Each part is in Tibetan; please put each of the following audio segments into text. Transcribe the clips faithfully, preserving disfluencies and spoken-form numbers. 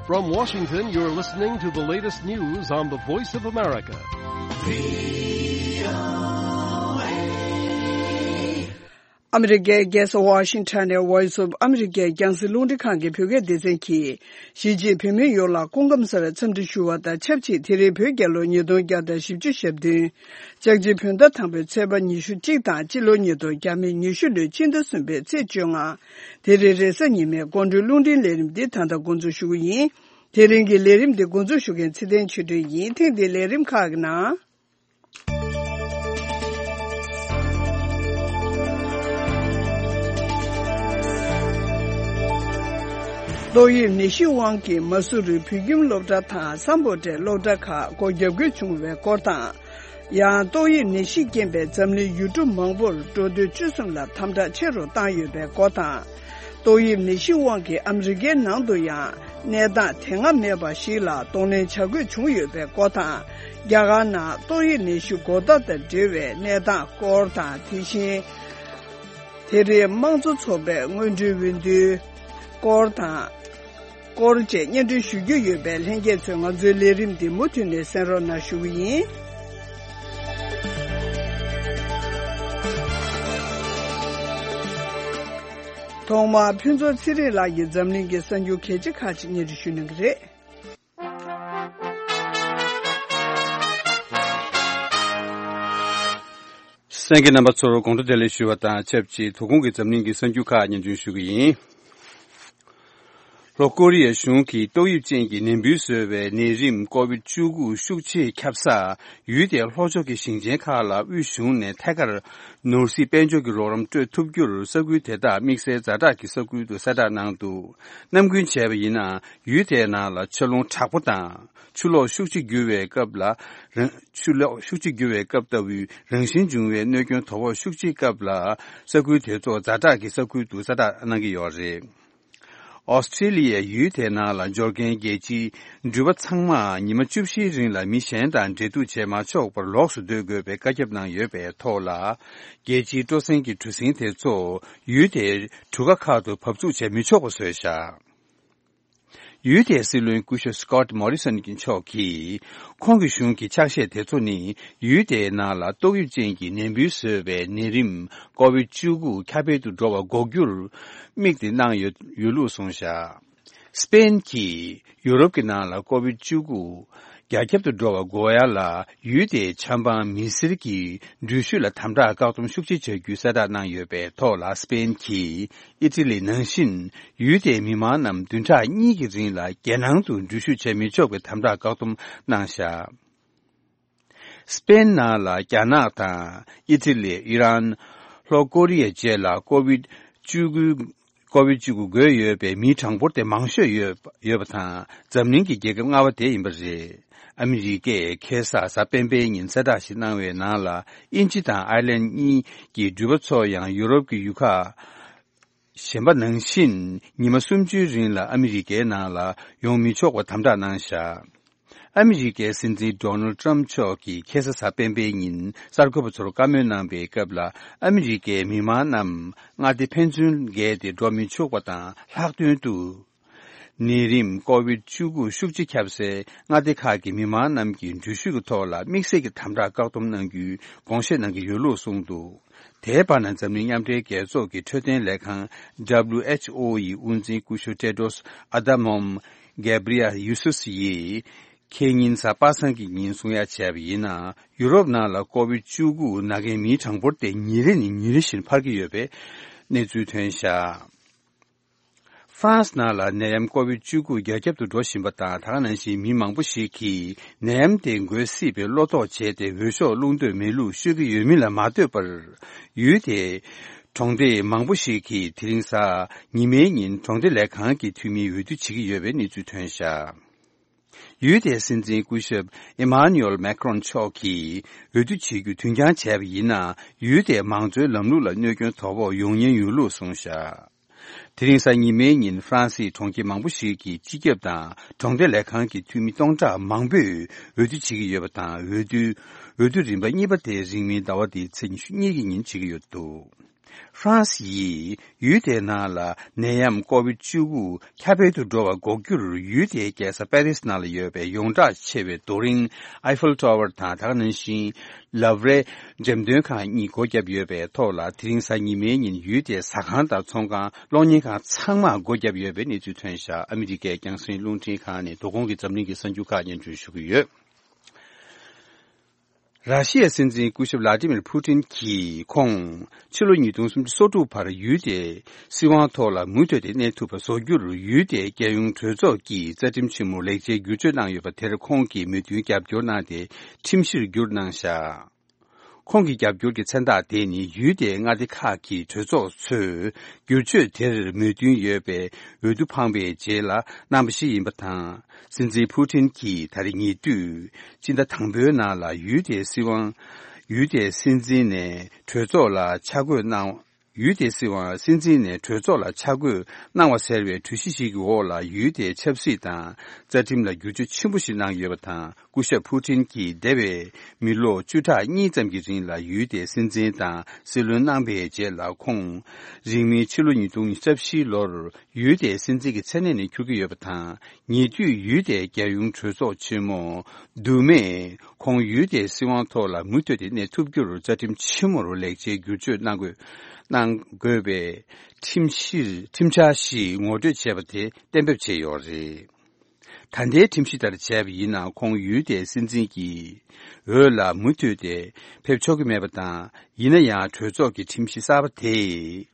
From Washington, you're listening to the latest news on the Voice of America. ཨ་མི་རི་ཀའི་རྒྱལ་ས་ཝ་ཤིང་ཊོན་ནས་Voice of America རྒྱང་སྲིང་རླུང་འཕྲིན་ཁང་གི་བོད་སྐད་སྡེ་ཚན་གྱིས། གཞིས་བྱེས་བོད་མི་ཡོངས་ལ་སྐུ་ཁམས་བཟང་བའི་འཚམས་འདྲི་ཞུ་བ་དང་ཆབས་ཅིག་དེ་རིང་བོད་རྒྱལ་ལོ་ཉིས་སྟོང་བརྒྱ་དང་བཞི་བཅུ་ཞེ་བདུན། ལྕགས་བྱི་བོད་ཟླ་དང་པོའི་ཚེས་པ་ཉི་ཤུ་གཅིག་དང་སྤྱི་ལོ་ཉིས་སྟོང་ཉི་ཤུ་ལོའི་སྤྱི་ཟླ་གསུམ་པའི་ཚེས་བཅོ་ལྔ། དེ་རིང་རེས་གཟའ་ཉི་མའི་དགོང་དྲོའི་རླུང་འཕྲིན་ལས་རིམ་འདི་ད་ལྟ་འགོ་འཛུགས་ཞུ་གི་ཡིན། དེ་རིང་གི་ལས་རིམ་འདི་འགོ་འཛུགས་ཞུ་མཁན་ཚེ་བརྟན་ཆོས་སྒྲོན་ཡིན། ཐེངས་འདིའི་ལས་རིམ་ཁག་གི་ནང་། ཏོག་དབྱིབས་ནད་གཞི་དབང་གིས་མ་སུ་རུའི་བོད་ཁྱིམ་སློབ་གྲྭ་དང་སམ་བྷོ་ཊའི་སློབ་གྲྭ་ཁག་སྒོ་བརྒྱབ་དགོས་བྱུང་བའི་སྐོར་དང་། ཡང་ཏོག་དབྱིབས་ནད་གཞིས་རྐྱེན་པས་འཛམ་གླིང་ཡུལ་གྲུ་མང་པོར་འགྲོ་སྡོད་བཅུ་གསུམ་ལ་དམ་དྲག་ཆེ་རུ་བཏང་ཡོད་པའི་སྐོར་དང་། ཏོག་དབྱིབས་ནད་གཞིས་དབང་གིས་ཨ་མི་རི་ཀའི་ནང་དུ་ཡང་གནས་སྟངས་དེ་སྔ་མེད་པ་ཞིག་ལ་གདོང་ལེན་བྱ་དགོས་བྱུང་ཡོད་པའི་སྐོར་དང་། རྒྱ་གར་ནང་ཏོག་དབྱིབས་ནད་གཞི་འགོ་ཟླ་དང་འབྲེལ་བའི་གནས་སྟངས་སྐོར་དང་། དེ་བཞིན་དེ་རིང་དམངས་གཙོ་ཚོགས་པའི་སྔོན་འགྲོའི་འོས་བསྡུའི་སྐོར་དང་། སྐོར་བཅས་སྙན་སྒྲོན་ཞུ་རྒྱུ་ཡོད་པས་ལྷན་རྒྱས་ཚོས་ང་ཚོའི་ལས་རིམ་འདི་མུ་མཐུད་ནས་གསན་རོགས་གནང་ཞུ་གི་ཡིན། ཐོག་མར་ཕུན་ཚོགས་ཚེ་རིང་ལགས་ཀྱིས་འཛམ་གླིང་གི་གསར་འགྱུར་གལ་ཆེ་ཁག་ཅིག་སྙན་སྒྲོན་ཞུ་གནང་གི་རེད། གསན་མཁན་རྣམ་པ་ཚོར་དགོང་དྲོ་བདེ་ལེགས་ཞུ་བ་དང་ཆབས་ཅིག་དོ་དགོང་གི་འཛམ་གླིང་གི་གསར་འགྱུར་ཁག་སྙན་སྒྲོན་ཞུ་གི་ཡིན། ལྷོ་ཀོ་རི་ཡའི་གཞུང་གིས་ཏོག་དབྱིབས་ཅན་གྱི་ནད་འབུ་བཟོས་པའི་ནད་རིམས་ཀོ་བིད་བཅུ་དགུ་ཤུགས་ཆེས་ཁྱབ་ས་ཡུལ་དེའི་ལྷོ་ཕྱོགས་ཀྱི་ཞིང་ཆེན་ཁག་ལ་དབུས་གཞུང་ནས་ཐད་ཀར་ནོར་སྲིད་དཔལ་འབྱོར་གྱི་རོགས་རམ་སྤྲོད་ཐུབ་རྒྱུར་ས་ཁུལ་དེ་དག་དམིགས་བསལ་ཛ་དྲག་གི་ས་ཁུལ་དུ་གསལ་བསྒྲགས་གནང་འདུག། ནམ་རྒྱུན་བྱས་པ་ཡིན་ན། ཡུལ་དེའི་ནང་ལ་ཆར་རླུང་དྲག་པོ་དང་ཆུ་ལོག་ཤུགས་ཆེ་རྒྱུ་བའི་སྐབས་ལ་རང་། ཆུ་ལོག་ཤུགས་ཆེ་རྒྱུ་བའི་སྐབས་ལྟ་བུའི་རང་བཞིན་འབྱུང་བའི་གནོད་སྐྱོན་དོ་ཕོག་ཤུགས་ཆེའི་སྐབས་ལ་ས་ཁུལ་དེ་ཚོ་ཛ་དྲག་གི་ས་ཁུལ་དུ་གསལ་བསྒྲགས་གནང་གི་ཡོད་རེད། ཨོ་སི་ཀྲི་ལི་ཡའི་ཡུལ་དེའི་ནང་ལ་འབྱོར་མཁན་རྒྱལ་སྤྱིའི་འགྲུལ་པ་ཚང་མ་ཉི་མ་བཅུ་བཞིའི་རིང་ལ་མི་གཞན་དང་འབྲེལ་གཏུག་བྱེད་མ་ཆོག་པར་ལོགས་སུ་སྡོད་དགོས་པའི་བཀའ་ཁྱབ་གནང་ཡོད་པའི་ཐོག་ལ། རྒྱལ་སྤྱིའི་སྤྲོ་གསེང་གི་གྲུ་གཟིངས་དེ་ཚོ་ཡུལ་དེའི་གྲུ་ཁ་ཁག་ཏུ་བབས་ཚུགས་བྱེད་མི་ཆོག་པ་བཟོས་བཞག། ཡུལ་དེའི་སྲིད་བློན་སྐུ་ཞབས་སི་ཀོཊ་མོ་རི་སོན་གྱི་མཆོག་གིས། ཁོང་གི་གཞུང་གི་ཕྱག་བཞེས་དེ་ཚོ་ནི། ཡུལ་དེའི་ནང་ལ་ཏོག་དབྱིབས་ཅན་གྱི་ནད་འབུ་བཟོས་པའི་ནད་རིམས་ཀོ་བིད་བཅུ་དགུ་ཁྱབ་སྤེལ་དུ་འགྲོ་བ་འགོག་རྒྱུར་དམིགས་ཏེ་གནང་ཡོད་ཡོད་ལུགས་གསུངས་བཞག། སི་པེན་གྱིས་ཡུ་རོབ་ཀྱི་ནང་ལ་ཀོ་བིད་བཅུ་དགུ་རྒྱ་ཁྱབ་ཏུ་འགྲོ་བ་འགོག་ཡ་ལ་ཡུལ་དེའི་ཆབ་འབངས་མི་སེར་གྱི་འགྲུལ་བཞུད་ལ་དམ་དྲག་བཀག་སྡོམ་ཤུགས་ཆེ་བྱ་རྒྱུའི་གསལ་བསྒྲགས་གནང་ཡོད་པའི་ཐོག་ལ། སི་པེན་གྱིས་ཨི་ཊ་ལི་ནང་བཞིན་ཡུལ་དེའི་མི་མང་རྣམས་བདུན་ཕྲག་གཉིས་ཀྱི་རིང་ལ་རྒྱལ་ནང་དུ་འགྲུལ་བཞུད་བྱེད་མི་ཆོག་པའི་དམ་དྲག་བཀག་སྡོམ་གནང་བཞག། སི་པེན་ནང་ལ་རྒྱ་ནག་དང་ཨི་ཊ་ལི། ཨི་རན། ལྷོ་ཀོ་རི་ཡ་བཅས་ལ་ཀོ་བིད་བཅུ་དགུ། ཀོ་བིད་བཅུ་དགུ་འགོས་ཡོད་པའི་མིའི་གྲངས་འབོར་དེ་མང་ཤོས་ཡོད་ཡོད་པ་དང་། འཛམ་གླིང་གི་རྒྱལ་ཁབ་ལྔ་པ་དེ་ཡིན་པ་རེད། ཨ་མི་རི་ཀས་ཁ་སང་གཟའ་སྤེན་པའི་ཉིན་གསལ་བསྒྲགས་ཤིག་གནང་བའི་ནང་ལ། དབྱིན་ཇི་དང་ཨའི་ལན་གཉིས་ཀྱི་འགྲུལ་པ་ཚོ་ཡང་ཡུ་རོབ་ཀྱི་ཡུལ་ཁག་གཞན་པ་ནང་བཞིན་ཉི་མ་སུམ་ཅུའི་རིང་ལ་ཨ་མི་རི་ཀའི་ནང་ལ་ཡོང་མི་ཆོག་པ་དམ་དྲག་གནང་བཞག། ཨ་མི་རི་ཀའི་སྲིད་འཛིན་ཌོ་ནལ་ཊམ་མཆོག་གིས་ཁ་སང་གཟའ་སྤེན་པའི་ཉིན་གསར་འགོད་པ་ཚོར་བཀའ་མོལ་གནང་པའི་སྐབས་ལ། ཨ་མི་རི་ཀའི་མི་མང་རྣམས་མངའ་སྡེ་ཕན་ཚུན་བརྒལ་ཏེ་འགྲོ་མི་ཆོག་པ་དང་། ལྷག་དོན་དུ། ནད་རིམས་ཀོ་བིད་བཅུ་དགུ་ཤུགས་ཆེ་ཁྱབ་སའི་མངའ་སྡེ་ཁག་གི་མི་མང་རྣམས་ཀྱི་འགྲུལ་བཞུད་ཀྱི་ཐོག་ལ་དམིགས་བསལ་གྱི་དམ་དྲག་བཀག་སྡོམ་གནང་རྒྱུའི་དགོངས་བཞེས་གནང་གི་ཡོད་ལུགས་གསུངས་འདུག། དེའི་བར་ན། འཛམ་གླིང་མཉམ་འབྲེལ་རྒྱལ་ཚོགས་ཀྱི་འཕྲོད་བསྟེན་ལས་ཁང་། ཌབ་ལིའུ་ཨེཆ་ཨོ་ཡི་དབུ་འཛིན་སྐུ་ཞབས་ཏེ་ཏྲོས་ཨ་དྷ་ནོམ་གེབ་རི་ཡལ་ཡུ་སུས་ཡིས། ཁེ་ཉིན་གཟའ་པ་སངས་ཀྱི་ཉིན་གསུང་ཡ་བྱས་པ་ཡིན་ན། ཡུ་རོབ་ནང་ལ་ཀོ་བིད་བཅུ་དགུ་ན་མཁན་མིའི་གྲངས་འབོར་དེ་ཉིན་རེ་ནས་ཉིན་རེ་བཞིན་འཕར་གྱི་ཡོད་པའི་གནས་ཚུལ་ཐོན་བཞག། ཧྥ་རན་སི་ནང་ལ་ནད་ཡམས་ཀོ་བིད་བཅུ་དགུ་རྒྱ་ཁྱབ་ཏུ་འགྲོ་བཞིན་པ་དང་། ད་ག་ནང་བཞིན་མི་མང་པོ་ཞིག་གིས་ནད་ཡམས་དེ་འགོས་སྲིད་པའི་བློ་དོགས་བྱས་ཏེ། འོས་ཤོག་བླུག་འདོད་མེད་ལུགས་ཤོད་ཀྱི་ཡོད་མིན་ལ་མ་ལྟོས་པར། ཡུལ་དེའི་གྲོང་སྡེ་མང་པོ་ཞིག་གིས་དེ་རིང་གཟའ་ཉི་མའི་ཉིན་གྲོང་སྡེ་ལས་ཁང་གི་འཐུས་མིའི་འོས་བསྡུ་བྱེད་ཀྱི་ཡོད་པའི་གནས་ཚུལ་ཐོན་བཞག། ཡུལ་དེའི་སྲིད་འཛིན་སྐུ་ཞབས་ཨེ་མཱ་ནུ་ཨེལ་མེག་རོན་མཆོག་གིས་འོས་བསྡུ་བྱེད་རྒྱུ་དུས་འགྱངས་བྱས་པ་ཡིན་ན། ཡུལ་དེའི་མང་གཙོའི་ལམ་ལུགས་ལ་གནོད་སྐྱོན་དོ་ཕོག་ཡོང་ཉེན་ཡོད་ལུགས་གསུངས་བཞག། དེ་རིང་གཟའ་ཉི་མའི་ཉིན་ཧྥ་རན་སིའི་གྲོང་ཁྱེར་མང་པོ་ཞིག་གི་སྤྱི་ཁྱབ་དང་གྲོང་སྡེ་ལས་ཁང་གི་འཐུས་མི་སྟོང་ཕྲག་མང་པོས་འོས་བསྡུ་བྱེད་ཀྱི་ཡོད་པ་དང་། འོས་བསྡུ་འོས་བསྡུ་རིམ་པ་གཉིས་པ་དེ་རིང་མིན་ཟླ་བ་འདིའི་ཚེས་ཉི་ཤུ་གཉིས་ཀྱི་ཉིན་བྱེད་ཀྱི་ཡོད་འདུག། ཧྥ་རན་སི་ཡིས་ཡུལ་དེའི་ནང་ལ་ནད་ཡམས་ཀོ་བིད་བཅུ་དགུ་ཁྱབ་སྤེལ་དུ་འགྲོ་བ་འགོག་རྒྱུར། ཡུལ་དེའི་རྒྱལ་ས་པེ་རིས་ནང་ལ་ཡོད་པའི་ཡོངས་གྲགས་ཆེ་བའི་རྡོ་རིང་ཨའི་ཧྥལ་ཊ་ཝར་དང་། ད་ག་ནང་བཞིན་ལབ་རེ་འགྲེམས་སྟོན་ཁང་གཉིས་སྒོ་བརྒྱབ་ཡོད་པའི་ཐོག་ལ། དེ་རིང་གཟའ་ཉི་མའི་ཉིན་ཡུལ་དེའི་ཟ་ཁང་དང་ཚོང་ཁང་། གློག་བརྙན་ཁང་ཚང་མ་སྒོ་བརྒྱབ་ཡོད་པའི་གནས་ཚུལ་ཐོན་ཤག་ཨ་མི་རི་ཀའི་རྒྱང་སྲིང་རླུང་འཕྲིན་ཁང་ནས་དོ་དགོང་གི་འཛམ་གླིང་གི་གསར་འགྱུར་ཁག་སྙན་སྒྲོན་ཞུ་གི་ཡོད། ར་ཤི་ཡའི་སྲིད་འཛིན་སྐུ་ཞབས་ལ་ཏི་མིར་ཕུ་ཏིན་གྱིས། ཁོང་ཕྱི་ལོ་ཉིས་སྟོང་སུམ་ཅུ་སོ་དྲུག་བར་ཡུལ་དེའི་སྲིད་དབང་ཐོག་ལ་མུ་མཐུད་དེ་གནས་ཐུབ་པ་བཟོ་རྒྱུར། ཡུལ་དེའི་རྒྱལ་ཡོངས་གྲོས་ཚོགས་ཀྱི་རྩ་ཁྲིམས་ཆེན་མོར་ལེགས་ཆའི་བསྒྱུར་བཅོས་གནང་ཡོད་པ་དེར། ཁོང་གིས་མོས་མཐུན་རྒྱབ་སྐྱོར་གནང་སྟེ། ཁྲིམས་གཞིར་བསྒྱུར་གནང་བཞག་ཁོང་གི་རྒྱབ་སྐྱོར་གྱི་མཚན་རྟགས་དེ་ནི། ཡུལ་དེའི་མངའ་སྡེ་ཁག་གི་གྲོས་ཚོགས་ཚོས་བསྒྱུར་བཅོས་དེར་མོས་མཐུན་ཡོད་པའི་འོས་བསྡུ་འཕངས་པའི་རྗེས་ལ་གནང་བ་ཞིག་ཡིན་པ་དང་། སྲིད་འཛིན་ཕུ་ཏིན་གྱིས་ད་རེས་ཉེ་དུས་སྤྱི་ཟླ་དང་པོའི་ནང་ལ་ཡུལ་དེའི་སྲིད་དབང་། ཡུལ་དེའི་སྲིད་འཛིན་ནས་གྲོས་ཚོགས་ལ་ཆ་བགོས་གནང་། ཡུལ་དེའི་སྲིད་དབང་སྲིད་འཛིན་ནས་གྲོས་ཚོགས་ལ་ཆ་བགོས་གནང་བ་ཟེར་བའི་གྲོས་གཞི་ཞིག་གི་འོག་ལ། ཡུལ་དེའི་ཆབ་སྲིད་དང་རྩ་ཁྲིམས་ལ་བསྒྱུར་བཅོས་ཆེན་པོ་ཞིག་གནང་ཡོད་པ་དང་། སྐུ་ཞབས་ཕུ་ཏིན་གྱིས་འདས་པའི་མི་ལོ་བཅུ་ཕྲག་གཉིས་ཙམ་གྱི་རིང་ལ་ཡུལ་དེའི་སྲིད་འཛིན་དང་སྲིད་བློན་གནང་པའི་རྗེས་ལ། ཁོང་རིང་མིན་ཕྱི་ལོ་ཉིས་སྟོང་ཉི་ཤུ་རྩ་བཞིའི་ལོར་ཡུལ་དེའི་སྲིད་འཛིན་གྱི་མཚན་གནས་ནས་འཁྱུར་གྱི་ཡོད་པ་དང་། ཉེ་དུས་ཡུལ་དེའི་རྒྱལ་ཡོངས་གྲོས་ཚོགས་ཆེན་མོ་དུ་མས་ཁོང་ཡུལ་དེའི་སྲིད་དབང་ཐོག་ལ་མུ་མཐུད་དེ་གནས་ཐུབ་རྒྱུར་རྩ་ཁྲིམས་ཆེན་མོར་ལེགས་ཆའི་བསྒྱུར་བཅོས་གནང་དགོས། གནང་དགོས་པའི་ཁྲིམས་གཞིར། ཁྲིམས་འཆར་ཞིག་ངོ་སྤྲོད་བྱས་པ་དེ་གཏན་འབེབས་བྱས་ཡོད་རེད། ད་ལྟའི་ཁྲིམས་གཞི་ལྟར་བྱས་པ་ཡིན་ན། ཁོང་ཡུལ་དེའི་སྲིད་འཛིན་གྱི་འོས་ལ་མུ་མཐུད་དེ་ཕེབས་ཆོག་གི་མེད་པ་དང་། ཡིན་ན་ཡང་གྲོས་ཚོགས་ཀྱི་ཁྲིམས་གཞི་གསར་པ་དེས་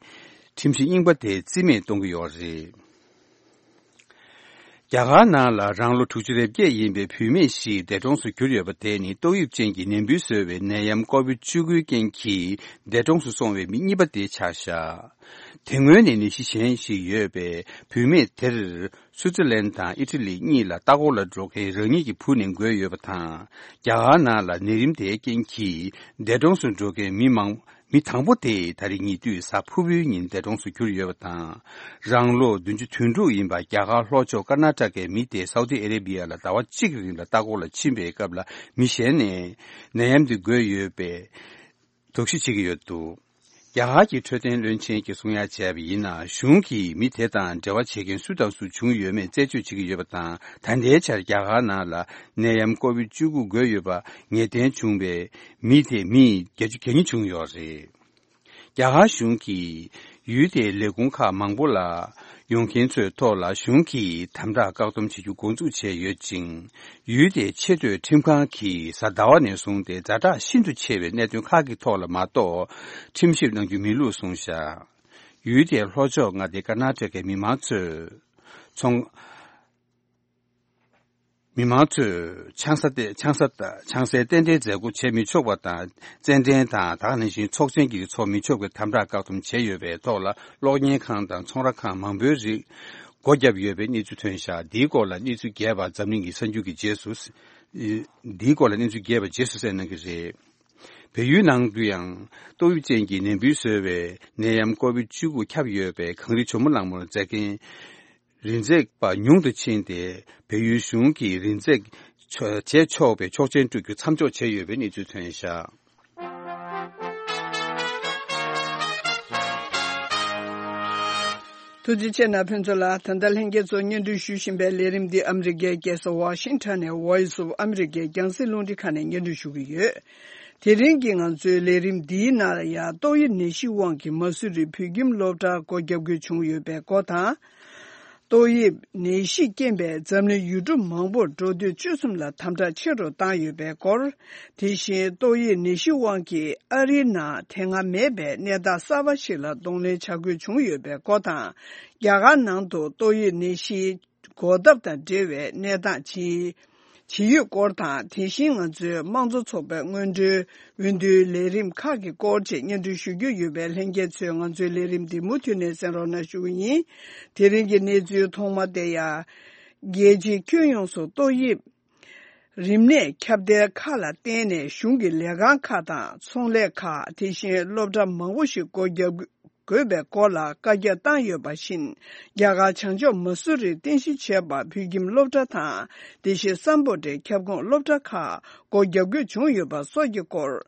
ཁྲིམས་གཞི་རྙིང་པ་དེ་རྩིས་མེད་གཏོང་གི་ཡོད་རེད། རྒྱ་གར་ནང་ལ་རང་ལོ་དྲུག་ཅུ་རེ་བརྒྱད་ཡིན་པའི་བུད་མེད་ཞིག་འདས་གྲོངས་སུ་གྱུར་ཡོད་པ་དེ་ནི། ཏོག་དབྱིབས་ཅན་གྱི་ནད་འབུ་བཟོ་བའི་ནད་ཡམས་ཀོ་བིད་བཅུ་དགུའི་རྐྱེན་གྱིས་འདས་གྲོངས་སུ་སོང་བའི་མི་གཉིས་པ་དེ་ཆགས་བཞག་དེ་སྔོན་ནས་ནད་གཞི་གཞན་ཞིག་ཡོད་པའི་བུད་མེད་དེར། སུའུ་ཙི་ལན་དང་ཨི་ཊ་ལི་གཉིས་ལ་ལྟ་སྐོར་ལ་འགྲོ་མཁན་རང་ཉིད་ཀྱི་བུ་ནས་འགོས་ཡོད་པ་དང་། རྒྱ་གར་ནང་ལ་ནད་རིམས་དེའི་རྐྱེན་གྱིས་འདས་གྲོངས་སུ་འགྲོ་མཁན་མི་མང་། མི་དང་པོ་དེ་ད་རེས་ཉེ་དུས་གཟའ་ཕུར་བུའི་ཉིན་འདས་གྲོངས་སུ་གྱུར་ཡོད་པ་དང་། རང་ལོ་བདུན་ཅུ་དོན་དྲུག་ཡིན་པ་རྒྱ་གར་ལྷོ་ཕྱོགས་ཀར་ན་ཊ་ཀའི་མི་དེ་སའུ་དི་ཨ་རེ་བྷི་ཡ་ལ་ཟླ་བ་གཅིག་རིང་ལ་ལྟ་སྐོར་ལ་ཕྱིན་པའི་སྐབས་ལ། མི་གཞན་ནས་ནད་ཡམས་དེ་འགོས་ཡོད་པའི་དོགས་གཞི་བྱེད་ཀྱི་ཡོད་འདུག་རྒྱ་གར་གྱི་འཕྲོད་བསྟེན་བློན་ཆེན་གྱིས་གསུང་ཡ་བྱས་པ་ཡིན་ན། གཞུང་གིས་མི་དེ་དང་འབྲེལ་བ་བྱེད་མཁན་སུ་དང་སུ་བྱུང་ཡོད་མེད་རྩད་གཅོད་བྱེད་ཀྱི་ཡོད་པ་དང་། ད་ལྟའི་ཆར་རྒྱ་གར་ནང་ལ་ནད་ཡམས་ཀོ་བིད་བཅུ་དགུ་འགོས་ཡོད་པ་ངེས་གཏན་བྱུང་བའི་མི་དེ་མི་བརྒྱད་ཅུ་གྱ་གཉིས་བྱུང་ཡོད་རེད། རྒྱ་གར་གཞུང་གིས་ཡུལ་དེའི་ལས་ཁུངས་ཁག་མང་པོ་ལ་ཡོང་མཁན་ཚོའི་ཐོག་ལ་གཞུང་གིས་དམ་དྲག་བཀག་སྡོམ་བྱེད་རྒྱུ་འགོ་འཛུགས་བྱས་ཡོད་ཅིང་། ཡུལ་དེའི་ཆེས་མཐོའི་ཁྲིམས་ཁང་གིས་གཟའ་ཟླ་བ་ནས་བཟུང་སྟེ་ཛ་དྲག་ཤིན་ཏུ་ཆེ་བའི་གནད་དོན་ཁག་གི་ཐོག་ལ་མ་གཏོགས་ཁྲིམས་ཞིབ་གནང་རྒྱུ་མེད་ལུགས་གསུངས་བཞག་ཡུལ་དེའི་ལྷོ་ཕྱོགས་མངའ་སྡེ་ཀར་ན་ཊ་ཀའི་མི་མང་ཚོས་ཚོང་། མི་མང་ཚོས་ཆང་ས་སྟེ། ཆང་ས་དང་ཆང་སའི་རྟེན་འབྲེལ་མཛད་སྒོ་བྱེད་མི་ཆོག་པ་དང་། རྩེད་འགྲན་དང་། ད་ག་ནང་བཞིན་ཚོགས་ཆེན་གྱི་ཚོགས་མི་ཆོག་པའི་དམ་དྲག་བཀག་སྡོམ་བྱས་ཡོད་པའི་ཐོག་ལ། གློག་བརྙན་ཁང་དང་ཚོང་ར་ཁང་མང་པོའི་རིགས་སྒོ་བརྒྱབ་ཡོད་པའི་གནས་ཚུལ་ཐོན་ཤག་འདིའི་སྐོར་ལ་གནས་ཚུལ་རྒྱས་པ་འཛམ་གླིང་གི་གསར་འགྱུར་གྱི་རྗེས་སུ། འདིའི་སྐོར་ལ་གནས་ཚུལ་རྒྱས་པ་རྗེས་སུ་གསན་གནང་གི་རེད། བལ་ཡུལ་ནང་དུ་ཡང་ཏོག་དབྱིབས་ཅན་གྱི་ནད་འབུ་བཟོ་བའི་ནད་ཡམས་ཀོ་བིད་བཅུ་དགུ་ཁྱབ་ཡོད་པའི་གངས་རི་ཇོ་མོ་གླང་མོར་འཛེག་མཁན་རི་འཛེག་པ་ཉུང་དུ་ཕྱིན་ཏེ། བལ་ཡུལ་གཞུང་གིས་རི་འཛེག་ཆོག་བྱེད་ཆོག་པའི་ཆོག་མཆན་སྤྲོད་རྒྱུ་མཚམས་འཇོག་བྱས་ཡོད་པའི་གནས་ཚུལ་ཐོན་ཤག་ཐུགས་རྗེ་ཆེ་གནང་ཕུན་ཚོགས་ལགས། ད་ལྟ་ལྷན་རྒྱས་ཚོ་སྙན་སྒྲོན་ཞུ་བཞིན་པའི་ལས་རིམ་འདི་ཨ་མི་རི་ཀའི་རྒྱལ་ས་ཝ་ཤིང་ཊོན་ནས་Voice of America རྒྱང་སྲིང་རླུང་འཕྲིན་ཁང་ནས་སྙན་སྒྲོན་ཞུ་གི་ཡོད། དེ་རིང་གི་ང་ཚོའི་ལས་རིམ་འདིའི་ནང་ལ་ཡང་ཏོག་དབྱིབས་ནད་གཞི་དབང་གིས་མ་སུ་རི་བོད་ཁྱིམ་སློབ་གྲྭར་སྒོ་བརྒྱབ་དགོས་བྱུང་ཡོད་པའི་སྐོར་དང་། ཏོག་དབྱིབས་ནད་གཞིས་རྐྱེན་པས་འཛམ་གླིང་ཡུལ་གྲུ་མང་པོར་འགྲོ་སྡོད་བཅུ་གསུམ་ལ་དམ་དྲག་ཆེ་རུ་བཏང་ཡོད་པའི་སྐོར། དེ་བཞིན་ཏོག་དབྱིབས་ནད་གཞིའི་དབང་གིས་ཨ་རིའི་ནང་དེ་སྔ་མེད་པའི་གནས་སྟངས་གསར་པ་ཞིག་ལ་གདོང་ལེན་བྱ་དགོས་བྱུང་ཡོད་པའི་སྐོར་དང་། རྒྱ་གར་ནང་དུ་ཏོག་དབྱིབས་ནད་གཞིའི་འགོག་ཐབས་དང་འབྲེལ་བའི་གནས་སྟངས་ཇི་ཇི་ཡོད་སྐོར་དང་། དེ་བཞིན་ང་ཚོའི་དམངས་གཙོ་ཚོགས་པའི་སྔོན་འགྲོའི་འོས་བསྡུའི་ལས་རིམ་ཁག་གི་སྐོར་བཅས་སྙན་སྒྲོན་ཞུ་རྒྱུ་ཡོད་པས། ལྷན་རྒྱས་ཚོས་ང་ཚོའི་ལས་རིམ་འདི་མུ་མཐུད་ནས་གསན་རོགས་གནང་ཞུ་གི་ཡིན། དེ་རིང་གི་གནས་ཚུལ་ཐོག་མ་དེ་ཡང་། རྒྱལ་སྤྱིའི་ཁྱོན་ཡོངས་སུ་ཏོག་དབྱིབས་རིམས་ནད་ཁྱབ་གདལ་ཁག་ལ་བརྟེན་ནས་གཞུང་གི་ལས་ཁང་ཁག་དང་ཚོང་ལས་ཁག་དེ་བཞིན་སློབ་གྲྭ་མང་པོ་ཞིག་སྒོ་བརྒྱབ་ དགོས་པའི་སྐོར་ལ་བཀའ་རྒྱ་བཏང་ཡོད་པ་བཞིན། རྒྱ་གར་བྱང་ཕྱོགས་མ་སུ་རིར་རྟེན་གཞི་བྱས་པ་བོད་ཁྱིམ་སློབ་གྲྭ་དང་། དེ་བཞིན་སམ་བྷོ་ཊའི་ཁྱབ་ཁོངས་སློབ་གྲྭ་ཁག་སྒོ་རྒྱག་དགོས་བྱུང་ཡོད་པ་སོགས་ཀྱི་སྐོར།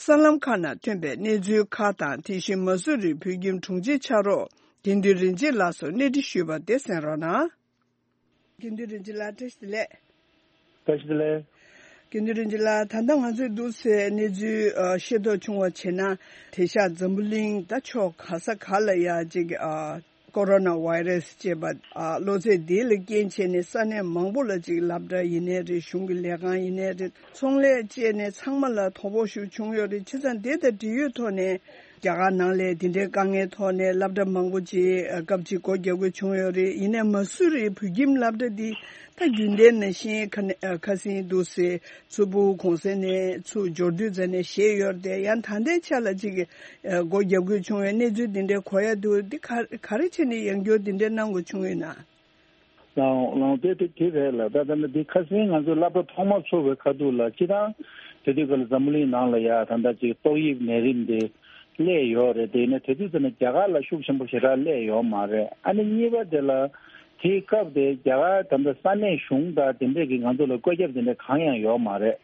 གསར་ལམ་ཁག་ནང་ཐོན་པའི་གནས་ཚུལ་ཁག་དང་། དེ་བཞིན་མ་སུ་རིའི་བོད་ཁྱིམ་དྲུང་ཆེ་ཕྱག་རོགས་དགེ་འདུན་རིན་ཆེན་ལགས་སུ་གནས་འདྲི་ཞུས་པ་དེ་གསན་རོགས་གནང་། དགེ་འདུན་རིན་ཆེན་ལགས། བཀྲ་ཤིས་བདེ་ལེགས། བཀྲ་ཤིས་བདེ་ལེགས། དགེ་འདུན་རིན་ཆེན་ལགས། ད་ལྟ་ང་ཚོས་འདུག་སེ་གནས་ཚུལ་ཨ་ཤེས་རྟོགས་བྱུང་བ་བྱས་ན། དེང་སང་འཛམ་བུ་གླིང་ད་ཕྱོགས་ག་ས་ག་ལ་ཡ་ཅིག་ཨ་ཀོ་རོ་ན་བྷའི་རེ་སི་ཅེས་པ་ཨ་གློ་ཚད་འདི་ལ་རྐྱེན་བྱས་ནས་ས་གནས་མང་པོ་ལ་ཅིག་སློབ་གྲྭ་ཡིན་ནའི་རེད། གཞུང་གི་ལས་ཁང་ཡིན་ནའི་རེད། ཚོང་ལས་བཅས་ནས་ཚང་མ་ལ་དོ་ཕོག་ཤུགས་བྱུང་ཡོད་རེད། བྱས་ཙང་དེ་དང་འབྲེལ་ཡོད་ཐོག་ནས། རྒྱ་གར་ནང་ལ་དེ་འདྲའི་དཀའ་ངལ་ཐོག་ནས་སློབ་གྲྭ་མང་པོ་ཅིག་སྐབས་གཅིག་སྒོ་རྒྱག་དགོས་བྱུང་ཡོད་རེད། ཡིན་ནའི་མ་སུ་རིའི་བོད་ཁྱིམ་སློབ་གྲྭ་འདི་ད་རྒྱུན་ལྡན་ནང་བཞིན་ཁ་ནས་ཁ་སང་འདུག་སེ་ཚུར་ཕྲུ་གུ་གུང་སེང་ནས་ཚུར་འབྱོར་དུས་ཙམ་ནས་བཞེས་ཡོད་རེད་དེ། ཡང་ད་ལྟའི་ཆ་ལ་ཅིག་སྒོ་རྒྱག་དགོས་བྱུང་བའི་གནས་ཚུལ་འདི་འདྲའི་གོ་ཡ་འདུག་འདི་ག་ག་རེ་བྱས་ནས་ཡང་བསྐྱར་འདི་འདྲའི་གནང་དགོས་བྱུང་ཡོད་ན། ལའང་ལའང་དེ་དེ་དེ་རེད་ལ། ད་ད་ནི་འདི་ཁ་སང་ང་ཚོ་སློབ་གྲྭ་ཐོག་མ་ཚུགས་པའི་ཁ་ཐུག་ལ་སྤྱིར་བཏང་དེ་དུས་སྐབས་ལ་འཛམ་བུ་གླིང་ནང་ལ་ཡ་ད་ལྟ་ཅིག་ཏོག་དབྱིབས་ནད་རིམས་དེ་སླེབས་ཡོད་རེད། དེ་ཡིན་ན་དེ་དུས་ཙམ་ནས་རྒྱ་གར་ལ་ཤུགས་ཆེན་པོ་ཞེ་དྲག་སླེབས་ཡོད་མ་རེད། ཨ་ནི་གཉིས་པ་དེ་ལ་དེའི་སྐབས་དེ་རྒྱ་གར་ད་ལྟ་ས་གནས་གཞུང་དང་དེ་འདྲས་ཀྱིས་ང་ཚོ་ལ་བཀོད་ཁྱབ་དེ་འདྲས་གང་ཡང་ཡོད་མ་རེད།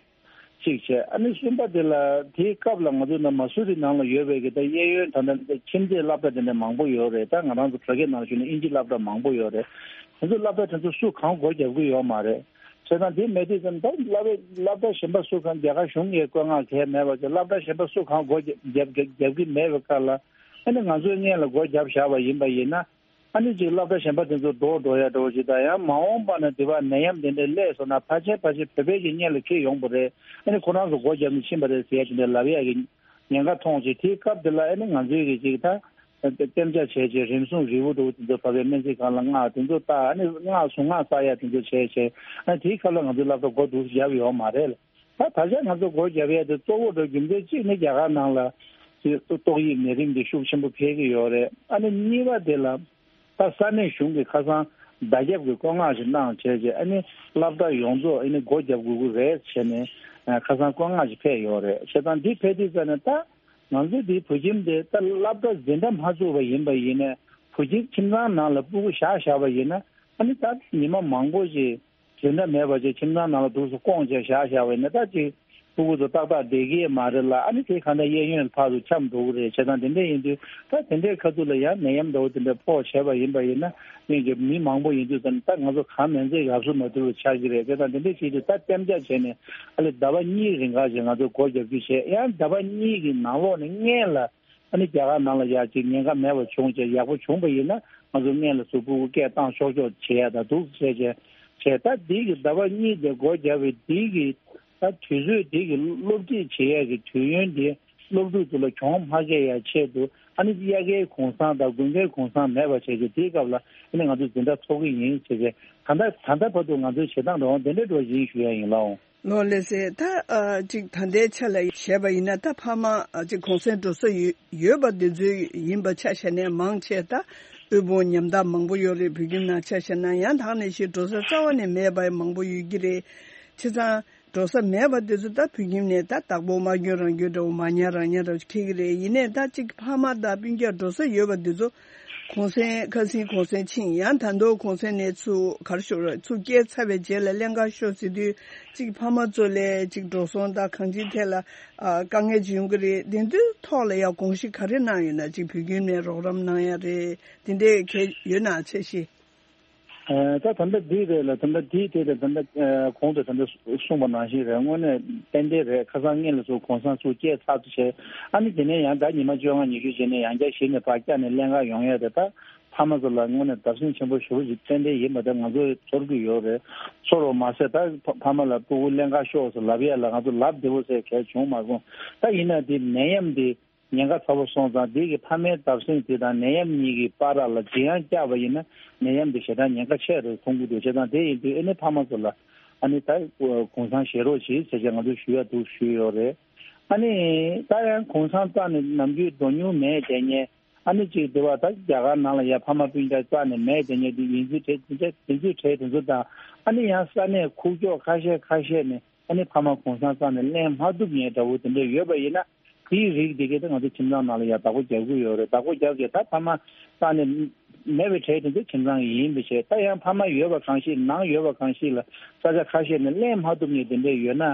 གཅིག་བྱས། ཨ་ནི་གསུམ་པ་དེ་ལ་དེའི་སྐབས་ལ་ང་ཚོ་ནང་མ་སུ་རི་ནང་ལ་ཡོད་པའི་གི་ད་གཡས་གཡོན་ད་ལྟ་ཁྱིམ་མཚེས་སློབ་གྲྭ་དེ་འདྲ་མང་པོ་ཡོད་རེད། ད་ང་རང་ཚོ་བོད་སྐད་ནང་ཞུས་ན་དབྱིན་ཇི་སློབ་གྲྭ་མང་པོ་ཡོད་རེད། དེ་ཚོ་སློབ་གྲྭ་དེ་ཚོ་སུ་གང་སྒོ་རྒྱབ་གི་ཡོད་མ་རེད། བྱས་ཙང་དེ་མེད་དུས་ཙམ་ད་སློབ་སློབ་གྲྭ་གཞན་པ་སུ་གང་རྒྱ་གར་གཞུང་ངོས་བཀོད་མངགས་གང་ཡང་མེད་པ་བྱས། སློབ་གྲྭ་གཞན་པ་སུ་གང་སྒོ་རྒྱབ་རྒྱབ་རྒྱབ་ཀྱི་མེད་པའི་སྐབས་ལ། ཨ་ནི་ང་ཚོའི་སྔོན་ལ་སྒོ་རྒྱབ་བཞག་པ་ཡིན་པ་ཡིན་ན། ཨ་ནི་ཅིག་སློབ་གྲྭ་གཞན་པ་དེ་ཚོ་འགྲོ་འགྲོ་ཡ་འགྲོ་ཅིག་དང་། ཡང་མ་འོངས་པ་ན་དེ་བ་ནད་ཡམས་དེ་འདྲ་སླེབས་སོང་ན་ཕལ་ཆེར་ཕལ་ཆེར་བོད་པའི་གི་སྔོན་ལ་འཁྱེར་ཡོང་པ་རེད། ཨ་ནི་ཁོ་རང་ཚོ་སྒོ་བརྒྱབ་ནས་ཕྱིན་པ་རེད་ཟེར་ཡ་དེ་འདྲ་ལབ་ཡ་གི་ཉེན་ཁ་མཐོང་ཅིག་དེའི་སྐབས་དེ་ལ་ཨ་ནི་ང་ཚོའི་གི་ཅིག་ད་གཏན་འཇགས་བྱས་བྱས་རིམས་སྲུང་རིལ་བུ་འདྲ་བོ་དེ་ཚོ་བབས་པའི་སྨན་རྩིས་ཁང་ལ་མངགས། དེ་ཚོ་ལྟ། ཨ་ནི་མངགས་གཟུངས་སྔགས་བསགས་ཡ་དེ་ཚོ་བྱས་བྱས། ཨ་ནི་དེའི་སྐབས་ལ་ང་ཚོའི་སློབ་གྲྭ་སྒོ་འདུག་བརྒྱབ་ཡོད་མ་རེད། ད་ད་ཆ་ང་ཚོ་སྒོ་བརྒྱབ་ཡས་དེ་གཙོ་བོ་འདྲ་རྒྱུ་མཚན་གཅིག་ནི་རྒྱ་གར་ནང་ལ་ཏོག་དབྱིབས་ནད་རིམས་འདི་ཤུགས་ཆེན་པོ་འཕེལ་གྱི་ཡོད་རེད། ཨ་ནི་གཉིས་པ་དེ་ལ་ད་ས་གནས་གཞུང་གིས་ཁ་སང་བརྡ་ཁྱབ་ཀྱི་བཀོད་མངགས་ཤིག་གནང་བྱས་རྗེས། ཨ་ནི་སློབ་གྲྭ་ཡོངས་རྫོགས་ཨ་ནི་སྒོ་བརྒྱབ་དགོས་ཀྱི་རེད་བྱས་ནས་ཁ་སང་བཀོད་མངགས་ཤིག་ཕེབས་ཡོད་རེད། བྱས་ཙང་འདི་ཕེབས་དུས་ཙམ་ནས་ད་ང་ཚོ་འདིའི་བོད་ཁྱིམ་དེ་ད་སློབ་གྲྭ་འཛིན་གྲྭ་མ་བཙུགས་པ་ཡིན་པ་ཡིན་ནའི་བོད་ཁྱིམ་ཁྱིམ་ཚང་ནང་ལ་སྤུ་གུ་བཞག་བཞག་པ་ཡིན་ན། ཨ་ནི་ད་ཉི་མ་མང་པོ་ཞིག་འཛིན་གྲྭ་མེད་པ་བྱས་ཁྱིམ་ཚང་ནང་ལ་འདུག་སེ་སྐོང་བྱས་བཞག་བཞག་པ་ཡིན་ན། ད་ཅིག་སྤུ་གུ་ཚོ་ཏག་ཏག་བསྡད་ཀྱི་མ་རེད་ལ། ཨ་ནི་དེ་གང་ལྟར་གཡས་གཡོན་ཕར་ཚུར་འཁྱམས་འགྲོ་གི་རེད། བྱས་ཙང་དེ་འདྲ་ཡིན་དུས་ད་དེ་འདྲའི་ཁ་ཐུག་ལ་ཡང་ནད་ཡམས་འདྲ་བོ་དེ་འདྲ་ཕོག་བྱས་པ་ཡིན་པ་ཡིན་ན། སྔོན་གྱི་མི་མང་པོ་ཡིན་དུས་ཙམ་ད་ང་ཚོ་གང་མིན་ཚད་ཡག་བཟོ་མ་ཐུབ་པ་ཆགས་ཀྱི་རེད། བྱས་ཙང་དེ་འདྲ་བྱེད་དུས་ད་གཏན་འཇགས་བྱས་ནས་ཨ་ལེ་ཟླ་བ་གཉིས་རིང་ག་ཞིག་ང་ཚོ་སྒོ་རྒྱབ་རྒྱུ་བྱས། ཡང་ཟླ་བ་གཉིས་ཀྱི་ནང་ལོགས་ནས་སྔོན་ལ། ཨ་ནི་རྒྱ་གར་ནང་ལ་ཡ་གཅིག་ཉེན་ཁ་མེད་པ་བྱུང་བྱས་ཡག་པོ་བྱུང་པ་ཡིན་ན། ང་ཚོ་སྔོན་ལ་ཚུར་སྤུ་གུ་སྐད་བཏང་ཆོག་ཆོག་བྱེད་ཡ་ད་འདུག་བྱས་བྱས་བྱས། ད་འདི་གི་ཟླ་བ་གཉིས་དེ་སྒོ་བརྒྱབ་པའི་འདི་གི་ད་དུས་ཚོད་འདི་གི་སློབ་ཁྲིད་བྱེད་ཡ་གི་དུས་ཡུན་འདི་སློབ་ཕྲུག་ཚོ་ལ་གྱོང་མ་བཀལ་ཡ་ཆེད་དུ། ཨ་ནི་དབྱར་ཁའི་གུང་སེང་དང་དགུན་ཁའི་གུང་སེང་མེད་པ་བྱས་རྗེས་དེའི་སྐབས་ལ་ཨ་ནི་ང་ཚོ་འཛིན་གྲྭ་ཚོགས་ཀྱི་ཡིན་བྱས་རྗེས། ད་ལྟ་ད་ལྟ་བར་དུ་ང་ཚོའི་བྱེད་སྟངས་འགྲོ་འོང་དེ་འདྲ་འགྲོ་བཞིན་ཞུ་ཡ་ཡིན་ལགས། ལགས་ལགས་སེ། ད་ཨ་ཅིག་ད་ལྟའི་ཆ་ལ་བྱས་པ་ཡིན་ན། ད་ཕ་མ་ཨ་ཅིག་གུང་སེང་འགྲོ་ས་ཡོད་ཡོད་པ་དེ་ཚོ་ཡིན་པ་ཆ་བཞག་ནས་མང་ཆེ་ད་དབུལ་ཕོངས་ཉམ་ཐག་མང་པོ་ཡོད་རེད། བོད་ཁྱིམ་ནང་ཆ་བཞག་ན་ཡང་དག་ནས་ཤི་འགྲོ་ས་རྩ་བ་ནས་མེད་པ་མང་པོ་ཡོད་ཀྱི་རེད། བྱས་ཙང་འགྲོ་ས་མེད་པ་དེ་ཚོ་ད་བོད་ཁྱིམ་ནས་ད་བདག་པོ་མ་སྐྱོན་རང་སྐྱོན་འདྲ་བོ་མ་ཉར་རང་ཉར་འདྲ་བོ་འཁྱེར་གྱི་རེད། ཡིན་ནའི་ད་ཅིག་ཕ་མ་དང་སྤུན་ཀྱག་འགྲོ་ས་ཡོད་པ་དེ་ཚོ་གུང་སེང་ཁ་སང་གུང་སེང་ཕྱིན། ཡང་ད་དུང་གུང་སེང་ནས་ཚུར་ག་རེ་ཞུ་རེད། ཚུར་སྐྱེལ་ཚར་བའི་རྗེས་ལ་ལྷན་ཁག་ཤོག་ཟེར་དུས་ཅིག་ཕ་མ་ཚོ་ལ་ཅིག་འགྲོ་སོང་དང་གང་ཅིའི་ཐད་ལ་ཨ་དཀའ་ངལ་ཅིག་ཡོང་གི་རེད། དེ་ཚོའི་ཐོག་ལ་ཡང་དགོངས་གཞི་ག་རེ་གནང་ཡོད་ན། ཅིག་བོད་ཁྱིམ་ནས་རོགས་རམ་གནང་ཡ་རེད། དེ་འདྲའི་གལ་ཡོད་ན་འཆར་གཞི། ཨ་ད་ད་ལྟ་འདི་རེད་ལ། ད་ལྟ་འདིའི་ཐད་དུ་ད་ལྟ་ཨ་གོང་དུ་ད་ལྟ་གསུངས་པ་ནང་བཞིན་རེད། དངོས་གནས་ཏན་ཏན་རེད། ཁ་སང་སྔོན་ལ་ཚུར་གུང་སེང་ཚུར་སྐྱེལ་ཚར་དུ་བྱས། ཨ་ནི་དེ་ནས་ཡང་ད་ཉི་མ་བཅོ་ལྔ་ཉི་ཤུ་རྗེས་ནས་ཡང་བསྐྱར་གཞི་ནས་ཕར་བསྐྱར་ནས་ལྷན་ཁག་ཡོང་ཡ་དེ་ད་ཕ་མ་ཚོ་ལ་དངོས་གནས་བརྡབ་གསིག་ཆེན་པོ་ཞེ་པོ་ཞིག་ཏན་ཏན་ཡིན་པ་དེ་ང་ཚོས་ཚོར་གྱི་ཡོད་རེད། ཚོར་བ་མ་ཟད་ད་ཕ་ཕ་མ་ལ་སྤུ་གུ་ལྷན་ཁག་ཤོག་ཟེར་ལབ་ཡ་ལ་ང་ཚོ་ལབ་བདེ་པོ་ཟེར་གལ་བྱུང་མ་སོང་། ད་ཡིན་ན་དེ་ནད་ཡམས་དེ་ཉེན་ཁ་ཚ་པོ་སོང་ཙང་། དེ་གི་ཕ་མའི་བརྡབ་གསིག་དེ་དང་ནད་ཡམས་གཉིས་ཀྱི་བར་ལ་འཇིགས་ཡང་བཀྱགས་པ་ཡིན་ན། ནད་ཡམས་དེ་ཞེ་དྲག་ཉེན་ཁ་ཆེ་རུ་མཐོང་གི་འདུག་བྱས་ཙང་དེ་ཡིན་དུས་ཨ་ནི་ཕ་མ་ཚོ་ལ་ཨ་ནི་ད་གུང་སེང་བཞེས་རོགས་གྱིས་ཟེར་བྱས་ང་ཚོས་ཞུ་ཡ་འདུག་ཞུས་ཡོད་རེད། ཨ་ནི་ད་ཡང་གུང་སེང་རྩ་ནས་ནམ་རྒྱུན་འགྲོ་མྱོང་མེད་བསྡད་མཁན། ཨ་ནི་ཅིག་དེ་བ་ད་རྒྱ་གར་ནང་ལ་ཡ་ཕ་མ་སྤུན་ཀྱག་རྩ་ནས་མེད་བསྡད་མཁན་དེ་ཡིན་ཚུལ་གྲས་དེ་འདྲ་དེ་ཚོའི་གྲས་དེ་ཚོ་དང་། ཨ་ནི་ཡང་ས་གནས་ཁུག་ཀྱོག་ཁ་ཤས་ཁ་ཤས་ནས་ཨ་ནི་ཕ་མ་གུང་སེང་རྩ་ནས་ལེན་མ་ཐུབ་མཁན་འདྲ་བོ་དེ་འདྲ་ཡོད་པ་ཡིན་ན། དེའི་རིགས་དེ་གས་ད་ང་ཚོ་ཁྱིམ་ཚང་ནང་ལ་ཡང་བདག་པོ་རྒྱག་གི་ཡོད་རེད། བདག་པོ་རྒྱབ་ཀྱི་ད་ཕ་མ་ས་ནས་མེད་པའི་གྲས་དེ་ཚོ་ཁྱིམ་ཚང་ཡིན་པའི་ཆེད། ད་ཡང་ཕ་མ་ཡོད་པ་གང་ཞིག་ནང་ཡོད་པ་གང་ཞིག་ལ་ས་ཆ་ཁ་ཤས་ནས་ལེན་མ་ཐུབ་མཁན་དེ་འདྲས་ཡོད་ན།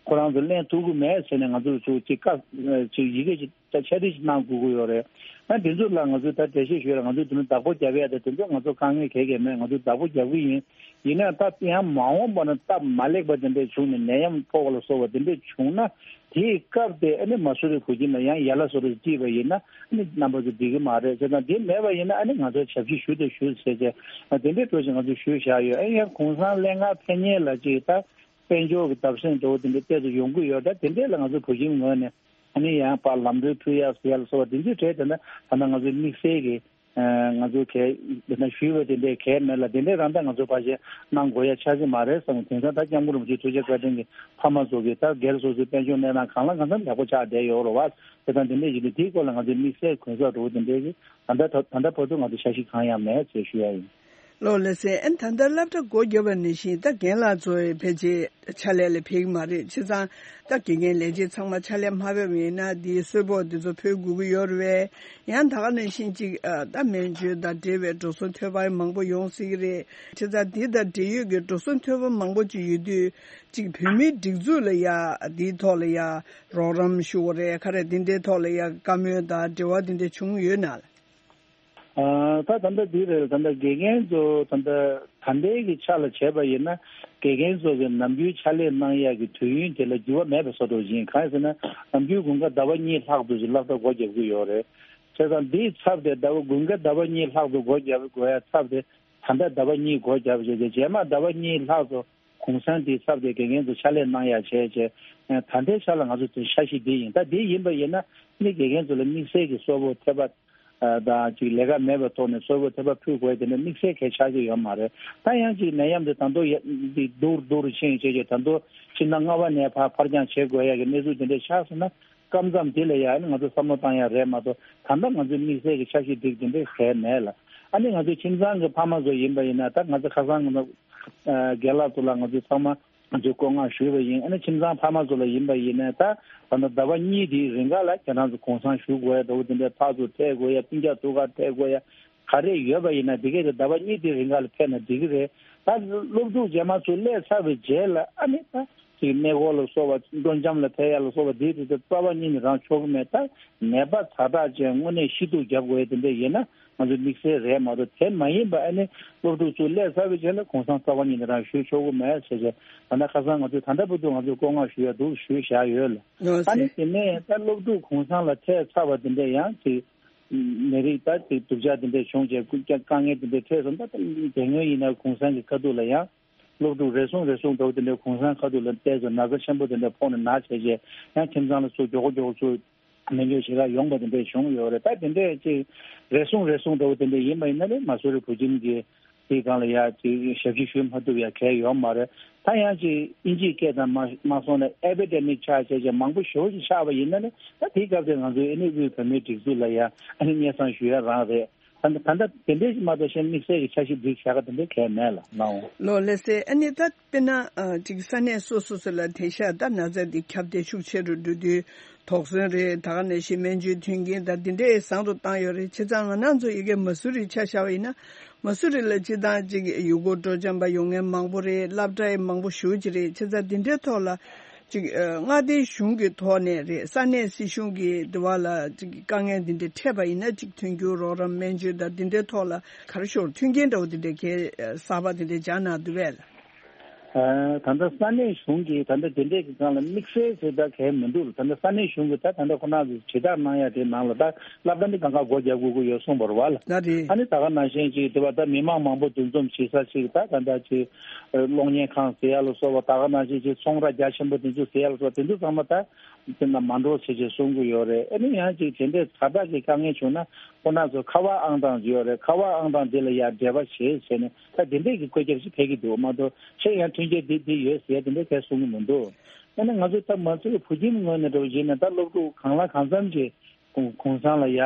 ཁོ་རང་ཚོ་ལེན་ཐུབ་ཀྱི་མེད་ཟེར་ནས་ང་ཚོ་ཚོ་ཅིག་བཀའ་ཅིག་ཡི་གེ་ཅིག་ད་ཆ་དེ་ཞིག་གནང་དགོས་ཀྱི་ཡོད་རེད། ཨ་དེ་ཚོ་ལ་ང་ཚོས་ད་འགྲེལ་བཤད་ཞུས་ལ། ང་ཚོས་དེ་ནི་བདག་པོ་རྒྱབ་ཡ་དེ་དེ་ཚོ་ང་ཚོ་དཀའ་ངལ་ག་གེ་མེད། ང་ཚོས་བདག་པོ་རྒྱབ་ཀྱི་ཡིན། ཡིན་ན་ད་ཡང་མ་འོངས་པ་ན་སྟབས་མ་ལེགས་པ་དེ་འདྲས་བྱུང་ནས་ནད་ཡམས་ཕོག་པ་ལ་སོགས་པ་དེ་འདྲས་བྱུང་ན། དེའི་སྐབས་དེ་ཨ་ནི་མ་སུ་རི་བུ་ཁྱིམ་ལ་ཡང་ཡ་ལ་སོ་རི་བྲིས་པ་ཡིན་ན། ཨ་ནི་རྣམ་པ་ཚོ་འགྲིག་གི་མ་རེད་ཟེར་དང་། དེ་མེད་པ་ཡིན་ན་ཨ་ནི་ང་ཚོ་ཞབས་ཕྱི་ཞུ་དང་ཞུ་ཟེར་བྱས་དེ་འདྲས་འགྲོ་ཞིག་ང་ཚོས་ཞུས་བཞག་ཡོད། ཨ་ཡང་གུང་སེང་ལྷན་ཁང་ཕེབས་མཁན་ལ་ཅིག་ད། དཔལ་འབྱོར་གྱི་བརྡབ་གསིག་འགྲོ་བ་དེ་འདྲ་ཏོག་ཙམ་ཡོང་གི་ཡོད། ད་དེ་འདྲས་ལ་ང་ཚོ་བུ་ཁྱིམ་ངོས་ནས་ཨ་ནི་ཡང་ཕར་ལམ་གྲོན་ཕུལ་ཡག་ཟེར་ཡག་ལ་སོགས་པ་དེ་ཚོའི་གྲས་དེ་འདྲ་ད་ལྟ་ང་ཚོའི་དམིགས་བསལ་གྱི་ང་ཚོ་གས་དེ་འདྲ་ཞུས་པ་དེ་འདྲས་གས་མེད་ལ། དེ་འདྲས་རང་ད་ང་ཚོ་ཕར་ཞིག་གནང་དགོས་ཡ་ཆགས་ཀྱི་མ་རེད་བསམ། དེང་སང་ད་སྐྱབས་མགོན་རིན་པོ་ཆེའི་ཐུགས་རྗེ་བཀའ་དྲིན་གྱིས་ཕ་མ་ཚོ་གིས་ད་སྒེར་སོ་སོའི་དཔལ་འབྱོར་གནས་སྟངས་གང་ལ་གང་འཚམ་ཡག་པོ་ཆགས་བསྡད་ཡོད་རེད་བ། དེ་དང་དེ་འདྲས་ཞིག་འདུག་དེའི་སྐོར་ལ་ང་ཚོའི་དམིགས་བསལ་གུན་གསབ་འགྲོ་བ་དེ་འདྲས་ཀྱི་ད་ལྟ་ད་ལྟ་བར་དུ་ང་ཚོ་འཆར་གཞི་གང་ཡང་མེད་ཅེས་ཞུ་ཡ་ཡིན། ལགས་ལགས་སེ། ཨན་ད་ལྟ་སློབ་གྲྭ་སྒོ་བརྒྱབ་པ་ནང་བཞིན་ད་རྒན་ལགས་ཚོ་ཕལ་ཆེར་ཕྱག་ལས་ལ་ཕེབས་ཀྱི་མ་རེད། བྱས་ཙང་ད་དགེ་རྒན་ལས་བྱེད་ཚང་མ་ཕྱག་ལས་མ་ཕེབས་པ་ཡིན་ན་དེའི་གསོལ་ཕོགས་དེ་ཚོ་ཕུལ་དགོས་ཀྱི་ཡོད་རེད་པས། ཡང་ད་ག་ནང་བཞིན་ཅིག་ཨ་ད་སྨན་བཅོས་དང་འབྲེལ་བའི་འགྲོ་སོང་འཐོལ་པ་མང་པོ་ཡོང་སྲིད་ཀྱི་རེད། བྱས་ཙང་དེ་དང་འབྲེལ་ཡོད་ཀྱི་འགྲོ་སོང་འཐོལ་པ་མང་པོ་ཅིག་ཡོད་དུས་ཅིག་བོད་མིའི་སྒྲིག་འཛུགས་ལ་ཡ་དེའི་ཐོག་ལ་ཡ་རོགས་རམ་ཞུ་དགོས་རེད། ག་རེ་དེ་འདྲའི་ཐོག་ལ་ཡ་བཀའ་མོལ་དང་འབྲེལ་བ་དེ་འདྲ་བྱུང་ཡོད་ན། ཨ་ད་ད་ལྟ་འདི་རེད། ད་ལྟ་དགེ་རྒན་ཚོ་ད་ལྟ་ད་ལྟའི་གི་ཆ་ལ་བྱས་པ་ཡིན་ན། དགེ་རྒན་ཚོ་གི་ནམ་རྒྱུན་ཕྱག་ལས་གནང་ཡག་གི་དུས་ཡུན་དེ་ལ་འགྱུར་བ་མེད་པའི་བཟོ་འདྲ་ཅིག་ཡིན། གང་ཡིན་ཟེར་ན་ནམ་རྒྱུན་དགུན་ཁ་ཟླ་བ་གཉིས་ལྷག་ཏུ་ཅིག་སློབ་གྲྭ་སྒོ་རྒྱག་གི་ཡོད་རེད། བྱས་ཙང་འདིའི་ཚབ་དེ་ཟླ་བ་དགུན་ཁ་ཟླ་བ་གཉིས་ལྷག་ཏུ་སྒོ་རྒྱག་དགོས་ཡ་ཚབ་དེ་ད་ལྟ་ཟླ་བ་གཉིས་སྒོ་རྒྱབ་བྱས་རྗེས་རྗེས་མ་ཟླ་བ་གཉིས་ལྷག་ཏུ་གུང་སེང་དེའི་ཚབ་དེ་དགེ་རྒན་ཚོ་ཕྱག་ལས་གནང་ཡ་བྱས་རྗེས། ད་ལྟའི་ཆ་ལ་ང་ཚོ་དེ་འཆར་གཞི་འདི་ཡིན། ད་འདི་ཡིན་པ་ཡིན་ན་ནི་དགེ་རྒན་ཚོ་ལ་དམིགས་བསལ་གྱི་གསོལ་ཕོགས་ཐེབས་པ། ཨ་དང་ཅིག་ལས་ཀ་མེད་པའི་ཐོག་ནས་གསོལ་ཕོགས་ཐེབས་པ་ཕུལ་དགོས་དེ་འདྲ་དམིགས་བསལ་གང་ཡང་ཆགས་ཀྱི་ཡོད་མ་རེད། ད་ཡང་ཅིག་ནད་ཡམས་དེ་ད་དུང་ཡ་ཅིག་སྡུག་རུ་སྡུག་རུ་ཕྱིན་བྱས་རྗེས་ད་དུང་ཕྱི་ཟླ་ལྔ་པ་ནས་ཕར་ཕར་འགྱངས་བྱེད་དགོས་ཡ་གི་གནས་ཚུལ་དེ་འདྲ་ཆགས་སོང་ན། སྐབས་མཚམས་དེ་ལ་ཡ་ཨ་ནི་ང་ཚོ་བསམ་བློ་བཏང་ཡ་རེད་མ་གཏོགས། ད་ལྟ་ང་ཚོའི་དམིགས་བསལ་གྱི་འཆར་གཞི་སྒྲིག་དེ་འདྲ་གང་ཡང་མེད་ལ། ཨ་ནི་ང་ཚོའི་ཁྱིམ་ཚང་གི་ཕ་མ་ཚོ་ཡིན་པ་ཡིན་ན། ད་ང་ཚོ་ཁ་སང་ང་ཚོ་ཨ་རྒན་ལགས་ཚོ་ལ་ང་ཚོ་ཚང་མ་ང་ཚོས་བཀོད་མངགས་ཞུས་པ་ཡིན། ཨ་ནི་ཁྱིམ་ཚང་ཕ་མ་ཚོ་ལ་ཡིན་པ་ཡིན་ནའི་ད་ད་ལྟ་ཟླ་བ་གཉིས་དེའི་རིང་ག་ལ་ཁྱེད་རང་ཚོ་གུང་སེང་ཞུ་དགོས་ཡ་འདྲ་བོ་དེ་འདྲའི་ཕར་ཚུར་ཐད་དགོས་ཡ། སྤུན་ཀྱག་ཐུག་གར་ཐད་དགོས་ཡ་ག་རེ་ཡོད་པ་ཡིན་ན་དེ་གས་དེ་ཟླ་བ་གཉིས་དེའི་རིང་ག་ལ་ཕེབས་ན་འགྲིག་གི་རེད། ད་སློབ་ཕྲུག་རྗེས་མ་ཚུར་སླེབས་ཚར་བའི་རྗེས་ལ་ཨ་ནི་ད་ཅིག་གནས་སྐོར་ལ་སོགས་པ་སྤྲོ་འཆམ་ལ་ཕེབས་ཡ་ལ་སོགས་པ་དེའི་དུས་དེ་རྩ་བ་ཉིད་ནས་རང་ཆོག་གི་མེད། ད་ནད་པ་ཛ་དྲག་ཅན་དངོས་གནས་ཤི་སྡུག་རྒྱབ་དགོས་ཡ་དེ་འདྲ་ཡིན་ན། ང་ཚོ་དམིགས་བསལ་རེད་མ་གཏོགས། དེ་མ་ཡིན་པ་ཨ་ནི་སློབ་ཕྲུག་ཚོ་སླེབས་ཚར་བའི་རྗེས་ལ་གུང་སེང་རྩ་བ་ཉིད་ནས་རང་ཞུ་ཆོག་གི་མེད་ཟེར་བྱས། ད་ལྟ་ཁ་སང་ང་ཚོས་ད་ལྟ་བར་དུ་ང་ཚོས་བཀོད་མངགས་ཞུ་ཡ་འདུག་ཞུས་བཞག་ཡོད་ལ། ཨ་ནི་དེ་ནས་ད་སློབ་ཕྲུག་གུང་སེང་ལ་ཕེབས་ཚར་བ་དེ་འདྲས་ཡང་ཅིག་ནད་རིགས་ད་ཅིག་སྡུག་ཅག་དེ་འདྲས་བྱུང་རྗེས་སྐུ་དཀའ་ངལ་དེ་འདྲས་འཕྲད་སོང་། ད་དེ་སྔོན་ཡིན་ན་གུང་སེང་གི་ཁ་ཐུག་ལ་ཡང་སློབ་ཕྲུག་རེ་ཟུང་རེ་ཟུང་འདྲ་བོ་དེ་འདྲས་གུང་སེང་ཁ་ཐུག་ལ་བལྟས་ཚེ་ན་ཚ་ཆེན་པོ་དེ་འདྲས་ཕོག་ནས་ན་བྱས་རྗེས་ཡང་ཁྱིམ་ཚང་ལ་ཚུར་མགྱོགས་པོ་མགྱོགས་པོ་ཚུར། སྨན་བཅོས་བྱེད་གར་ཡོང་བ་དེ་འདྲས་བྱུང་ཡོད་རེད། ད་དེ་འདྲས་ཅིག་རེ་ཟུང་རེ་ཟུང་འདྲ་བོ་དེ་འདྲས་ཡིན་པ་ཡིན་ན་ནི་མ་སུ་རི་བུ་ཁྱིམ་གྱི་དེའི་སྒང་ལ་ཡ་ཅིག་ཞབས་ཕྱི་ཞུ་མ་ཐུབ་ཡ་གང་ཡང་ཡོད་མ་རེད། ད་ཡང་ཅིག་དབྱིན་ཇིའི་སྐད་དང་མ་མ་སོང་ན་ཨེ་པི་ཌེ་མིག་ཆགས་བྱས་བྱས་མང་པོ་ཞེ་པོ་ཅིག་ཆགས་པ་ཡིན་ན་ནི་ད་དེའི་སྐབས་དེ་ང་ཚོའི་ཨ་ནི་དབུས་བོད་མིའི་སྒྲིག་འཛུགས་ལ་ཡ་ཨ་ནི་སྙན་སེང་ཞུ་ཡ་རང་རེད། ད་ད་ལྟ་དེ་འདྲས་ཞིག་མ་གཏོགས་གཞན་དམིགས་བསལ་གྱི་འཆར་གཞི་སྒྲིག་བྱ་ག་དེ་འདྲས་གང་ཡང་མེད་ལ་ནའོ། ལགས་ལགས་སེ། ཨ་ནི་ད་དཔེར་ན་ཨ་ཅིག་ས་གནས་སོ་སོ་སོ་ལ་དེང་སང་ད་ན་ཚ་འདི་ཁྱབ་གདལ་ཤུགས་ཆེ་རུ་འགྲོ་དུས་དོགས་ཟོན་རེད། ད་ག་ནང་བཞིན་སྨན་བཅོས་མཐུན་རྐྱེན་དང་འདི་འདྲས་བཟང་རུ་བཏང་ཡོད་རེད། བྱས་ཙང་ང་རང་ཚོ་ཡ་གི་མ་སུ་རི་ཆ་བཞག་པ་ཡིན་ན་མ་སུ་རི་ལ་སྤྱིར་བཏང་ཅིག་ཡུལ་སྐོར་སྤྲོ་འཆམ་པ་ཡོང་མཁན་མང་པོ་རེད། སློབ་གྲྭ་ཡང་མང་པོ་ཞེ་པོ་ཅིག་རེད། བྱས་ཙང་འདི་འདྲའི་ཐོག་ལ་ཅིག་ཨ་མངའ་སྡེའི་གཞུང་གི་ཐོག་ནས་རེད། ས་གནས་སྲིད་གཞུང་གི་དེ་བ་ལ་ཅིག་དཀའ་ངལ་འདི་འདྲ་འཕྲད་པ་ཡིན་ན་ཅིག་མཐུན་འགྱུར་རོགས་རམ་སྨན་བཅོས་དང་འདི་འདྲའི་ཐོག་ལ་ག་རེ་ཞོར་མཐུན་རྐྱེན་འདྲ་བོ་འདི་འདྲ་གས་གསར་པ་འདི་འདྲ་སྦྱར་གནང་འདུག་པས་ལ། ཨ་ད་ལྟ་ས་གནས་གཞུང་གིས་ད་ལྟ་དེ་འདྲས་ཀྱི་སྒང་ལ་དམིགས་བསལ་ཟེར་ད་གས་མི་འདུག་ད་ལྟ་ས་གནས་གཞུང་གིས་ད་ད་ལྟ་ཁོ་རང་ཚོ་དྲིལ་བསྒྲགས་གནང་ཡ་དེ་ནང་ལ་ད་སློབ་གྲྭ་ནི་གང་ག་སྒོ་རྒྱག་དགོས་ཀྱི་ཡོད་གསུངས་པ་རེད་བ་ལ། ད་རེད། ཨ་ནི་ད་ག་ནང་བཞིན་ཅིག་དེ་བ་ད་མི་མང་མང་པོ་འདུ་འཛོམས་བྱེད་ས་ཅིག་ད་ད་ལྟ་ཅིག་གློག་བརྙན་ཁང་ཟེར་ཡ་ལ་སོགས་པ། ད་ག་ནང་བཞིན་ཅིག་ཚོང་ར་རྒྱ་ཆེན་པོ་དེ་ཚོ་ཟེར་ཡ་ལ་སོགས་པ་དེ་ཚོ་ཚང་མ་ད་དེ་ན་མ་འགྲོ་ཟེར་ཅིག་གསུང་གི་ཡོད་རེད། ཨ་ནི་ཡང་ཅིག་དེ་འདྲས་ཛ་དྲག་གི་དཀའ་ངལ་བྱུང་ན་ཁོ་རང་ཚོ་ཁ་པར་ཨང་གྲངས་ཡོད་རེད། ཁ་པར་ཨང་གྲངས་དེ་ལ་ཡ་འབྲེལ་བ་བྱེད་ཟེར་ནས། ད་དེ་འདྲས་ཀྱི་བཀོད་ཁྱབ་ཞིག་ཕེབས་ཀྱི་འདུག་མ་གཏོགས་ཆེད་ཡང་མཐུན་རྐྱེན་འདི་འདི་ཡོད་ཟེར་དེ་འདྲས་གས་གསུང་གི་མི་འདུག་ཨ་ནི་ང་ཚོས་ད་མ་ཚོས་བུ་ཁྱིམ་ངོས་ནས་འགྲོ་བཞིན་ན་ད་སློབ་ཕྲུག་གང་ལ་གང་འཚམ་ཅིག་གུང་གུང་སེང་ལ་ཡ་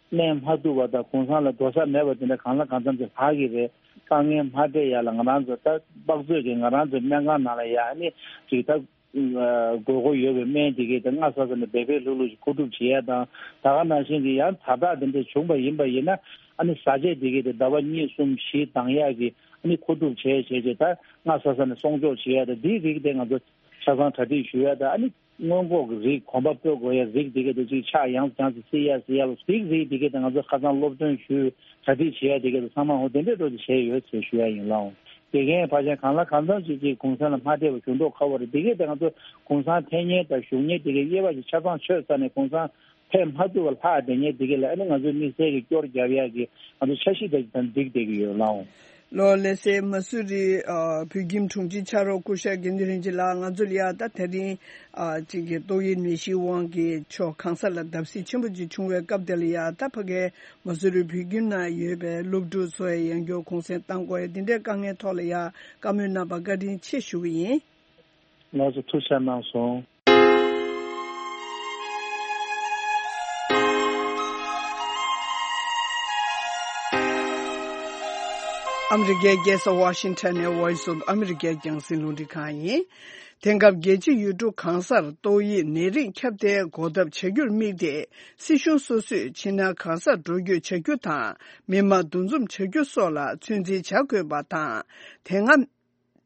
གནས་མ་ཐུབ་པ་དང་གུང་སེང་ལ་འགྲོ་ས་མེད་པ་དེ་འདྲ་གང་ལ་གང་འཚམ་ཅིག་ལྷག་གི་རེད། དཀའ་ངལ་མ་འཕྲད་ཡ་ལ་ང་རང་ཚོ་ད་དཔག་ཚོད་ཀྱིས་ང་རང་ཚོའི་སྨན་ཁང་ནང་ལ་ཡ་ཨ་ནི་ཅིག་ད། དགོས་མཁོ་ཡོད་པའི་སྨན་དེ་གས་དེ་སྔ་ས་ས་ནས་འབད་འབད་ལྷུག་ལྷུག་ཅིག་མཁོ་སྒྲུབ་བྱེད་ཡ་དང་། ད་ག་ནང་བཞིན་གྱི་ཡང་ད་ལྟ་དེ་འདྲ་བྱུང་པ་ཡིན་པ་ཡིན་ན། ཨ་ནི་བཟའ་ཆས་དེ་གས་དེ་ཟླ་བ་གཉིས་གསུམ་བཞི་འདང་ཡ་གི་ཨ་ནི་མཁོ་སྒྲུབ་བྱས་བྱས་བྱས། ད་སྔ་ས་ས་ནས་སྲུང་སྐྱོབ་བྱེད་ཡ་དང་འདིའི་རིགས་དེ་ང་ཚོ་ཆ་ཚང་གྲ་སྒྲིག་ཞུ་ཡ་དང་། ཨ་ནི་སྔོན་འགོག་གི་རིགས་གོམ་པ་སྤོ་དགོས་ཡ་རིགས་དེ་གས་དེ་ཅིག་ཆག་ཡང་སེ་ཡང་སེ་སེལ་ཡ་སེལ་ཡ་ལ་རིགས་རིགས་དེ་གས་དེ་ང་ཚོ་ཁ་སང་སློབ་སྟོན་ཞུས། གྲ་སྒྲིག་བྱེད་ཡ་དེ་གས་དེ་ཚང་མ་འོ་དེ་འདྲའི་འགྲོ་དེ་བྱས་ཡོད་ཅེས་ཞུ་ཡ་ཡིན་ལགས། དགེ་རྒན་ཕལ་ཆེར་གང་ལ་གང་འཚམ་ཅིག་ཅིག་གུང་སེང་ལ་མ་བསྡད་པ་གཞུང་ཐོག་ཁ་བ་རེད། དེ་གས་དེ་ང་ཚོ་གུང་སེང་ཐེབས་མཁན་དང་ཞུགས་མཁན་དེ་གས་དབྱེ་བ་ཞིག་ཆ་ཚང་ཆོད་ཚར་ནས་གུང་སེང་ཕེབས་མ་ཐུབ་པ་ལྷག་བསྡད་མཁན་དེ་གས་ལ་ཨ་ནི་ང་ཚོའི་དམིགས་བསལ་གྱི་སྐྱོར་རྒྱབ་ཡ་གི་ང་ཚོ་འཆར་གཞི་དེ་ཅིག་ད་འགྲིག་བསྡད་ཀྱི་ཡོད་ལགས། ལོ་ལེ་སའི་མ་སུ་རི་ཨ་བོད་ཁྱིམ་དྲུང་ཆེ་ཕྱག་རོགས་སྐུ་ཞབས་དགེ་འདུན་རིན་ཆེན་ལགས། ང་ཚོ་ལ་ཡ་ད་དེ་རིང་ཨ་གཅིག་གི་ཏོག་དབྱིབས་ནད་གཞི་དབང་གིས་ཕྱོགས་གང་ས་ལ་བརྡབ་གསིག་ཆེན་པོ་ཅིག་བྱུང་བའི་སྐབས་དེ་ལ་ཡ་ད་ཕ་གའི་མ་སུ་རི་བོད་ཁྱིམ་ནང་ཡོད་པའི་སློབ་ཕྲུག་ཚོ་ཡང་ཡང་སྐྱར་གུང་སེང་བཏང་དགོས་ཡ་འདི་འདྲའི་དཀའ་ངལ་ཐོག་ལ་ཡ་བཀའ་མོལ་གནང་བར་བཀའ་དྲིན་ཆེ་ཞུ་གི་ཡིན། ལགས་སོ། ཐུགས་རྗེ་གནང་སོང་། ཨ་མི་རི་ཀའི་རྒྱལ་ས་ཝ་ཤིང་ཊོན་ནས་Voice of America་རྒྱང་སྲིང་རླུང་འཕྲིན་ཁང་ཡིན། དེང་སྐབས་རྒྱལ་སྤྱི་ཡུལ་གྲུ་གང་སར་ཏོག་དབྱིབས་ནད་རིགས་ཁྱབ་གདལ་འགོག་ཐབས་བྱ་རྒྱུར་དམིགས་ཏེ། སྲིད་གཞུང་སོ་སོས་ཕྱི་ནང་གང་སར་འགྲོ་སྐྱོད་བྱ་རྒྱུ་དང་། མི་མང་འདུ་འཛོམས་བྱ་རྒྱུ་སོགས་ལ་ཚོད་འཛིན་བྱ་དགོས་པ་དང་། དེ་སྔ་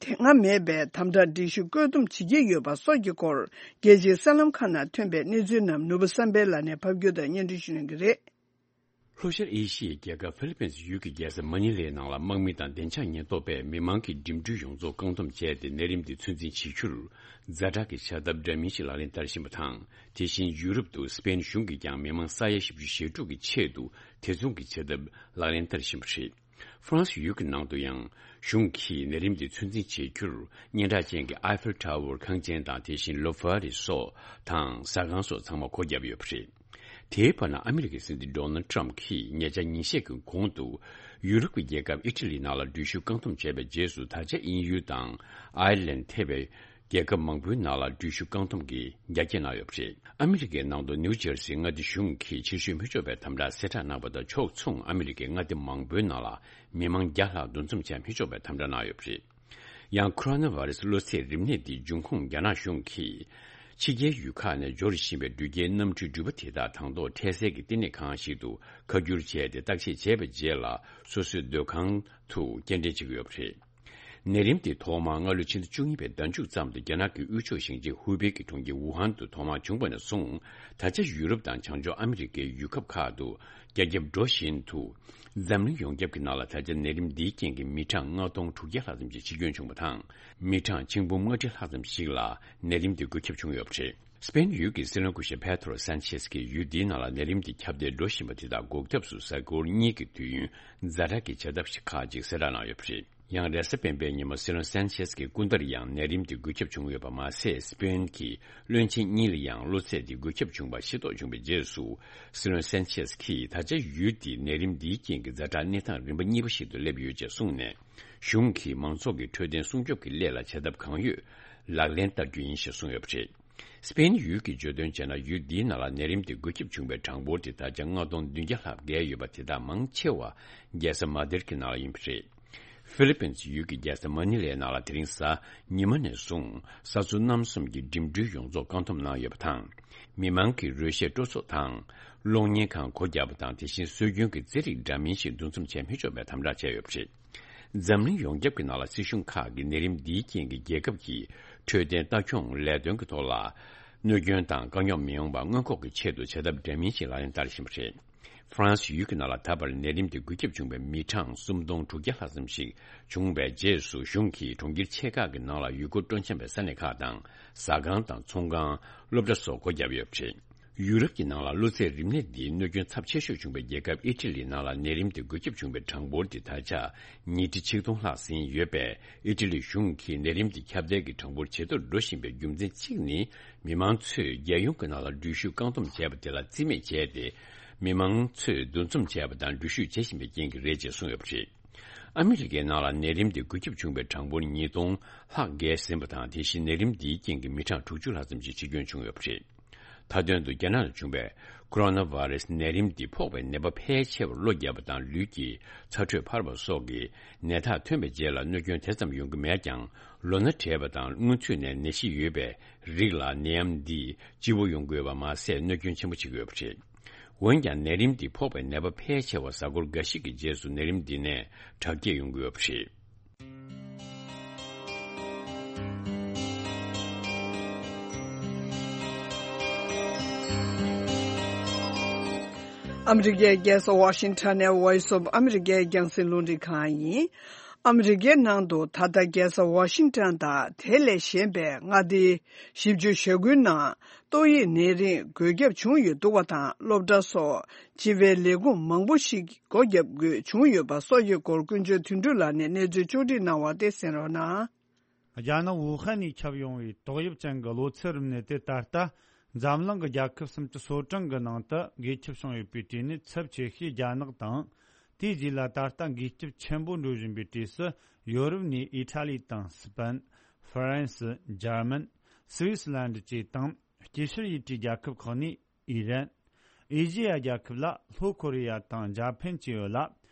དེ་སྔ་མེད་པའི་དམ་དྲག་སྒྲིག་གཞི་བཀོད་འདོམས་བྱེད་ཀྱི་ཡོད་པ་སོགས་ཀྱི་སྐོར། རྒྱལ་སྤྱིའི་གསར་ལམ་ཁག་ནང་ཐོན་པའི་གནས་ཚུལ་རྣམས་ནོར་བུ་བསམ་འཕེལ་ལགས་ནས་ཕབ་སྒྱུར་དང་སྙན་སྒྲོན་ཞུ་གནང་གི་རེད། ལྷོ་ཤར་ཨེ་ཤི་ཡའི་རྒྱལ་ཁབ་ཧྥི་ལི་པིན་སི་ཡུལ་གྱི་རྒྱལ་ས་མ་ནི་ལའི་ནང་ལ་དམག་མི་དང་བདེ་འཇགས་ཉེན་རྟོག་པས་མི་མང་གི་འགྲིམ་འགྲུལ་ཡོངས་རྫོགས་བཀག་སྡོམ་བྱས་ཏེ། ནད་རིམས་དེ་ཚོད་འཛིན་བྱེད་རྒྱུར་ཛ་དྲག་གི་བྱ་ཐབས་འདྲ་མིན་ཞིག་ལག་ལེན་བསྟར་བཞིན་པ་དང་། དེ་བཞིན་ཡུ་རོབ་ཏུ་སི་པེན་གཞུང་གིས་ཀྱང་མི་མང་ས་ཡ་བཞི་བཅུ་ཞེ་དྲུག་གི་ཆེད་དུ་དེ་མཚུངས་ཀྱི་བྱ་ཐབས་ལག་ལེན་བསྟར་བཞིན་པ་རེད། ཧྥ་རན་སི་ཡུལ་གྱི་ནང་དུ་ཡང་གཞུང་གིས་ནད་རིམས་དེ་ཚོད་འཛིན་བྱེད་རྒྱུར་སྙན་གྲགས་ཅན་གྱི་ཨའི་ཧྥེལ་ཊ་ཝར་ཁང་ཆེན་དང་། དེ་བཞིན་ལོ་ཕར་རི་སོགས་དང་ཟ་ཁང་སོགས་ཚང་མ་སྒོ་བརྒྱབ་ཡོད་པ་རེད། དེའི་བར་ན་ཨ་མི་རི་ཀའི་སྲིད་འཛིན་ཌོ་ནལ་ཊམ་གྱིས་ཉེ་ཆར་ཉིན་ཤས་ཀྱི་གོང་དུ་ཡུ་རོབ་ཀྱི་རྒྱལ་ཁབ་ཨི་ཊ་ལིའི་ནང་ལ་འགྲུལ་བཞུད་བཀག་སྡོམ་བྱས་པའི་རྗེས་སུ། ད་ཆ་དབྱིན་ཡུལ་དང་ཨའི་ལན་ཐེ་བའི་རྒྱལ་ཁབ་མང་པོའི་ནང་ལ་འགྲུལ་བཞུད་བཀག་སྡོམ་གྱིས་རྒྱ་སྐྱེད་གནང་ཡོད་པ་རེད། ཨ་མི་རི་ཀའི་ནང་དུ་ནིའུ་ཇར་སིའི་མངའ་སྡེ་གཞུང་གིས་ཕྱིར་བཤོལ་མི་ཆོག་པའི་དམ་དྲག་གསལ་བསྒྲགས་གནང་བ་དང་ཕྱོགས་མཚུངས། ཨ་མི་རི་ཀའི་མངའ་སྡེ་མང་པོའི་ནང་ལ་མི་མང་བརྒྱ་ལྷག་འདུ་འཛོམས་བྱ་མི་ཆོག་པའི་དམ་དྲག་གནང་ཡོད་པ་རེད། ཡང་ཁོ་རོ་ན་བྷ་རེ་སི་གློ་ཚད་རིམས་ནད་འདིའི་འབྱུང་ཁུངས་རྒྱ་ནག་གཞུང་གིས་ཕྱི་རྒྱལ་ཡུལ་ཁག་ནས་འབྱོར་བཞིན་པའི་འགྲུལ་སྐྱེལ་གནམ་གྲུའི་འགྲུལ་པ་དེ་དག་དང་ཐོག་འཕྲལ་སེལ་གྱི་བསྟི་གནས་ཁང་ཞིག་ཏུ་ཁ་བསྒྱུར་བྱས་ཏེ། བརྟག་དཔྱད་བྱས་པའི་རྗེས་ལ་སོ་སོའི་སྡོད་ཁང་དུ་སྐྱེལ་འདྲེན་བྱེད་ཀྱི་ཡོད་པ་རེད། ནད་རིམས་དེ་ཐོག་མར་སྔ་ལོའི་ཕྱི་ཟླ་བཅུ་གཉིས་པའི་ཟླ་མཇུག་ཙམ་དུ་རྒྱ་ནག་གི་དབུས་ཕྱོགས་ཞིང་ཆེན་ཧུའུ་པེ་གི་གྲོང་ཁྱེར་ཝུ་ཧན་དུ་ཐོག་མར་བྱུང་བ་ནས་བཟུང་། ད་ཆ་ཡུ་རོབ་དང་བྱང་ཕྱོགས་ཨ་མི་རི་ཀའི་ཡུལ་ཁག་ཁག་ཏུ་རྒྱ་ཁྱབ་འགྲོ་བཞིན་དུ། འཛམ་གླིང་ཡོངས་ཁྱབ་ཀྱི་ནང་ལ་ད་ཆ་ནད་རིམས་འདིའི་རྐྱེན་གྱིས་མི་གྲངས་ལྔ་སྟོང་དྲུག་བརྒྱ་ལྷག་ཙམ་ཞིག་འཆི་སྐྱོན་བྱུང་བ་དང་། མི་གྲངས་ཆིག་འབུམ་ལྔ་ཁྲི་ལྷག་ཙམ་ཞིག་ལ་ནད་རིམས་འདི་འགོས་ཁྱབ་བྱུང་ཡོད་པ་རེད། སི་པེན་ཡུལ་གྱི་སྲིད་བློན་སྐུ་ཞབས་པེ་ཏྲོ་སན་ཆེས་ཀྱིས་ཡུལ་འདིའི་ནང་ལ་ནད་རིམས་འདི་ཁྱབ་གདལ་འགྲོ་བཞིན་པ་དེ་དག་འགོག་ཐབས་སུ་གཟའ་འཁོར་གཉིས་ཀྱི་དུས་ཡུན་ཛ་དྲག་གི་བྱ་ཐབས་ཤིག་ཁག་ཅིག་གསལ་བསྒྲགས་གནང་ཡོད་པ་རེད། ཡང་རེས་གཟའ་སྤེན་པའི་ཉིན་མོ་སྲིད་བློན་སན་ཆེས་ཀྱི་སྐུ་ཟླར་ཡང་ནད་རིམས་དེ་འགོས་ཁྱབ་བྱུང་ཡོད་པ་མ་ཟད། སི་པེན་གྱི་བློན་ཆེན་གཉིས་ལ་ཡང་གློ་ཚད་དེ་འགོས་ཁྱབ་བྱུང་བ་ཤེས་རྟོགས་བྱུང་བའི་རྗེས་སུ། སྲིད་བློན་སན་ཆེས་ཀྱིས་ད་ཆ་ཡུལ་དེའི་ནད་རིམས་འདིའི་རྐྱེན་གྱིས་ཛ་དྲག་གནས་སྟངས་རིམ་པ་གཉིས་པ་ཞིག་ཏུ་སླེབས་ཡོད་ཅེས་གསུངས་ནས། གཞུང་གིས་མང་ཚོགས་ཀྱི་འཕྲོད་བསྟེན་སྲུང་སྐྱོབ་ཀྱི་སླད་ལ་བྱ་ཐབས་གང་ཡོད་ལག་ལེན་བསྟར་རྒྱུ་ཡིན་ཞེས་གསུངས་ཡོད་པ་རེད། སི་པེན་ཡུལ་གྱིས་བརྗོད་དོན་བྱས་ན། ཡུལ་འདིའི་ནང་ལ་ནད་རིམས་དེ་འགོས་ཁྱབ་བྱུང་བའི་གྲངས་འབོར་དེ་ད་ཆ་ལྔ་སྟོང་བདུན་བརྒྱ་ལྷག་བརྒལ་ཡོད་པ། དེ་དག་མང་ཆེ་བ་རྒྱལ་ས་མ་དིར་གྱི་ནང་ལ་ཡིན་པ་རེད། ཧྥི་ལི་པིན་སི་ཡུལ་གྱི་རྒྱལ་ས་མ་ནི་ལའི་ནང་ལ་དེ་རིང་གཟའ་ཉི་མ་ནས་བཟུང་ས་ཚོ་རྣམ་གསུམ་གྱི་འགྲིམ་འགྲུལ་ཡོངས་རྫོགས་བཀག་སྡོམ་གནང་ཡོད་པ་དང་། མི་མང་གི་རོལ་གཞས་སྤྲོ་ཚོགས་དང་གློག་བརྙན་ཁང་སྒོ་བརྒྱབ་པ་དང་། དེ་བཞིན་སྲོལ་རྒྱུན་གྱི་རྩེད་རིགས་འདྲ་མིན་ཞིག་འདུ་འཛོམས་བྱས་མི་ཆོག་པའི་དམ་དྲག་བྱས་ཡོད་པ་རེད། འཛམ་གླིང་ཡོངས་ཁྱབ་ཀྱི་ནང་ལ་སྲིད་གཞུང་ཁག་གིས་ནད་རིམས་འདིའི་རྐྱེན་གྱིས་རྒྱལ་ཁབ་ཀྱི་འཕྲོད་བསྟེན་ལྟ་སྐྱོང་ལས་དོན་གྱི་ཐོག་ལ་གནོད་སྐྱོན་དང་དཀའ་རྙོག་མི་ཡོང་བ་སྔོན་འགོག་གི་ཆེད་དུ་བྱ་ཐབས་འདྲ་མིན་ཞིག་ལག་ལེན་བསྟར་བཞིན་པ་རེད། ཧྥ་རན་སི་ཡུལ་གྱི་ནང་ལ་ད་བར་ནད་རིམས་དེ་འགོས་ཁྱབ་བྱུང་བའི་མི་གྲངས་སུམ་སྟོང་དྲུག་བརྒྱ་ལྷག་ཙམ་ཞིག་བྱུང་བའི་རྗེས་སུ། གཞུང་གིས་གྲོང་ཁྱེར་ཆེ་ཁག་གི་ནང་ལ་ཡུལ་སྐོར་སྤྲོ་འཆམ་པའི་ས་གནས་ཁག་དང་། ཟ་ཁང་དང་ཚོང་ཁང་། སློབ་གྲྭ་སོགས་སྒོ་བརྒྱབ་ཡོད་པ་རེད། ཡུ་རོབ་ཀྱི་ནང་ལ་གློ་ཚད་རིམས་ནད་འདིའི་གནོད་སྐྱོན་ཚབས་ཆེ་ཤོས་བྱུང་བའི་རྒྱལ་ཁབ་ཨི་ཊ་ལིའི་ནང་ལ་ནད་རིམས་དེ་འགོས་ཁྱབ་བྱུང་བའི་གྲངས་འབོར་དེ་ད་ཆ་ཉིས་ཁྲི་ཆིག་སྟོང་ལྷག་ཟིན་ཡོད་པས། ཨི་ཊ་ལིའི་གཞུང་གིས་ནད་རིམས་དེ་ཁྱབ་གདལ་གྱི་གྲངས་འབོར་ཇེ་མཐོར་འགྲོ་བཞིན་པའི་རྒྱུ་མཚན་གཅིག་ནི། མི་མང་ཚོས་རྒྱལ་ཡོངས་ཀྱི་ནང་ལ་འགྲུལ་བཞུད་བཀག་སྡོམ་བྱས་པ་དེ་ལ་རྩིས་མེད་བྱས་ཏེ། མི་མང་ཚོས་འདུ་འཛོམས་བྱས་པ་དང་འགྲུལ་བཞུད་བྱེད་བཞིན་པའི་རྐྱེན་གྱིས་རེད་ཅེས་གསུངས་ཡོད་པ་རེད། ཨ་མི་རི་ཀའི་ནང་ལ་ནད་རིམས་དེ་འགོས་ཁྱབ་བྱུང་བའི་གྲངས་འབོར་ཉིས་སྟོང་ལྷག་བརྒལ་ཟིན་པ་དང་། དེ་བཞིན་ནད་རིམས་འདིའི་རྐྱེན་གྱིས་མི་གྲངས་དྲུག་ཅུ་ལྷག་ཙམ་ཞིག་འཆི་སྐྱོན་བྱུང་ཡོད་པ་རེད། མཐའ་དོན་དུ་རྒྱ་ནག་ལ་བྱུང་བའི་ ཀོ་རོ་ན་བྷ་རེ་སི་ནད་རིམས་འདི་ཕོག་པའི་ནད་པ་ཕལ་ཆེ་བར་གློ་བརྒྱབ་པ་དང་ལུས་ཀྱི་ཚ་དྲོད་འཕར་བ་སོགས་ཀྱི་ནད་རྟགས་ཐོན་པའི་རྗེས་ལ་གནོད་སྐྱོན་དེ་ཙམ་ཡོང་གི་མེད་ཀྱང་། ལོ་ན་བགྲེས་པ་དང་སྔོན་ཚུད་ནས་ནད་གཞི་ཡོད་པའི་རིགས་ལ་ནད་ཡམས་འདིས་སྐྱིད་པོ་ཡོང་གི་ཡོད་པ་མ་ཟད། གནོད་སྐྱོན་ཆེན་པོ་བྱེད་ཀྱི་ཡོད་པ་རེད། འོན་ཀྱང་ནད་རིམས་འདི་ཕོག་པའི་ནད་པ་ཕལ་ཆེ་བ་གཟའ་འཁོར་འགའ་ཞིག་གི་རྗེས་སུ་ནད་རིམས་འདི་ནས་དྲག་སྐྱེད་ཡོང་གི་ཡོད་པ་རེད། ཨ་མི་རི་ཀའི་རྒྱལ་ས་ཝ་ཤིང་ཊོན་ནས་Voice of America རྒྱང་སྲིང་རླུང་འཕྲིན་ཁང་ཡིན། ཨ་མི་རི་ཀའི་ནང་དུ་ད་ལྟ་རྒྱལ་ས་ཝ་ཤིང་ཊོན་དང་དེ་ལས་གཞན་པའི་མངའ་སྡེ་བཞི་བཅུ་ཞེ་དགུའི་ནང་ཏོག་དབྱིབས་ནད་རིམས་འགོས་ཁྱབ་བྱུང་ཡོད་འདུག་པ་དང་། སློབ་གྲྭ་སོགས་སྤྱི་པའི་ལས་ཁུངས་མང་པོ་ཞིག་སྒོ་བརྒྱབ་དགོས་བྱུང་ཡོད་པ་སོགས་ཀྱི་སྐོར་ཀུན་སྤྱོད་དོན་གྲུབ་ལགས་ནས་གནས་ཚུལ་ཕྱོགས་སྒྲིག་གནང་བ་དེ་གསན་རོགས་གནང་། རྒྱ་ནག་ཝུ་ཧན་ནས་ཁྱབ་ཡོང་བའི་ཏོག་དབྱིབས་ཅན་གྱི་གློ་ཚད་རིམས་ནད་དེ་ད་ལྟ་འཛམ་གླིང་གི་རྒྱལ་ཁབ་སུམ་ཅུ་སོ་གྲངས་ཀྱི་ནང་དུ་འགོས་ཁྱབ་བྱུང་ཡོད་པའི་གྲས་ནས་ཚབས་ཆེ་ཤོས་རྒྱ་ནག་དང་། དེའི་རྗེས་ལ་ད་ལྟ་འགོས་ཁྱབ་ཆེན་པོ་འགྲོ་བཞིན་པའི་གྲས་སུ་ཡོ་རོབ་ནས་ཨི་ཊ་ལི་དང་སི་པན། ཧྥ་རན་སི། འཇར་མན། སི་ཝི་སི་ལན་ཌི་བཅས་དང་། སྐྱེ་ཤར་ཡུལ་གྲུའི་རྒྱལ་ཁབ་ཁག་ནས་ཨི་རན། ཨེ་ཤེ་ཡ་རྒྱལ་ཁབ་ལ་ལྷོ་ཁོ་རེ་ཡ་དང་འཇར་པན་བཅས་ཡོད་ལ།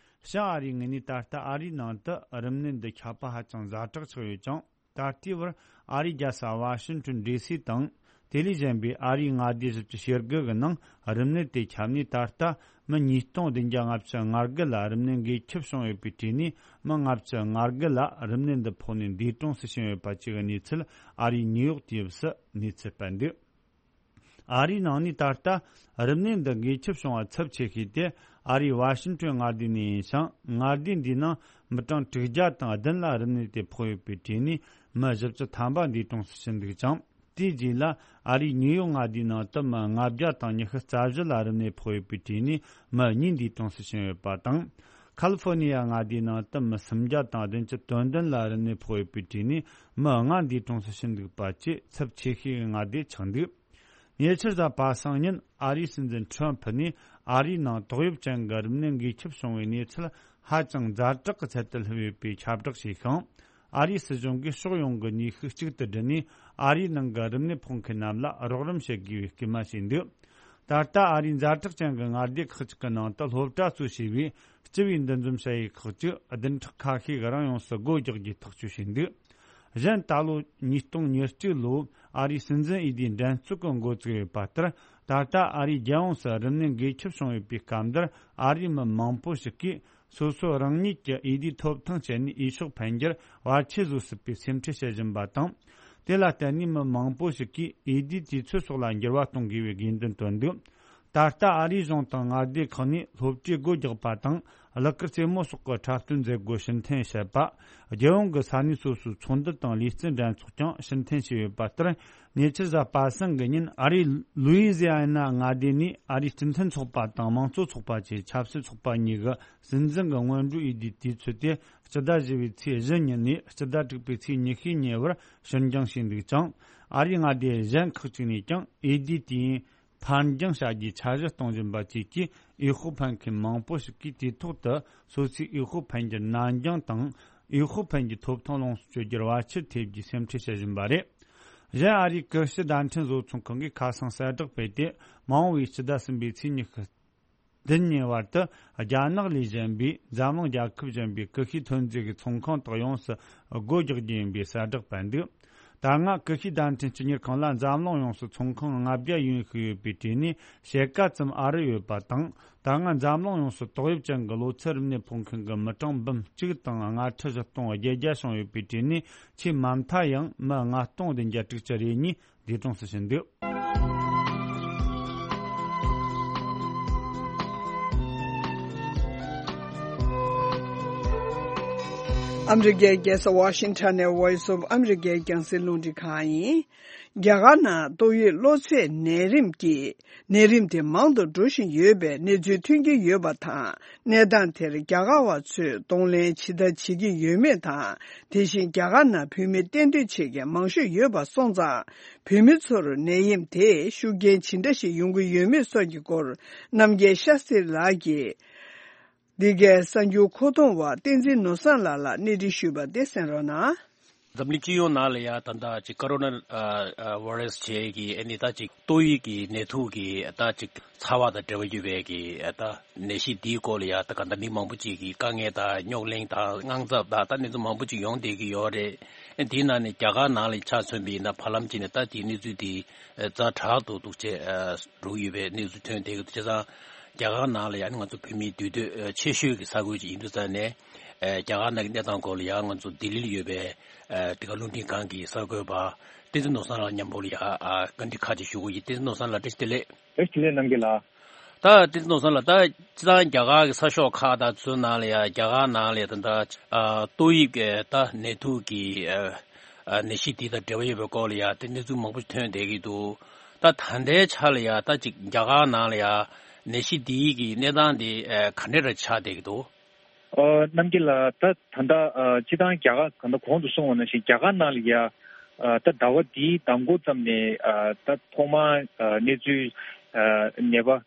བྱང་ཨ་རིའི་ངོས་ནས་ད་ལྟ་ཨ་རིའི་ནང་དུ་རིམས་ནད་འདི་ཁྱབ་པ་ཧ་ཅང་ཛ་དྲག་ཆགས་ཡོད་ཅིང་། ད་ལྟའི་བར་ཨ་རིའི་རྒྱལ་ས་ཝ་ཤིང་ཊོན་ཌི་སི་དང་། དེ་ལས་གཞན་པའི་ཨ་རིའི་མངའ་སྡེ་བཞི་བཅུ་ཞེ་དགུ་གི་ནང་རིམས་ནད་དེ་ཁྱབ་ནས་ད་ལྟ་མི་ཉིས་སྟོང་བདུན་བརྒྱ་ལྔ་བཅུ་ང་དགུ་ལ་རིམས་ནད་འགོས་ཁྱབ་བྱུང་ཡོད་པའི་གྲས་ནས། མི་ལྔ་བཅུ་ང་དགུ་ལ་རིམས་ནད་འདི་ཕོག་ནས་འདས་གྲོངས་སུ་ཕྱིན་ཡོད་པ་བཅས་ཀྱི་གནས་ཚུལ་ཨ་རིའི་ནིའུ་ཡོག་དུས་བབ་སུ་གནས་ཚུལ་སྤེལ་འདུག་ཨ་རིའི་ནང་ནས་ད་ལྟ་རིམས་ནད་འདི་འགོས་ཁྱབ་བྱུང་བ་ཚབས་ཆེ་ཤོས་དེ་ཨ་རིའི་ཝ་ཤིང་ཊོན་མངའ་སྡེ་ནས་ཡིན་ཞིང་། མངའ་སྡེ་འདིའི་ནང་མི་གྲངས་དྲུག་བརྒྱ་དང་བདུན་ལ་རིམས་ནད་དེ་ཕོག་ཡོད་པའི་གྲས་ནས་མི་བཞི་བཅུ་ཐམ་པ་འདས་གྲོངས་སུ་ཕྱིན་འདུག་ཅིང་། དེའི་རྗེས་ལ་ཨ་རིའི་ནིའུ་ཡོག་མངའ་སྡེའི་ནང་དུ་མི་ལྔ་བརྒྱ་དང་ཉི་ཤུ་རྩ་བཞི་ལ་རིམས་ནད་ཕོག་ཡོད་པའི་གྲས་ནས་མི་གཉིས་འདས་གྲོངས་སུ་ཕྱིན་ཡོད་པ་དང་། ཁ་ལི་ཧྥོ་ནི་ཡ་མངའ་སྡེའི་ནང་དུ་མི་སུམ་བརྒྱ་དང་བདུན་ཅུ་དོན་བདུན་ལ་རིམས་ནད་ཕོག་ཡོད་པའི་གྲས་ནས་མི་ལྔ་འདས་གྲོངས་སུ་ཕྱིན་འདུག་པ་བཅས་ཚབས་ཆེ་ཤོས་ཀྱི་མངའ་སྡེ་ཆགས་འདུག་ཉེ་ཆར་གཟའ་པ་སངས་ཉིན་ཨ་རིའི་སྲིད་འཛིན་ཁྲོམ་ཕུ་ནས་ཨ་རིའི་ནང་ཏོག་དབྱིབས་ཅན་གྱི་རིམས་ནད་འགོས་ཁྱབ་བྱུང་བའི་གནས་ཚུལ་ཧ་ཅང་ཛ་དྲག་གི་ཚད་དུ་སླེབས་ཡོད་པའི་ཁྱབ་བསྒྲགས་བྱས་ཤིང་། ཨ་རིའི་སྲིད་གཞུང་གིས་ཕྱོགས་ཡོངས་ཀྱི་ནུས་ཤུགས་གཅིག་ཏུ་བསྒྲིལ་ནས་ཨ་རིའི་ནང་གི་རིམས་ནད་ཕོག་མཁན་རྣམས་ལ་རོགས་རམ་བྱེད་དགོས་པའི་སྐུལ་མ་བྱས་འདུག་ད་ལྟ་ཨ་རིའི་ཛ་དྲག་ཅན་གྱི་མངའ་སྡེ་ཁག་ཅིག་གི་ནང་དུ་སློབ་གྲྭ་གཙོས་བྱས་པའི་སྤྱི་པའི་འདུ་འཛོམས་བྱ་ཡུལ་ཁག་ཅིག་བདུན་ཕྲག་ཁ་ཤས་ཀྱི་རིང་ཡོངས་སུ་སྒོ་རྒྱག་རྒྱུའི་ཐག་གཅོད་བྱས་འདུག་གཞན་ད་ལོ་ཉིས་སྟོང་ཉེར་གཅིག་ལོ་ཨ་རིའི་སྲིད་འཛིན་འོས་བསྡུའི་འགྲན་རྩོད་ཀྱི་འགོ་བཙུགས་ཡོད་པ་ལྟར། ད་ལྟ་ཨ་རིའི་རྒྱལ་ཡོངས་སུ་རིམས་ནད་འགོས་ཁྱབ་བྱུང་ཡོད་པའི་སྐབས་འདིར་ཨ་རིའི་མི་མང་པོ་ཞིག་གིས་སོ་སོ་རང་ཉིད་ཀྱི་འོས་བསྡུའི་ཐོབ་ཐང་སྤྱད་ནས་འོས་ཤོག་འཕེན་རྒྱུར་བར་ཆད་བཟོ་སྲིད་པའི་སེམས་ཁྲལ་བྱེད་བཞིན་པ་དང་། དེ་ལ་བརྟེན་ནས་མི་མང་པོ་ཞིག་གིས་འོས་བསྡུའི་དུས་ཚོད་སོགས་ལ་འགྱུར་བ་གཏོང་དགོས་པའི་དགོས་འདུན་བཏོན་འདུག་ད་ལྟ་ཨ་རིའི་གཞུང་དང་མངའ་སྡེ་ཁག་ནས་སློབ་གྲྭའི་སྒོ་རྒྱག་པ་དང་། གླུ་གར་རྩེད་མོ་སོགས་ཀྱི་འཁྲབ་སྟོན་མཛད་སྒོ་ཕྱིར་འཐེན་བྱེད་པ། རྒྱལ་ཡོངས་ཀྱི་ས་གནས་སོ་སོའི་ཚོགས་འདུ་དང་ལུས་རྩལ་འགྲན་ཚོགས་ཀྱང་ཕྱིར་འཐེན་བྱས་ཡོད་པ་ལྟར། ཉེ་ཆར་གཟའ་པ་སངས་ཀྱི་ཉིན་ཨ་རིའི་ལུའི་ཛི་ཨ་ན་མངའ་སྡེ་ནས་ཨ་རིའི་སྤྱི་མཐུན་ཚོགས་པ་དང་དམངས་གཙོ་ཚོགས་པ་བཅས་ཆབ་སྲིད་ཚོགས་པ་གཉིས་ཀྱི་སྲིད་འཛིན་གྱི་སྔོན་འགྲོའི་འོས་བསྡུའི་དུས་ཚོད་དེ་སྤྱི་ཟླ་བཞི་པའི་ཚེས་བཞི་ཉིན་ནས་སྤྱི་ཟླ་དྲུག་པའི་ཚེས་ཉི་ཤུའི་ཉེ་བར་ཕྱིར་འགྱངས་བྱས་འདུག་ཅིང་། ཨ་རིའི་མངའ་སྡེ་གཞན་ཁག་ཅིག་ནས་ཀྱང་འོས་བསྡུའི་དུས་ཡུན་ཕར་འགྱངས་བྱ་རྒྱུའི་འཆར་གཞི་གཏོང་བཞིན་པ་བཅས་ཀྱིས། འོས་ཤོག་འཕེན་མཁན་མང་པོ་ཞིག་གིས་དུས་ཐོག་ཏུ་སོ་སོའི་འོས་ཤོག་འཕེན་རྒྱུར་ནར་འགྱངས་དང་། འོས་ཤོག་འཕེན་རྒྱུའི་ཐོབ་ཐང་ལོངས་སུ་སྤྱོད་རྒྱུར་བར་ཆད་ཐེབས་རྒྱུའི་སེམས་ཁྲལ་བྱེད་བཞིན་པ་རེད། གཞན་ཨ་རིའི་ཀིར་ཤི་བརྡ་འཕྲིན་བཟོ་ཚོང་ཁང་གིས་ཁ་སང་གསལ་བསྒྲགས་སྤེལ་ཏེ། མ་འོངས་པའི་སྤྱི་ཟླ་གསུམ་པའི་ཚེས་ཉི་ཤུ་བདུན་ཉིན་བར་དུ། རྒྱ་ནག་ལས་གཞན་པའི་འཛམ་གླིང་རྒྱལ་ཁབ་གཞན་པའི་ཀིར་ཤི་ཐོན་རྫས་ཀྱི་ཚོང་ཁང་དག་ཡོངས་སུ་སྒོ་རྒྱག་རྒྱུ་ཡིན་པའི་གསལ་བསྒྲགས་སྤེལ་འདུག་ད་སྔ་ཀིར་ཤི་བརྡ་འཕྲིན་སྤྱི་གཉེར་ཁང་ལ་འཛམ་གླིང་ཡོངས་སུ་ཚོང་ཁང་ལྔ་བརྒྱ་ཡན་ཞིག་ཡོད་པའི་གྲས་ནས་ཕྱེད་ཀ་ཙམ་ཨ་རི་ཡོད་པ་དང་། ད་སྔ་འཛམ་གླིང་ཡོངས་སུ་ཏོག་དབྱིབས་ཅན་གྱི་གློ་ཚད་རིམས་ནད་ཕོག་མཁན་གྱི་མི་གྲངས་འབུམ་གཅིག་དང་ལྔ་ཁྲི་བཞི་སྟོང་བརྒྱད་བརྒྱ་བྱུང་ཡོད་པའི་གྲས་ནས་ཆེས་མ་མཐའ་ཡང་མི་ལྔ་སྟོང་བདུན་བརྒྱ་དྲུག་ཅུ་རེ་གཉིས་འདས་གྲོངས་སུ་ཕྱིན་འདུག་ཨ་མི་རི་ཀའི་རྒྱལ་ས་ཝ་ཤིང་ཊོན་ནས་Voice of America རྒྱང་སྲིང་རླུང་འཕྲིན་ཁང་ཡིན། རྒྱ་གར་ནང་ཏོག་དབྱིབས་གློ་ཚད་ནད་རིམས་ཀྱིས་ནད་རིམས་དེ་མང་དུ་འགྲོ་བཞིན་ཡོད་པའི་གནས་ཚུལ་ཐོན་གྱི་ཡོད་པ་དང་། གནས་སྟངས་དེར་རྒྱ་གར་བ་ཚོས་གདོང་ལེན་ཇི་ལྟར་བྱེད་ཀྱི་ཡོད་མེད་དང་། དེ་བཞིན་རྒྱ་གར་ནང་བོད་མི་གཏན་སྡོད་བྱེད་མཁན་མང་ཤོས་ཡོད་པ་སོང་ཙང་། བོད་མི་ཚོར་ནད་ཡམས་དེས་ཤུགས་རྐྱེན་ཇི་འདྲ་ཞིག་ཡོང་གི་ཡོད་མེད་སོགས་ཀྱི་སྐོར། རྣམ་རྒྱལ་ཤཱ་སྟྲི་ལགས་ཀྱིས་འདི་གའི་གསར་འགྱུར་མཁོ་གཏོང་བ་བསྟན་འཛིན་ནོར་བཟང་ལགས་ལ་གནས་འདྲི་ཞུས་པ་དེ་གསན་རོགས་གནང་། འཛམ་གླིང་སྤྱི་ཡོངས་ནང་ལ་ཡ་ད་ལྟ་ཅིག་ཀོ་རོ་ན་ཨ་ཨ་བྷ་རེ་སི་བྱས་ཀྱི་ཨ་ནི་ད་ཅིག་ཏོག་དབྱིབས་ཀྱི་ནད་དུག་གི་ད་ཅིག་ཚ་བ་དང་འབྲེལ་བ་ཡོད་པའི་གི་ད་ནད་གཞི་འདིའི་སྐོར་ལ་ཡ་ད་ག་ད་མི་མང་པོ་ཅིག་གི་དཀའ་ངལ་དང་རྙོག་གླེང་དང་དངངས་འཚབ་དང་ད་གནས་ཚུལ་མང་པོ་ཅིག་ཡོང་བསྡད་ཀྱི་ཡོད་རེད། དེའི་ནང་ནས་རྒྱ་གར་ནང་ལ་ཆ་མཚོན་པ་ཡིན་ན་བར་ལམ་ཅིག་ནས་ད་དེའི་གནས་ཚུལ་དེ་ཛ་དྲག་ཏུ་འདུག་ཅེས་འགྲོ་གི་ཡོད་པའི་གནས་ཚུལ་ཐོན་བསྡད་ཀྱི་འདུག་བྱས་ཙང་རྒྱ་གར་ནང་ལ་ཡང་ང་ཚོ་བོད་མིའི་འདུས་སྡོད་ཆེ་ཤོས་ཀྱི་ས་ཁུལ་ཅིག་ཡིན་དུས་ཙང་ནས་རྒྱ་གར་ནང་གི་གནས་སྟངས་སྐོར་ལ་ཡང་ང་ཚོ་ལྡི་ལིར་ཡོད་པའི་འདི་ག་རླུང་འཕྲིན་ཁང་གི་གསར་འགོད་པ་བསྟན་འཛིན་ནོར་བཟང་ལགས་མཉམ་པོ་ལ་ཡང་བཀའ་འདྲི་ཁག་ཅིག་ཞུ་གི་ཡིན། བསྟན་འཛིན་ནོར་བཟང་ལགས་བཀྲ་ཤིས་བདེ་ལེགས། བཀྲ་ཤིས་བདེ་ལེགས་རྣམ་རྒྱལ་ལགས། ད་བསྟན་འཛིན་ནོར་བཟང་ལགས་ད་སྤྱིར་བཏང་རྒྱ་གར་གྱི་ས་ཕྱོགས་ཁག་དང་ཚོའི་ནང་ལ་ཡང་རྒྱ་གར་ནང་ལ་ཡང་ད་ལྟ་ཏོག་དབྱིབས་ཀྱི་ད་ནད་དུག་གི་ནད་གཞི་འདི་དང་འབྲེལ་བ་ཡོད་པའི་སྐོར་ལ་ཡང་དེ་གནས་ཚུལ་མང་པོ་ཐོན་བསྡད་ཀྱི་འདུག་ད་ད་ལྟའི་ཆ་ལ་ཡང་ད་ཅིག་རྒྱ་གར་ནང་ལ་ཡང་ནད་གཞི་འདིའི་གི་གནས་སྟངས་འདི་ག་འདྲ་རེ་ཆགས་བསྡད་ཀྱི་འདུག་ཨ་རྣམ་རྒྱལ་ལགས། ད་ད་ལྟ་ཨ་སྤྱིར་བཏང་རྒྱ་གར་གང་ལྟར་གོང་དུ་གསུངས་པ་ནང་བཞིན་རྒྱ་གར་ནང་ལ་ཡ་ཨ་ད་ཟླ་བ་འདིའི་མདང་དགོང་ཙམ་ནས་ཨ་ད་ཐོག་མར་ཨ་གནས་ཚུལ་ཨ་ནད་པ་ཨ་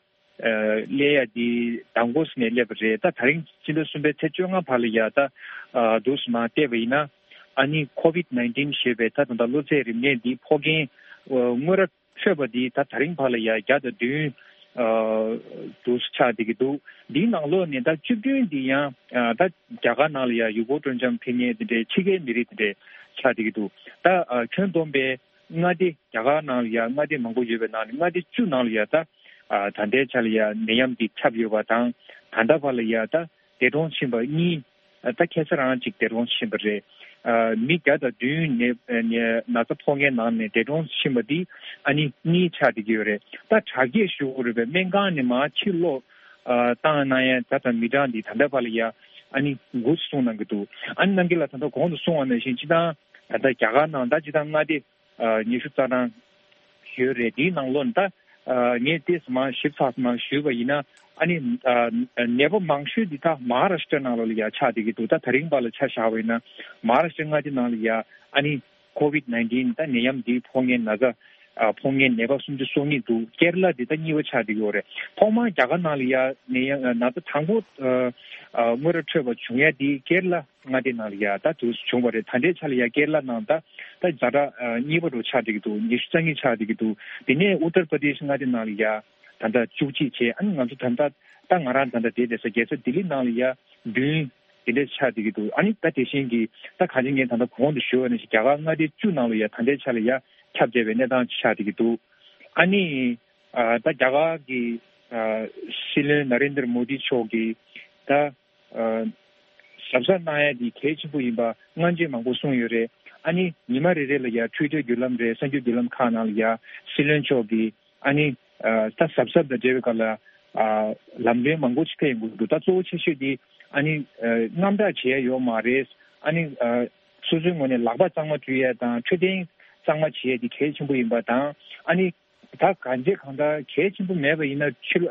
སླེབས་ཡ་འདི་མདང་དགོང་ཙམ་ནས་སླེབས་པ་རེད། ད་དེ་རིང་སྤྱི་ཟླ་གསུམ་པའི་ཚེས་བཅོ་ལྔ་བར་ལ་ཡ་ད་ཨ་འདུག་སེ་མར་བལྟས་པ་ཡིན་ན་ཨ་ནི་ཁོ་བིད་ནའིན་ཊིན་ཞེས་པའི་ད་ད་ལྟ་གློ་ཚད་རིམས་ནད་འདིའི་ཕོག་མཁན་ཨ་དངོས་ར་འཕྲོད་པ་འདི་ད་དེ་རིང་བར་ལ་ཡ་བརྒྱ་དང་བདུན་ཨ་འདུག་སེ་ཆགས་བསྡད་ཀྱི་འདུག་འདིའི་ནང་ལོགས་ནས་ད་བཅུ་བདུན་འདི་ཡང་ཨ་ད་རྒྱ་གར་ནང་ལ་ཡ་ཡུལ་སྐོར་སྤྲོ་འཆམ་ཕེབས་མཁན་དེ་འདྲའི་ཕྱི་རྒྱལ་མི་རིགས་དེ་འདྲའི་ཆགས་བསྡད་ཀྱི་འདུག་ད་ཨ་ཁྱོན་བསྡོམས་པའི་མངའ་སྡེ་རྒྱ་གར་ནང་ལ་ཡ་མངའ་སྡེ་མང་པོ་ཡོད་པའི་ནང་ནས་མངའ་སྡེ་བཅུ་ནང་ལ་ཡ་ད་ཨ་ད་ལྟའི་ཆ་ལ་ཡ་ནད་ཡམས་འདི་ཁྱབ་ཡོད་པ་དང་། ད་ལྟ་བར་ལ་ཡ་ད་འདས་གྲོངས་ཕྱིན་པ་གཉིས། ད་ཁ་སང་རང་ཅིག་འདས་གྲོངས་ཕྱིན་པ་རེད། ཨ་མི་བརྒྱ་དང་བདུན་ནས་ནས་ན་ཚ་ཕོག་མཁན་ནང་ནས་འདས་གྲོངས་ཕྱིན་པ་འདི་ཨ་ནི་གཉིས་ཆགས་བསྡད་ཀྱི་ཡོད་རེད། ད་དྲག་སྐྱེད་ཞུ་དགོས་རེད་པས། སྨན་ཁང་ནས་མར་ཕྱིར་ལོག་ཨ་བཏང་གནང་ཡ་ད་ད་མི་གྲངས་འདི་ད་ལྟ་བར་ལ་ཡ་ཨ་ནི་དགུ་གསུངས་གནང་གི་འདུག་ཨ་ནི་རྣམ་རྒྱལ་ལགས་ད་ལྟ་གོང་དུ་གསུངས་པ་ནང་བཞིན་སྤྱིར་བཏང་ད་ལྟ་རྒྱ་གར་ནང་ད་སྤྱིར་བཏང་མངའ་སྡེ་ཨ་ཉི་ཤུ་རྩ་གྲངས་ཡོད་རེད། དེའི་ནང་ལོགས་ནས་ད་ཨ་ངས་ཏོག་ཙམ་མར་ཞིབ་ཚགས་ཙམ་མར་ཞུས་པ་ཡིན་ན་ཨ་ནི་ཨ་ནད་པ་མང་ཤོས་འདི་ད་མ་ཧཱ་རཱ་ཤི་ཏྲ་ནང་ལོགས་ལ་ཡ་ཆགས་བསྡད་ཀྱི་འདུག་ད་དེ་རིང་བར་ལ་ཆ་བཞག་པ་ཡིན་ན་མ་ཧཱ་རཱ་ཤི་ཏྲ་མངའ་སྡེ་ནང་ལ་ཡ་ཨ་ནི་ཁོ་བིད་ནའིན་ཊིན་ད་ནད་ཡམས་འདིའི་ཕོག་མཁན་ན་ཚ་ཨ་ཕོག་མཁན་ནད་པ་སུམ་ཅུ་སོ་གཉིས་འདུག་ཀེ་ར་ལ་འདི་ད་གཉིས་པ་ཆགས་བསྡད་ཀྱི་ཡོད་རེད། ཐོག་མར་རྒྱ་གར་ནང་ལ་ཡ་ནད་ཡམས་ན་ཚ་དང་པོ་ཨ་ཨ་དངོས་ར་འཕྲོད་པ་བྱུང་ཡ་འདི་ཀེ་ར་ལ་མངའ་སྡེ་ནང་ལ་ཡ་ད་དུས་སུ་བྱུང་བ་རེད། ད་ལྟའི་ཆ་ལ་ཡ་ཀེ་ར་ལ་ནང་ད་ད་ཛ་དྲག་ཨ་གཉིས་པ་རུ་ཆགས་བསྡད་ཀྱི་འདུག་ཉི་ཤུ་རྩ་གཉིས་ཆགས་བསྡད་ཀྱི་འདུག་དེ་ནས་ཨུ་ཏར་པྲ་དེ་ཤི་མངའ་སྡེ་ནང་ལ་ཡ་ད་ལྟ་བཅུ་གཅིག་བྱས། ཨ་ནི་ང་ཚོ་ད་ལྟ་ད་ང་རང་ད་ལྟ་བསྡད་བསྡད་ས་རྒྱལ་ས་ལྡི་ལི་ནང་ལ་ཡ་བདུན་དེ་འདྲས་ཆགས་བསྡད་ཀྱི་འདུག་ཨ་ནི་ད་དེ་བཞིན་གྱི་ད་གང་ཅི་ངས་ད་ལྟ་གོང་དུ་ཞུས་པ་ནང་བཞིན་རྒྱ་གར་མངའ་སྡེ་བཅུ་ནང་ལ་ཡ་ད་ལྟའི་ཆ་ལ་ཡ་ཁྱབ་བསྡད་པའི་གནས་སྟངས་ཆགས་བསྡད་ཀྱི་འདུག་ཨ་ནི་ཨ་ད་རྒྱ་གར་གྱི་ཨ་སྲིད་བློན་ན་རེན་དར་མོ་དི་མཆོག་གིས་ད་ཨ་གཟབ་གཟབ་གནང་ཡ་འདི་གལ་ཆེན་པོ་ཡིན་པ་སྔ་རྗེས་མང་པོ་གསུངས་ཡོད་རེད། ཨ་ནི་ཉི་མ་རེ་རེ་ལ་ཡ་ཊུའི་ཊར་བརྒྱུད་ལམ་རེད། གསར་འགྱུར་བརྒྱུད་ལམ་ཁག་ནང་ལ་ཡ་སྲིད་བློན་མཆོག་གིས་ཨ་ནི་ཨ་ད་གཟབ་གཟབ་དང་འབྲེལ་བའི་སྐོར་ལ་ཨ་ལམ་སྟོན་མང་པོ་ཅིག་ཕེབས་ཡོང་གི་འདུག་ད་གཙོ་བོ་ཆེ་ཤོས་འདི་ཨ་ནི་ཨ་དངངས་སྐྲག་བྱེད་ཡ་ཡོད་མ་རེད། ཨ་ནི་ཨ་སོ་སོའི་ངོས་ནས་ལག་པ་གཙང་མ་བཀྲུ་ཡ་དང་འཕྲོད་བསྟེན་གཙང་མ་བྱེད་ཡ་འདི་གལ་ཆེན་པོ་ཡིན་པ་དང་། ཨ་ནི་ད་གང་ཅི་གང་ལྟར་གལ་ཆེན་པོ་མེད་པ་ཡིན་ན་ཕྱི་ལ་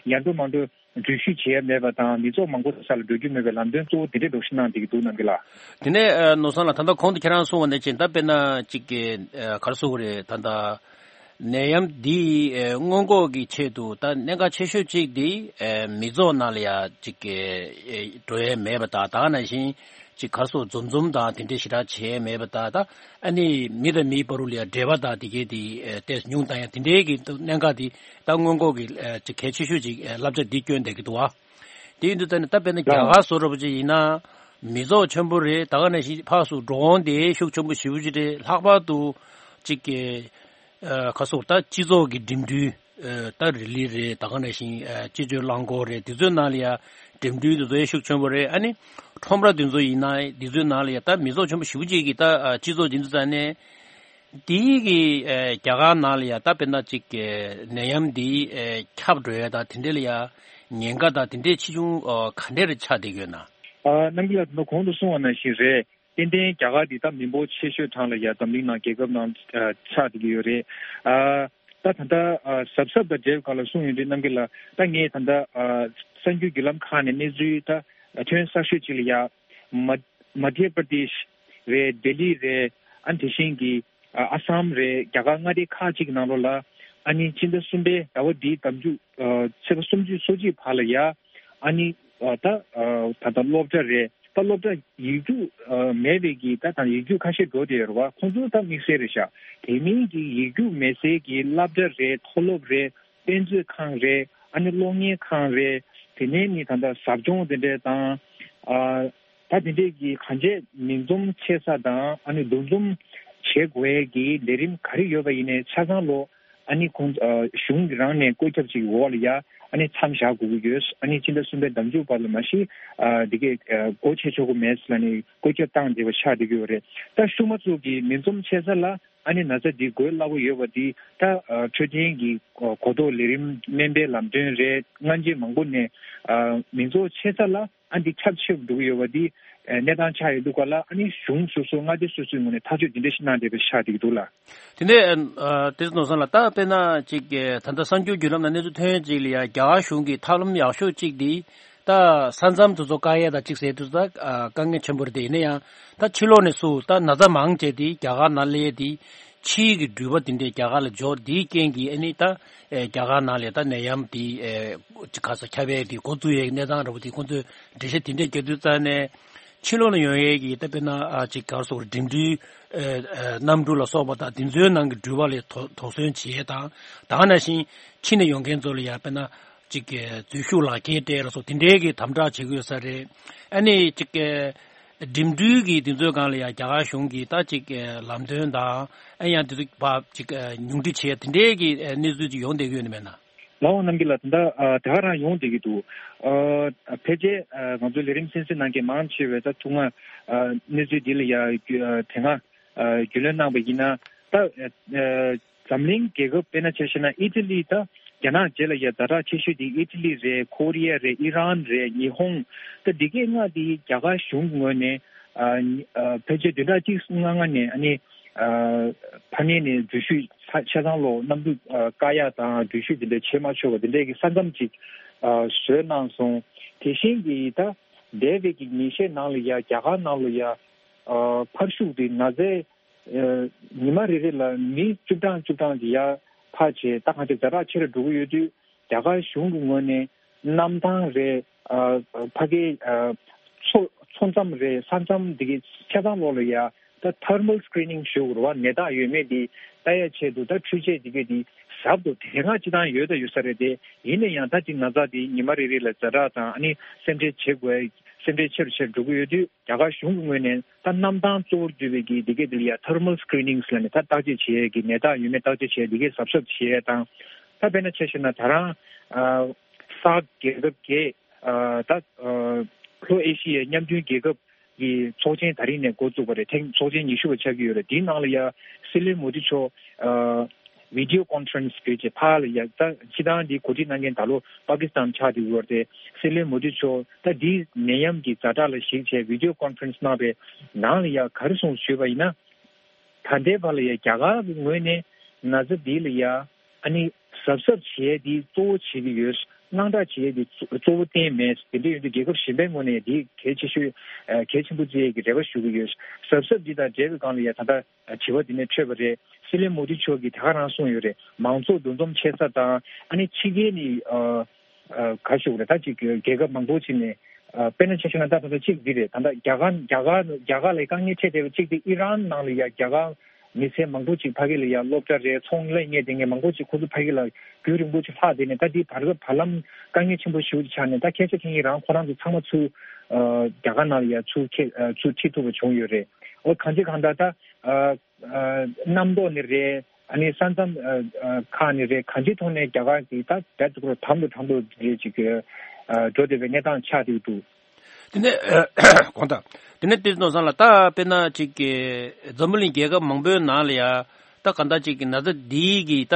ཡར་འགྲོ་མར་འགྲོ་འགྲུལ་བཞུད་བྱེད་ཡ་མེད་པ་དང་མི་ཚོགས་མང་པོ་ས་ལ་འགྲོ་རྒྱུ་མེད་པའི་ལམ་སྟོན་གཙོ་བོ་དེ་འདྲས་འདྲ་བོ་ཞིག་གནང་བསྡད་ཀྱི་འདུག་རྣམ་རྒྱལ་ལགས། དེ་ནས་ཨ་ནོར་བཟང་ལགས་ད་ལྟ་གོང་དུ་ཁྱེད་རང་གསུངས་པ་ནང་བཞིན་ད་དཔེར་ན་གཅིག་གི་ཨ་ག་རེ་ཟེར་དགོས་རེད། ད་ལྟ་ནད་ཡམས་འདི་ཨ་སྔོན་འགོག་གི་ཆེད་དུ་ད་གནད་འགག་ཆེ་ཤོས་གཅིག་འདི་ཨ་མི་ཚོགས་ནང་ལ་ཡ་གཅིག་གི་ཨ་འགྲོ་ཡ་མེད་པ་དང་། ད་ག་ནང་བཞིན་ཅིག་ག་རེ་ཟེར་འཛོམས་འཛོམས་དང་དེ་འདྲས་ཞེ་དྲག་བྱས་མེད་པ་དང་། ད་ཨ་ནི་མི་དང་མིའི་བར་དུ་ལ་ཡ་འབྲེལ་བ་དང་དེ་གའི་དེ་ཨ་ཏོག་ཙམ་ཉུང་བཏང་ཡ་དེ་འདྲའི་གི་གནད་འགག་དེ་ད་སྔོན་འགོག་གི་ཨ་ཅིག་གལ་ཆེ་ཤོས་ཅིག་ཨ་བསླབ་བྱ་འདི་བསྐྱོན་བསྡད་ཀྱི་འདུག་བ། དེ་ཡིན་དུས་ད་ནི་ད་དཔེར་ན་རྒྱ་གར་བཟོ་འདྲ་པོ་ཅིག་ཡིན་ན་མི་ཚོགས་ཆེན་པོ་རེད། ད་ག་ནང་བཞིན་ཕར་ཚུར་འགྲོ་འོང་དེ་ཤུགས་ཆེན་པོ་ཞེ་པོ་ཅིག་རེད། ལྷག་པར་དུ་ཅིག་གི་ཨ་ག་རེ་ཟེར་དགོས་རེད། ད་སྤྱི་ཚོགས་ཀྱི་འགྲིམ་འགྲུལ་ཨ་ད་རི་ལི་རེད། ད་ག་ནང་བཞིན་ཨ་སྤྱི་སྤྱོད་རླངས་འཁོར་རེད། དེ་ཚོའི་ནང་ལ་ཡ་འགྲིམ་འགྲུལ་དེ་ཚོ་ཡང་ཤུགས་ཆེན་པོ་རེད། ཨ་ནི་ཁྲོམ་ར་དེ་ཚོ་ཡིན་ན་དེ་ཚོའི་ནང་ལ་ཡ་ད་མི་ཚོགས་ཆེན་པོ་ཞེ་པོ་ཅིག་གིས་ད་ཨ་སྤྱི་ཚོགས་དེ་ཚོ་ཙམ་ནས་དེའི་གི་ཨ་རྒྱ་གར་ནང་ལ་ཡ་ད་དཔེར་ན་ཅིག་གི་ནད་ཡམས་འདི་ཨ་ཁྱབ་འགྲོ་ཡ་དང་དེ་འདྲ་ལ་ཡ་ཉེན་ཁ་དང་དེ་འདྲའི་ཆེ་ཆུང་ཨ་ག་འདྲ་རེ་ཆགས་བསྡད་ཡོད་ན། ཨ་རྣམ་རྒྱལ་ལགས་ད་གོང་དུ་གསུངས་པ་ནང་བཞིན་རེད། ཏན་ཏན་རྒྱ་གར་འདི་ད་མི་འབོར་ཆེ་ཤོས་གྲངས་ལ་ཡ་འཛམ་གླིང་ནང་རྒྱལ་ཁབ་ནང་ཨ་ཆགས་བསྡད་ཀྱི་ཡོད་རེད། ཨ་ད་ད་ལྟ་ཨ་གཟབ་གཟབ་དང་འབྲེལ་བའི་སྐོར་ལ་གསུངས་ཡོང་དུས་རྣམ་རྒྱལ་ལགས། ད་ངས་ད་ལྟ་ཨ་གསར་འགྱུར་བརྒྱུད་ལམ་ཁག་ནས་གནས་ཚུལ་ད་ཐོན་གསར་ཤོས་ཅིག་ལ་ཡ་མ་མ་དྷྱ་པྲ་དེཤ་རེད། ལྡི་ལི་རེད། ཨ་ནི་དེ་བཞིན་གྱི་ཨ་ཨ་སམ་རེད། རྒྱ་གར་མངའ་སྡེ་ཁག་ཅིག་གི་ནང་ལོགས་ལ་ཨ་ནི་སྤྱི་ཟླ་གསུམ་པའི་ཟླ་བ་འདིའི་ཟླ་མཇུག་ཨ་ཚེས་པ་སུམ་ཅུ་སོ་གཅིག་བར་ལ་ཡ་ཨ་ནི་ཨ་ད་ཨ་ད་ལྟ་སློབ་གྲྭ་རེད། ད་སློབ་གྲྭ་ཡིག་རྒྱུགས་ཨ་མེད་པའི་གི་ད་དང་ཡིག་རྒྱུགས་ཁ་ཤས་འགྲོ་བསྡད་ཡོད་རེད་བ། ཁོང་ཚོ་ད་དམིགས་བསལ་རེད་ཤག་དེ་མིན་གྱི་ཡིག་རྒྱུགས་མེད་སའི་གི་སློབ་གྲྭ་རེད། མཐོ་སློབ་རེད། དཔེ་མཛོད་ཁང་རེད། ཨ་ནི་གློག་བརྙན་ཁང་རེད། དེ་ནས་ནི་ད་ལྟ་ཟབ་སྦྱོང་དེ་འདྲས་དང་། ཨ་ད་དེ་འདྲས་ཀྱི་གང་ཅི་མིང་འཛོམས་ཆེ་ས་དང་ཨ་ནི་འདུ་འཛོམས་བྱེད་དགོས་ཀྱི་ལས་རིམ་ག་རེ་ཡོད་པ་ཡིན་ནའི་ཆ་ཚང་ལོ། ཨ་ནི་ཁོང་ཨ་གཞུང་གི་རང་ནས་བཀོད་ཁྱབ་ཅིག་འོག་ལ་ཡ་ཨ་ནི་མཚམས་བཞག་དགོས་ཀྱི་ཡོད། ཨ་ནི་ཕྱི་ཟླ་གསུམ་པའི་ཟླ་མཇུག་བར་ལ་མ་གཞི་ཨ་འདི་གའི་ཨ་སྒོ་ཕྱེ་ཆོག་གི་མེད་ཟེར་ལ་ནི་བཀོད་ཁྱབ་བཏང་བསྡད་པ་ཆགས་བསྡད་ཀྱི་ཡོད་རེད། ད་ཤུལ་མ་ཚོ་གི་མིང་འཛོམས་ཆེ་ས་ལ་ཨ་ནི་ན་ཚ་འདི་འགོས་སླ་པོ་ཡོད་པ་འདི་ད་ཨ་འཕྲོད་བསྟེན་གྱི་གོ་གོ་རྟོགས་ལས་རིམ་སྨན་པའི་ལམ་སྟོན་རེད། སྔ་རྗེས་མང་པོ་ནས་ཨ་མིང་ཚོགས་ཆེ་ས་ལ་ཨ་འདི་ཁྱབ་ཆེ་རུ་འགྲོ་གི་ཡོད་པ་འདི་ཨ་གནས་སྟངས་ཆགས་ཡོད་འདུག་ག་ལ། ཨ་ནི་གཞུང་སོ་སོ་མངའ་སྡེ་སོ་སོའི་ངོས་ནས་ཐག་གཅོད་འདི་འདྲ་ཞིག་གནང་བསྡད་པ་ཆགས་བསྡད་ཀྱི་འདུག་ལ། དེ་ནས་ཨ་དེ་ནོར་བཟང་ལགས། ད་དཔེར་ན་ཅིག་ད་ལྟ་གསར་འགྱུར་བརྒྱུད་ལམ་ནང་གནས་ཚུལ་ཐོན་ཡས་ཅིག་ལ་ཡ་རྒྱ་གར་གཞུང་གིས་ཐབས་ལམ་ཡག་ཤོས་ཅིག་འདི་ད་ས་མཚམས་དེ་ཚོ་བཀག་ཡས་དང་ཅིག་ཟེར་དུས་ད་ཨ་དཀའ་ངལ་ཆེན་པོ་རེད། དེ་ཡིན་ན་ཡང་ད་ཕྱི་ལོགས་ནས་སུ་ད་ན་ཚ་མང་ཆེ་དེ་རྒྱ་གར་ནང་སླེབས་ཡས་དེ་ཕྱིའི་གི་འགྲུལ་པ་དེ་འདྲས་རྒྱ་གར་ལ་འབྱོར་དེའི་རྐྱེན་གྱིས་ཨ་ནི་ད་ཨེ་རྒྱ་གར་ནང་ལ་ད་ནད་ཡམས་དེ་ཨེ་ཅིག་ག་ས་ཁྱབ་ཡས་དེ་འགོ་བཙུགས་ཡས་གནས་སྟངས་འདྲ་པོ་དེ་ཁོང་ཚོས་འགྲེལ་བཤད་དེ་འདྲས་རྒྱག་དུས་ཙང་ནས་ཕྱི་ལོགས་ནས་ཡོང་ཡས་ཀྱི་ད་དཔེར་ན་ཨ་ཅིག་ག་རེ་ཟེར་དགོས་རེད། འགྲིམ་འགྲུལ་ཨེ་ཨེ་གནམ་གྲུ་ལ་སོགས་པ་དང་དེ་ཚོའི་ནང་གི་འགྲུལ་པ་ལ་དོ་དོགས་ཟོན་བྱེད་ཡས་དང་། ད་ག་ནང་བཞིན་ཕྱི་ནས་ཡོང་མཁན་ཚོ་ལ་ཡང་དཔེར་ན་ཅིག་གི་འཛུལ་ཞུགས་ལག་འཁྱེར་སྤྲད་ལ་སོགས་དེ་འདྲའི་གི་དམ་དྲག་བྱེད་ཀྱི་ཡོད་ས་རེད། ཨ་ནི་ཅིག་གི་འགྲིམ་འགྲུལ་གྱི་དེ་ཚོའི་སྒང་ལ་ཡང་རྒྱ་གར་གཞུང་གིས་ད་ཅིག་གི་ལམ་སྟོན་དང་ཨ་ཡང་དེ་ཚོ་ཕར་ཅིག་གི་ཉུང་འཕྲི་བྱེད་དེ་འདྲའི་གི་གནས་ཚུལ་ཅིག་ཡོང་བསྡད་ཀྱི་ཡོད་ནི་མེད་ན། ལགས་འོང་རྣམ་རྒྱལ་ལགས། ད་ལྟ་ཨ་དེ་ག་རང་ཡོང་བསྡད་ཀྱི་འདུག་ཨ་ཕལ་ཆེར་ཨ་ང་ཚོའི་ལས་རིམ་གསན་གཟིགས་གནང་མཁན་མང་ཆེ་བས་ད་ཐུག་སྔ་ཨ་གནས་ཚུལ་འདི་ལ་ཡ་རྒྱུ་ཨ་དེ་སྔ་ཨ་རྒྱུས་ལོན་གནང་པ་ཡིན་ན་ད་ཨ་འཛམ་གླིང་རྒྱལ་ཁབ་དཔེར་ན་ཆ་བཞག་ན་ཨི་ཊ་ལི། ད་རྒྱ་ནག་རྗེས་ལ་ཡ་ཛ་དྲག་ཆེ་ཤོས་དེ་ཨི་ཊ་ལི་རེད། ཁོ་རི་ཡ་རེད། ཨི་རན་རེད། ཉི་ཧོང་། ད་འདི་གའི་ལྔ་དེ་རྒྱ་གར་གཞུང་གི་ངོས་ནས་ཨ་ཨ་ཕལ་ཆེར་བདུན་ཕྲག་གཅིག་ལྔ་ལྔ་ནས་ཨ་ནི་ཨ་ཕ་ནས་ནས་འགྲུལ་བཞུད་ཆ་ཆ་ཚང་ལོ་གནམ་གྲུ་ཨ་བཀག་ཡ་དང་འགྲུལ་བཞུད་དེ་འདྲ་བྱེད་མ་ཆོག་པ་དེ་འདྲའི་གི་ས་མཚམས་ཅིག་ཨ་བཟོས་གནང་སོང་། དེ་བཞིན་གྱི་ད་འདས་པའི་གི་ཉིན་ཤས་ནང་ལ་ཡ་རྒྱ་གར་ནང་ལ་ཡ་ཨ་ཕར་ཤུག་དེ་ན་ཚའི་ཨ་ཉི་མ་རེ་རེ་ལ་མི་བཅུ་གྲངས་བཅུ་གྲངས་ཀྱི་ཡར་ཕར་བྱས་ད་གང་ཅི་ཛ་དྲག་ཆེ་རུ་འགྲོ་གི་ཡོད་དུས། རྒྱ་གར་གཞུང་གི་ངོས་ནས་གནམ་ཐང་རེད། ཨ་ཕ་གིའི་ཨ་མཚོ་མཚོ་མཚམས་རེད། ས་མཚམས་འདི་གའི་ཆ་ཚང་ལོགས་ལ་ཡ་ད་ཐར་མལ་སི་ཀི་རི་ནིང་ཞུ་དགོས་རེད་བ། ནད་རྟགས་ཡོད་མེད་འདི་ལྟ་ཡ་ཆེད་དུ་ད་འཕྲུལ་ཆས་འདི་གའི་འདི་ཟབ་ཏུ་དེ་སྔ་སྤྱི་བཏང་ཡོད་ད་ཡོད་ས་རེད་དེ། ཡིན་ན་ཡང་ད་ཅིག་ན་ཚ་འདི་ཉི་མ་རེ་རེ་ལ་ཛ་དྲག་དང་ཨ་ནི་སེམས་ཁྲལ་བྱེད་དགོས། སེམས་ཁྲལ་ཆེ་རུ་ཆེ་རུ་འགྲོ་གི་ཡོད་དུས། རྒྱ་གར་གཞུང་གི་ངོས་ནས་ད་གནམ་ཐང་གཙོ་བོར་གྱུར་པའི་གི་འདི་གའི་འདི་ལ་ཡ་ཐར་མལ་སི་ཀི་རི་ནིང་ལབ་ནས་ད་བརྟག་དཔྱད་བྱེད་ཡས་ཀྱི་ནད་རྟགས་ཡོད་མེད་བརྟག་དཔྱད་བྱེད་ཡས་འདི་གའི་གཟབ་གཟབ་བྱེད་ཡས་དང་། ད་དཔེར་ན་ཆ་བཞག་ན་ད་རང་ཨ་སཱག་རྒྱལ་ཁབ་བརྒྱད་ཨ་ད་ཨ་ལྷོ་ཨེ་ཤི་ཡའི་མཉམ་འབྲེལ་རྒྱལ་ཁབ་ཀྱི་ཚོགས་ཆེན་ད་རིང་ནས་འགོ་བཙུགས་པ་རེད། ཐེངས་ཚོགས་ཆེན་ཉི་ཤུ་པ་ཆགས་ཀྱི་ཡོད་རེད། འདིའི་ནང་ལ་ཡ་སྲིད་བློན་མོ་དི་མཆོག་ཨ་བི་ཌིའོ་ཀོན་ཕ་རེན་སི་བརྒྱུད་བྱས་ཕར་ལ་ཡ་ད་སྤྱི་བཏང་འདི་གོ་སྒྲིག་གནང་མཁན་ད་ལོ་པ་ཀི་སི་ཐན་ཆགས་བསྡད་ཡོད་རེད། སྲིད་བློན་མོ་དི་མཆོག་ད་འདིའི་ནད་ཡམས་ཀྱི་ཛ་དྲག་ལ་གཞིགས་བྱས་བི་ཌིའོ་ཀོན་ཕ་རེན་སི་གནང་བའི་ནང་ལ་ཡ་ག་རེ་གསུངས་ཞུས་པ་ཡིན་ན། ད་ལྟའི་བར་ལ་ཡ་རྒྱ་གར་གྱི་ངོས་ནས་ན་ཚ་འདི་ལ་ཡ་ཨ་ནི་གཟབ་གཟབ་བྱེད་ཡས་འདི་གཙོ་བོ་བྱེད་ཀྱི་ཡོད། དངངས་སྐྲག་བྱེད་ཡས་འདི་གཙོ་གཙོ་བོ་གཏན་མེད། དེ་འདྲ་ཡོད་དུས་རྒྱལ་ཁབ་གཞན་པའི་ངོས་ནས་འདི་གལ་ཆེ་ཤོས་ཨ་གལ་ཆེན་པོ་བརྩི་ཡས་ཀྱི་རེ་བ་ཞུ་གི་ཡོད། གཟབ་གཟབ་འདི་དང་འབྲེལ་བའི་སྒང་ལ་ཡ་ད་ལྟ་དྲི་བ་འདི་ནས་འཕྲོས་པ་རེད། སྲིད་བློན་མོ་དི་མཆོག་གིས་དེ་ག་རང་གསུངས་ཡོད་རེད། མང་ཚོགས་འདུ་འཛོམས་བྱེད་ས་དང་ཨ་ནི་ཕྱི་རྒྱལ་ནས་ཨ་ཨ་ག་ཞུ་དགོས་རེད། ད་ཅིག་རྒྱལ་ཁབ་མང་པོ་ཅིག་ནས་ཨ་དཔེར་ན་ཆ་བཞག་ན་ད་ད་ལྟ་གཅིག་འདི་རེད། ད་ལྟ་རྒྱ་གར་རྒྱ་གར་རྒྱ་གར་ལ་དཀའ་ངལ་འཕྲད་བསྡད་པ་གཅིག་དེ་ཨི་རན་ནང་ལ་ཡ་རྒྱ་གར་མི་སེར་མང་པོ་ཅིག་ཕ་གི་ལ་ཡ་སློབ་གྲྭ་རེད། ཚོང་ལས་གཉེར་བསྡད་མཁན་མང་པོ་ཅིག་ཁོ་ཚོ་ཕ་གི་ལ་རྒྱུན་རིང་པོ་ཅིག་ལྷག་བསྡད་ནས་ད་འདི་བར་སྐབས་བར་ལམ་དཀའ་ངལ་ཆེན་པོ་ཞེ་པོ་ཅིག་ཆགས་ནས་ད་སྐད་ཆ་འཐེན་མཁན་རང་ཁོ་རང་ཚོ་ཚང་མ་ཚུར་ཨ་རྒྱ་གར་ནང་ལ་ཡ་ཚུར་ཁྱེར་ཨ་ཚུར་ཁྲིད་ཐུབ་པ་བྱུང་ཡོད་རེད། འོ་གང་ཅི་གང་ལྟར་ད་ཨ་ཨ་གནམ་ཐོག་ནས་རེད། ཨ་ནི་ས་མཚམས་ཨ་ཨ་ཁག་ནས་རེད། གང་ཅིའི་ཐོག་ནས་རྒྱ་གར་གྱིས་ད་རྦད་དེ་ཁོ་རང་དམ་དུ་དམ་དུ་རེད་ཅིག་གི་ཨ་འགྲོ་བསྡད་པའི་གནས་སྟངས་ཆགས་བསྡད་འདུག་དེ་ནས་དགོངས་དག་དེ་ནས་དེ་ནོར་བཟང་ལགས། ད་དཔེར་ན་ཅིག་གི་འཛམ་བུ་གླིང་རྒྱལ་ཁབ་མང་པོའི་ནང་ལ་ཡ་ད་གང་ལྟར་ཅིག་གི་ན་ཚ་འདིའི་གི་ད་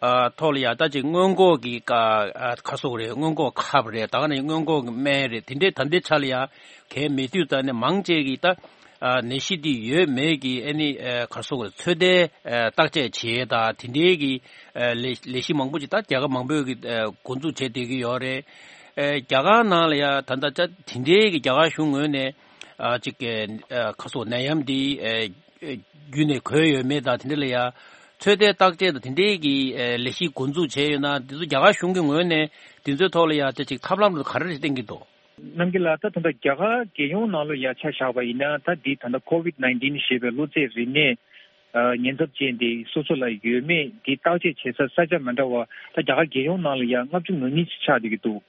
ཨ་ཐོག་ལ་ཡ་ད་ཅིག་སྔོན་འགོག་གི་ཀ་ཨ་ཁ་སོག་རེད། སྔོན་འགོག་ཁབ་རེད། ད་ག་ནས་སྔོན་འགོག་གི་སྨན་རེད། དེ་འདྲའི་ད་ལྟའི་ཆ་ལ་ཡ་གལ་མེད་དུས་ད་ནས་མང་ཆེ་གི་ད་ཨ་ནད་གཞི་འདི་ཡོད་མེད་ཀྱི་ཨ་ནི་ཨ་ག་སོག་རེད། ཚོད་ལྟའི་ཨ་བརྟག་དཔྱད་བྱེད་ད་དེ་འདྲའི་གི་ཨ་ལས་ལས་གཞི་མང་པོ་ཅིག་ད་རྒྱལ་ཁབ་མང་པོས་གི་ཨ་འགོ་འཛུགས་བྱས་བསྡད་ཀྱི་ཡོད་རེད། ཨ་རྒྱ་གར་ནང་ལ་ཡ་ད་ལྟ་ད་དེ་འདྲའི་གི་རྒྱ་གར་གཞུང་ངོས་ནས་ཨ་ཅིག་གི་ཨ་ཁ་སོག་ནད་ཡམས་འདི་ཨ་ཨ་བརྒྱུད་ནས་འགོས་ཡོད་མེད་དང་དེ་འདྲ་ལ་ཡ་ཚོད་ལྟའི་བརྟག་དཔྱད་དང་དེ་འདྲའི་གི་ཨ་ལས་གཞི་འགོ་འཛུགས་བྱས་ཡོད་ན། དེ་ཚོ་རྒྱ་གར་གཞུང་གི་ངོས་ནས་དེ་ཚོའི་ཐོག་ལ་ཡ་ད་ཅིག་ཐབས་ལམ་ག་རེ་བསྟན་གྱི་འདུག་རྣམ་རྒྱལ་ལགས། ད་ད་ལྟ་རྒྱ་གར་རྒྱལ་ཡོངས་ནང་ལོགས་ཡ་ཆ་བཞག་པ་ཡིན་ན། ད་འདི་ད་ལྟ་ཀོ་ཝིད་ནའིན་ཊིན་ཞེས་པའི་གློ་ཚད་རིམས་ནད་ཨ་ཉེན་ཚབས་ཅན་དེ་སོ་སོ་ལ་ཡོད་མེད་འདི་བརྟག་དཔྱད་བྱེད་ས་ས་ཆ་མི་འདྲ་བ། ད་རྒྱ་གར་རྒྱལ་ཡོངས་ནང་ལ་ཡ་ལྔ་བཅུ་ང་གཉིས་ཅིག་ཆགས་བསྡད་ཀྱི་འདུག་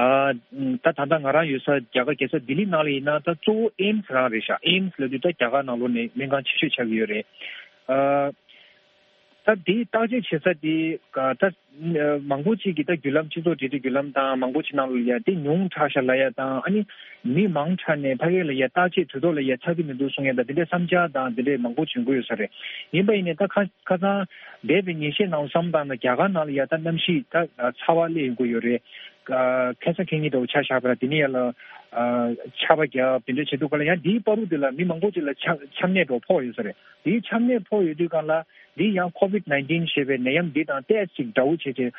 ཨ་ད་ད་ལྟ་ང་རང་ཡོད་ས་རྒྱ་གར་རྒྱལ་ས་ལྡི་ལི་ནང་ལ་ཡིན་ན། ད་གཙོ་བོ་ཨེམ་སི་རང་རེད་ཤག་ཨེམ་སི་ལབ་དུས་ད་རྒྱ་གར་ནང་ལོགས་ནས་སྨན་ཁང་ཆེ་ཤོས་ཆགས་ཀྱི་ཡོད་རེད། ཨ། ད་དེའི་བརྟག་དཔྱད་བྱེད་ས་དེ་ག་ད་མང་པོ་ཅིག་གིས་ད་བརྒྱུད་ལམ་སྤྱི་ཚོགས་འབྲེལ་མཐུད་བརྒྱུད་ལམ་དང་མང་པོ་ཅིག་ནང་ལ་ཡ་དེ་ཉུང་དྲགས་ཤག་ལབ་ཡ་དང་། ཨ་ནི་མི་མང་དྲགས་ནས་ཕ་གི་ལ་ཡ་བརྟག་དཔྱད་དུས་ཐོག་ལ་ཡ་ཆགས་ཀྱི་མི་འདུག་གསུང་ཡ་དང་། དེ་འདྲའི་བསམ་འཆར་དང་དེ་འདྲའི་མང་པོ་བྱུང་གི་ཡོད་ས་རེད། ཡིན་པ་ཡིན་ནའི་ད་ཁ་ཁ་སང་འདས་པའི་ཉིན་ཤས་ནང་བསམ་བཏང་ན་རྒྱ་གར་ནང་ལ་ཡ་ད་གནམ་གཤིས་ད་ཚ་བ་སླེབས་ཡོང་གི་ཡོད་རེད། ཁ་སང་ཁེ་ཉིན་འདྲ་བོ་ཆ་བཞག་པ་ན་དེ་ནས་ཡ་ལ་ཆར་པ་བརྒྱབ་དེ་འདྲ་བྱེད་དུས་ག་ལ་ཡང་དེའི་བར་དུ་དེ་ལ་མི་མང་པོ་ཅིག་ལ་ཆ་ཆམ་ནད་འདྲ་བོ་ཕོག་ཡོད་ས་རེད། དེའི་ཆམ་ནད་ཕོག་ཡོད་དུས་གང་ལ། འདི་ཡང་ཀོ་ཝིད་ནའིན་ཊིན་ཞེས་པའི་ནད་ཡམས་འདི་དང་ཏོག་ཙམ་འདྲ་བོ་བྱས་རྗེས།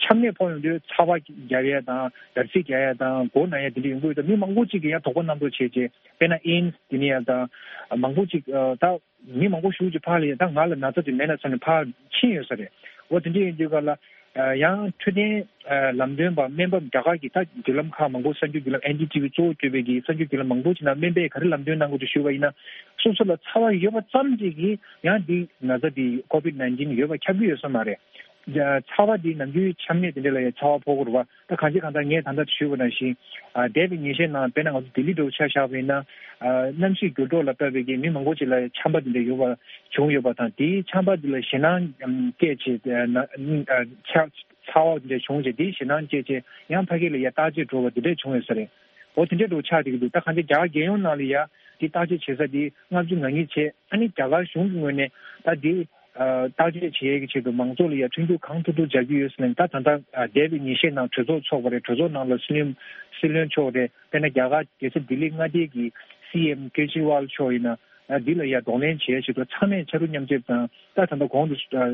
ཆམ་ནད་ཕོག་ཡོང་དུས་ཚ་བ་རྒྱག་ཡ་དང་འདར་སིག་རྒྱག་ཡ་དང་མགོ་ན་ཡ་དེ་འདྲ་ཡོང་གི་ཡོད། ད་མི་མང་པོ་ཅིག་གིས་ཡང་དོགས་པ་རྣམ་རྟོག་བྱས་རྗེས། དཔེར་ན་ཨེམ་སི་དེ་ནས་ཡ་དང་མང་པོ་ཅིག་ད་མི་མང་པོ་ཞེ་པོ་ཅིག་ཕར་ལ་ཡ་ད་ང་ལ་ན་ཚ་དེ་མེད་ན་བསམ་ནས་ཕར་ཕྱིན་ཡོད་ས་རེད། འོ་དེ་འདྲ་ཡིན་དུས་ག་ལ། ཡང་འཕྲོད་བསྟེན་ལམ་སྟོན་པ་སྨན་པ་རྒྱ་གར་གྱི་ད་བརྒྱུད་ལམ་ཁག་མང་པོ་གསར་འགྱུར་བརྒྱུད་ལམ་ཨེན་ཌི་ཊི་ཝི་གཙོ་བོ་གྱུར་པའི་གི་གསར་འགྱུར་བརྒྱུད་ལམ་མང་པོ་ཅིག་ནང་སྨན་པས་ག་རེ་ལམ་སྟོན་གནང་གི་འདུག་ཞུས་པ་ཡིན་ན། སོ་སོ་ལ་ཚ་བ་ཡོད་པ་ཙམ་ཅིག་གིས་ཡང་འདི་ན་ཚ་འདི་ཀོ་ཝིད་ནའིན་ཊིན་ཡོད་པ་ཁྱབ་ཀྱི་ཡོད་ས་མ་རེད། ཚ་བ་འདི་ནམ་རྒྱུན་ཆམ་ནད་དེ་འདྲ་ལ་ཡང་ཚ་བ་ཕོག་གི་རེད་པ། ད་གང་ཅི་གང་ལྟར་ངས་ད་ལྟ་ཞུས་པ་ནང་བཞིན། ཨ་འདས་པའི་ཉིན་ཤས་ནང་དཔེར་ན་ང་ཚོ་ལྡི་ལི་འདྲ་བོ་ཆ་བཞག་པ་ཡིན་ན། ཨ་གནམ་གཤིས་འགྱུར་ལྡོག་ལ་བལྟས་པའི་གི་མི་མང་པོ་ཅིག་ལ་ཆམ་པ་དེ་འདྲ་ཡོད་པ་བྱུང་ཡོད་པ་དང་། དེའི་ཆམ་པ་དེ་ལ་ཞེད་སྣང་སྐྱེས་བྱས། ཨ་ན་ཨ་ཆ་ཚ་བ་དེ་འདྲ་བྱུང་རྗེས་དེའི་ཞེད་སྣང་སྐྱེས་བྱས་ཡང་ཕ་གི་ལ་ཡ་བརྟག་དཔྱད་འགྲོ་བ་དེ་འདྲ་བྱུང་ཡོད་ས་རེད། འོ་དེ་འདྲ་འདྲ་བོ་ཆགས་བསྡད་ཀྱི་འདུག་ད་གང་ཅི་རྒྱ་གར་རྒྱལ་ཡོངས་ནང་ལ་ཡ་དེ་བརྟག་དཔྱད་བྱེད་ས་དེ་ལྔ་བཅུ་ང་གཉིས་བྱས། ཨ་ནི་རྒྱ་གར་གཞུང་གི་ངོས་ནས་ད་དེ། ཨ་བརྟག་དཔྱད་བྱེད་ཡས་ཀྱི་ཆེད་དུ་མང་ཚོགས་ལ་ཡ་མཐུན་འགྱུར་གང་ཐུབ་ཐུབ་སྦྱར་གྱི་ཡོད་ཟེར་ནས། ད་ད་ལྟ་ཨ་འདས་པའི་ཉིན་ཤས་ནང་གྲོས་ཚོགས་ཚོགས་པ་རེད། གྲོས་ཚོགས་ནང་ལ་སྲིད་བློན་སྲིད་བློན་མཆོག་རེད། དཔེར་ན་རྒྱ་གར་རྒྱལ་ས་ལྡི་ལི་མངའ་སྡེ་གི་སི་ཨེམ་ཀེ་ཇི་ཝལ་མཆོག་ཡིན་ན། ཨ་འདི་ལ་ཡ་གདོང་ལེན་བྱེད་ཡས་ཆེད་དུ་ཚང་མས་ཕྱར་གྲུ་མཉམ་རྒྱབ་དང་། ད་ད་ལྟ་གོང་དུ་ཨ་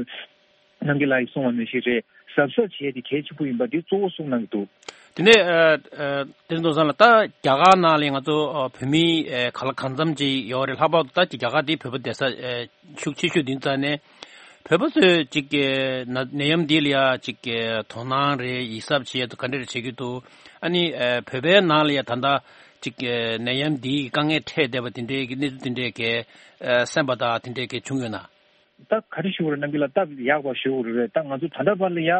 རྣམ་རྒྱལ་ལགས་ཀྱིས་གསུངས་པ་ནང་བཞིན་རེད། གཟབ་གཟབ་བྱེད་ཡས་དེ་གལ་ཆེན་པོ་ཡིན་པ་འདི་གཙོ་བོ་གསུངས་གནང་གི་འདུག་དེ་ནས་ཨ་ཨ་བསྟན་འཛིན་བློ་བཟང་ལགས། ད་རྒྱ་གར་ནང་ལ་ང་ཚོ་ཨ་བོད་མི་ཨ་ག་ལ་གང་འཚམ་ཅིག་ཡོད་རེད། ལྷག་པར་དུ་ད་རྒྱ་གར་དེ་བོད་པ་བསྡད་ས་ཨ་ཤུགས་ཆེ་ཤོས་དེ་ཙང་ནས། བོད་པ་ཚོས་ཅིག་གི་ན་ནད་ཡམས་འདི་ལ་ཡ་ཅིག་གི་དོ་སྣང་རེད། ཡིད་གཟབ་བྱེད་ཡ་དང་ག་འདྲ་རེ་བྱེད་ཀྱི་འདུག་ཨ་ནི་ཨ་བོད་པའི་ནང་ལ་ཡ་ད་ལྟ་ཅིག་གི་ནད་ཡམས་འདིའི་དཀའ་ངལ་འཕྲད་བསྡད་པ་དེ་འདྲའི་གི་གནས་ཚུལ་དེ་འདྲའི་གི་ཨ་གསན་པ་དང་དེ་འདྲའི་གི་བྱུང་ཡོད་ན། ད་ག་རེ་ཞུ་དགོས་རེད། རྣམ་རྒྱལ་ལགས་སྟབས་ཡག་པ་ཞུ་དགོས་རེད། ད་ང་ཚོ་ད་ལྟ་བར་ལ་ཡ་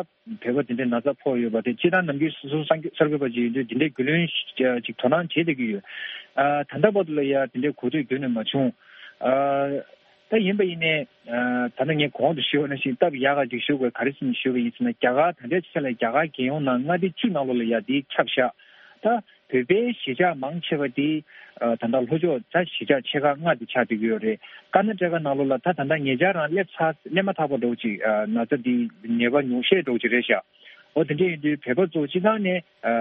བོད་པ་དེ་འདྲའི་ན་ཚ་ཕོག་ཡོད་པ་དེ་སྤྱིར་བཏང་ནམ་རྒྱུན་སོ་སོ་གསར་འགོད་པ་ཅིག་ཡིན་དུས་དེ་འདྲའི་རྒྱུས་ལོན་ཅིག་དོ་སྣང་བྱེད་བསྡད་ཀྱི་ཡོད། ཨ་ད་ལྟ་བར་དུ་ལ་ཡ་དེ་འདྲའི་གོ་ཐོས་རྒྱུན་ནས་མ་བྱུང་། ཨ་ད་ཡིན་པ་ཡིན་ནའི་ཨ་ད་ལྟ་ངས་གོང་དུ་ཞུས་པ་ནང་བཞིན་སྟབས་ཡག་ག་ཅིག་ཞུ་དགོས། ག་རེ་ཟེར་ནས་ཞུ་བ་ཡིན་ཟེར་ན། རྒྱ་གར་ད་ལྟའི་ཆ་ལ་རྒྱ་གར་རྒྱལ་ཡོངས་ནང་མངའ་སྡེ་བཅུ་ནང་ལོགས་ལ་ཡ་དེ་ཁྱབ་ཤག་ད་བོད་པའི་གཞིས་ཆགས་མང་ཆེ་བ་དེ་ཨ་ད་ལྟ་ལྷོ་ཕྱོགས་ད་གཞིས་ཆགས་ཆེ་ཁག་ལྔ་དེ་ཆགས་བསྡད་ཀྱི་ཡོད་རེད། ཀར་ན་ཊ་ཀ་ནང་ལོགས་ལ་ད་ད་ལྟ་ཉེ་ཆར་རང་སླེབས་ཚར། སླེབས་མ་ཐག་པ་འདྲ་བོ་ཅིག་ཨ་ན་ཚ་དེ་ནད་པ་ཉུང་ཤས་འདྲ་བོ་ཅིག་རེད་ཤག་འོ་དེ་འདྲ་ཡིན་དུས་བོད་པ་ཚོ་སྤྱིར་བཏང་ནས་ཨ་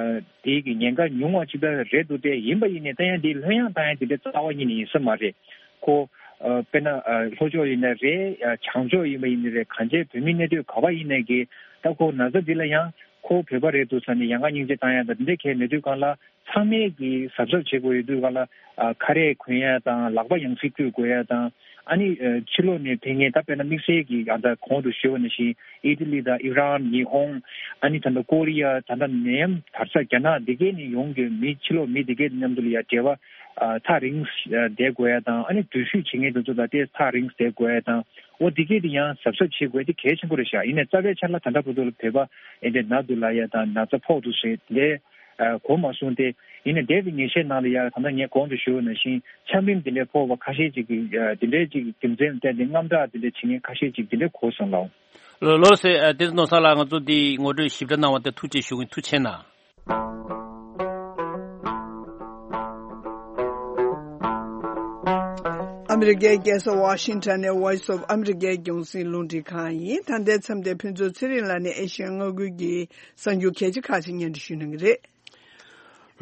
དེའི་གི་ཉེན་ཁ་ཉུང་བ་ཅིག་ད་རེད་འདུག་སྟེ། ཡིན་པ་ཡིན་ནའི་ད་ཡང་དེའི་ལྷོད་ཡངས་བཏང་ཡ་དེ་འདྲ་རྩ་བ་ཉིད་ནས་ཡིན་ས་མ་རེད། ཁོ་ཨ་དཔེར་ན་ཨ་ལྷོ་ཕྱོགས་ཡིན་ན་རེད། ཨ་བྱང་ཕྱོགས་ཡིན་པ་ཡིན་ན་རེད། གང་ཅིའི་བོད་མི་གནས་སྡོད་ག་པར་ཡིན་ནའི་གི་ད་ཁོ་ན་ཚ་འདི་ལ་ཡང་ཁོ་བོད་པ་རེད་འདུག་ཟེར་ནས་ཡ་ང་སྙིང་རྗེ་བཏང་ཡ་དང་དེ་འདྲ་གང་ཡང་མེད་དུས་གང་ལ། ཚང་མས་ཀྱིས་གཟབ་གཟབ་བྱེད་དགོས་ཡོད་དུས་གང་ལ། ཨ་ཁ་རས་གོན་ཡ་དང་ལག་པ་ཡང་སེ་བཀྲུ་དགོས་ཡ་དང་། ཨ་ནི་ཨ་ཕྱི་ལོགས་ནས་ཕེབས་མཁན་ད་དཔེར་ན་དམིགས་བསལ་གྱིས་ཨ་ད་གོང་དུ་ཞུས་པ་ནང་བཞིན་ཨི་ཏི་ལི་དང་ཨི་རན། ཉི་ཧོང་། ཨ་ནི་ད་ལྟ་ཀོ་རི་ཡ། ད་ལྟ་ནད་ཡམས་དར་ས་རྒྱ་ནག་འདི་གའི་ནས་ཡོང་མཁན་མི་ཕྱི་ལོགས་མི་འདི་གའི་མཉམ་དུ་ལ་ཡ་འབྲེལ་བ་ཨ་ཐག་རིང་ཨ་བསྡད་དགོས་ཡ་དང་། ཨ་ནི་འགྲུལ་བཞུད་བྱེད་མཁན་དེ་ཚོ་དང་ཏོག་ཙམ་ཐག་རིང་བསྡད་དགོས་ཡ་དང་། འོ་འདི་གའི་དེ་ཡང་གཟབ་གཟབ་བྱེད་དགོས་དེ་གལ་ཆེན་པོ་རེད་ཤག་ཡིན་ནའི་རྩ་བའི་ཆ་ལ་ད་ལྟ་བར་དུ་ལ་བོད་པ་ཨེ་འདྲ་ན་འདུག་ལབ་ཡ་དང་ན་ཚ་ཕོག་འདུག་ཟེར་དེ། ཨ་གོ་མ་སོང་སྟེ། ཡིན་ནའི་འདས་པའི་ཉིན་ཤས་ནང་ལ་ཡ་ད་ལྟ་ངས་གོང་དུ་ཞུས་པ་ནང་བཞིན་ཆམ་རིམས་འདི་འདྲའི་ཕོག་པ་ཁ་ཤས་ཅིག་གིས་ཨ་འདི་འདྲའི་ཅིག་རྒྱུ་མཚན་བརྟེན་ཏེ་དངངས་སྐྲག་འདི་འདྲ་བྱེད་མཁན་ཁ་ཤས་ཅིག་འདི་འདྲ་གོ་སོང་ལགས། ལགས་ལགས་སེ། ཨ་བསྟན་འཛིན་ནོར་བཟང་ལགས། ང་ཚོ་འདི་ངོ་སྤྲོད་ཞིབ་ཕྲ་གནང་བ་དེ་ཐུགས་རྗེ་ཆེ་ཞུ་གི་ཡིན། ཐུགས་རྗེ་ཆེ་གནང་། ཨ་མི་རི་ཀའི་རྒྱལ་ས་ཝ་ཤིང་ཊོན་ནས་Voice of America རྒྱང་སྲིང་རླུང་འཕྲིན་ཁང་ཡིན། ད་ལྟའི་མཚམས་དེར་ཕུན་ཚོགས་ཚེ་རིང་ལགས་ནས་ཨེ་ཤི་ཡ་མངའ་ཁུལ་གྱི་གསར་འགྱུར་གལ་ཆེ་ཁག་ཅིག་སྙན་སྒྲོན་ཞུ་གནང་གི་རེད།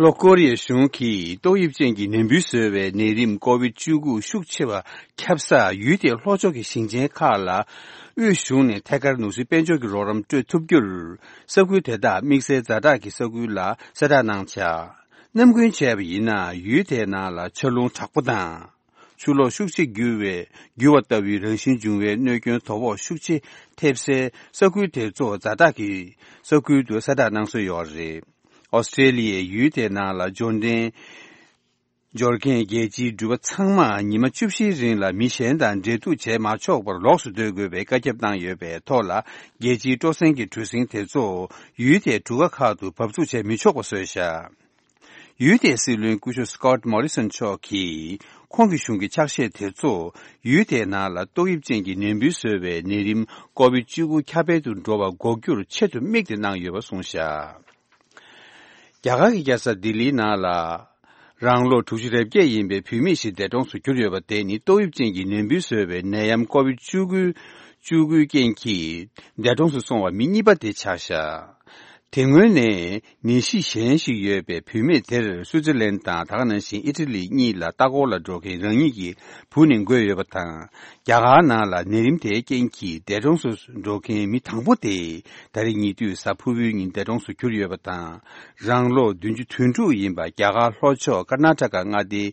ལྷོ་ཀོ་རི་ཡའི་གཞུང་གིས་ཏོག་དབྱིབས་ཅན་གྱི་ནད་འབུའི་བཟོ་བའི་ནད་རིམས་ཀོ་ཝིད་བཅུ་དགུ་ཤུགས་ཆེ་བ་ཁྱབ་ས་ཡུལ་དེའི་ལྷོ་ཕྱོགས་ཀྱི་ཞིང་ཆེན་ཁག་ལ་དབུས་གཞུང་ནས་ཐད་ཀར་ནོར་སྲིད་དཔལ་འབྱོར་གྱི་རོགས་རམ་སྤྲོད་ཐུབ་རྒྱུར། ས་ཁུལ་དེ་དག་དམིགས་བསལ་ཛ་དྲག་གི་ས་ཁུལ་ལ་གསལ་བསྒྲགས་གནང་འཆར། ནམ་རྒྱུན་བྱས་པ་ཡིན་ན་ཡུལ་དེའི་ནང་ལ་ཆར་རླུང་དྲག་པོ་དང་། ཆུ་ལོག་ཤུགས་ཆེ་རྒྱུ་བའི་རྒྱུ་བ་ལྟ་བུའི་རང་བཞིན་འབྱུང་བའི་གནོད་སྐྱོན་དོ་ཕོག་ཤུགས་ཆེ་ཐེབས་སའི་ས་ཁུལ་དེ་གཙོ་བོ་ཛ་དྲག་གི་ས་ཁུལ་དུ་གསལ་བསྒྲགས་གནང་སྲོལ་ཡོད་རེད། ཨོ་སི་ཀྲེ་ལི་ཡའི་ཡུལ་དེའི་ནང་ལ་འབྱོར་འབྲིང་འབྱོར་མཁན་རྒྱལ་སྤྱིའི་འགྲུལ་པ་ཚང་མ་ཉི་མ་བཅུ་བཞིའི་རིང་ལ་མི་གཞན་དང་འབྲེལ་གཏུག་བྱས་མ་ཆོག་པར་ལོགས་སུ་སྡོད་དགོས་པའི་བཀའ་ཁྱབ་བཏང་ཡོད་པའི་ཐོག་ལ། རྒྱལ་སྤྱིའི་སྤྲོ་གསེང་གི་གྲུ་གཟིངས་དེ་ཚོ་ཡུལ་དེའི་གྲུ་ཁ་ཁག་ཏུ་བབས་ཚུགས་བྱས་མི་ཆོག་པ་བཟོས་བཞག་ཡུལ་དེའི་སྲིད་བློན་སྐུ་ཞབས་Scott Morrison་མཆོག་གིས། ཁོང་གི་གཞུང་གི་ཕྱག་བཞེས་དེ་ཚོ་ཡུལ་དེའི་ནང་ལ་ཏོག་དབྱིབས་ཅན་གྱི་ནད་འབུས་བཟོ་བའི་ནད་རིམས་ཀོ་བིད་བཅུ་དགུ་ཁྱབ་སྤེལ་དུ་འགྲོ་བ་འགོག་རྒྱུར་ཆེད་དུ་དམིགས་ཏེ་གནང་ཡོད་པ་གསུངས་བཞག་རྒྱ་གར་གྱི་རྒྱལ་ས་ལྡི་ལིའི་ནང་ལ། རང་ལོ་དྲུག་ཅུ་རེ་བརྒྱད་ཡིན་པའི་བུད་མེད་ཞིག་འདས་གྲོངས་སུ་གྱུར་ཡོད་པ་དེ་ནི་ཏོག་དབྱིབས་ཅན་གྱི་ནད་འབུས་བཟོ་བའི་ནད་ཡམས་ཀོ་བིད་བཅུ་དགུ་བཅུ་དགུའི་རྐྱེན་གྱིས་འདས་གྲོངས་སུ་སོང་བ་མི་གཉིས་པ་དེ་ཆགས་བཞག་དེ་སྔོན་ནས་ནད་གཞི་གཞན་ཞིག་ཡོད་པའི་བུད་མེད་དེར་སུའུ་ཙེར་ལན་དང་ད་ག་ནང་བཞིན་ཨི་ཊ་ལི་གཉིས་ལ་ལྟ་སྐོར་ལ་འགྲོ་མཁན་རང་ཉིད་ཀྱི་བུ་ནས་འགོས་ཡོད་པ་དང་། རྒྱ་གར་ནང་ལ་ནད་རིམས་དེའི་རྐྱེན་གྱིས་འདས་གྲོངས་སུ་འགྲོ་མཁན་མི་དང་པོ་དེ་ད་རེས་ཉེ་དུས་གཟའ་ཕུར་བུའི་ཉིན་འདས་གྲོངས་སུ་གྱུར་ཡོད་པ་དང་། རང་ལོ་བདུན་ཅུ་དོན་དྲུག་ཡིན་པ་རྒྱ་གར་ལྷོ་ཕྱོགས་ཀར་ན་ཊ་ཀ་མངའ་སྡེའི་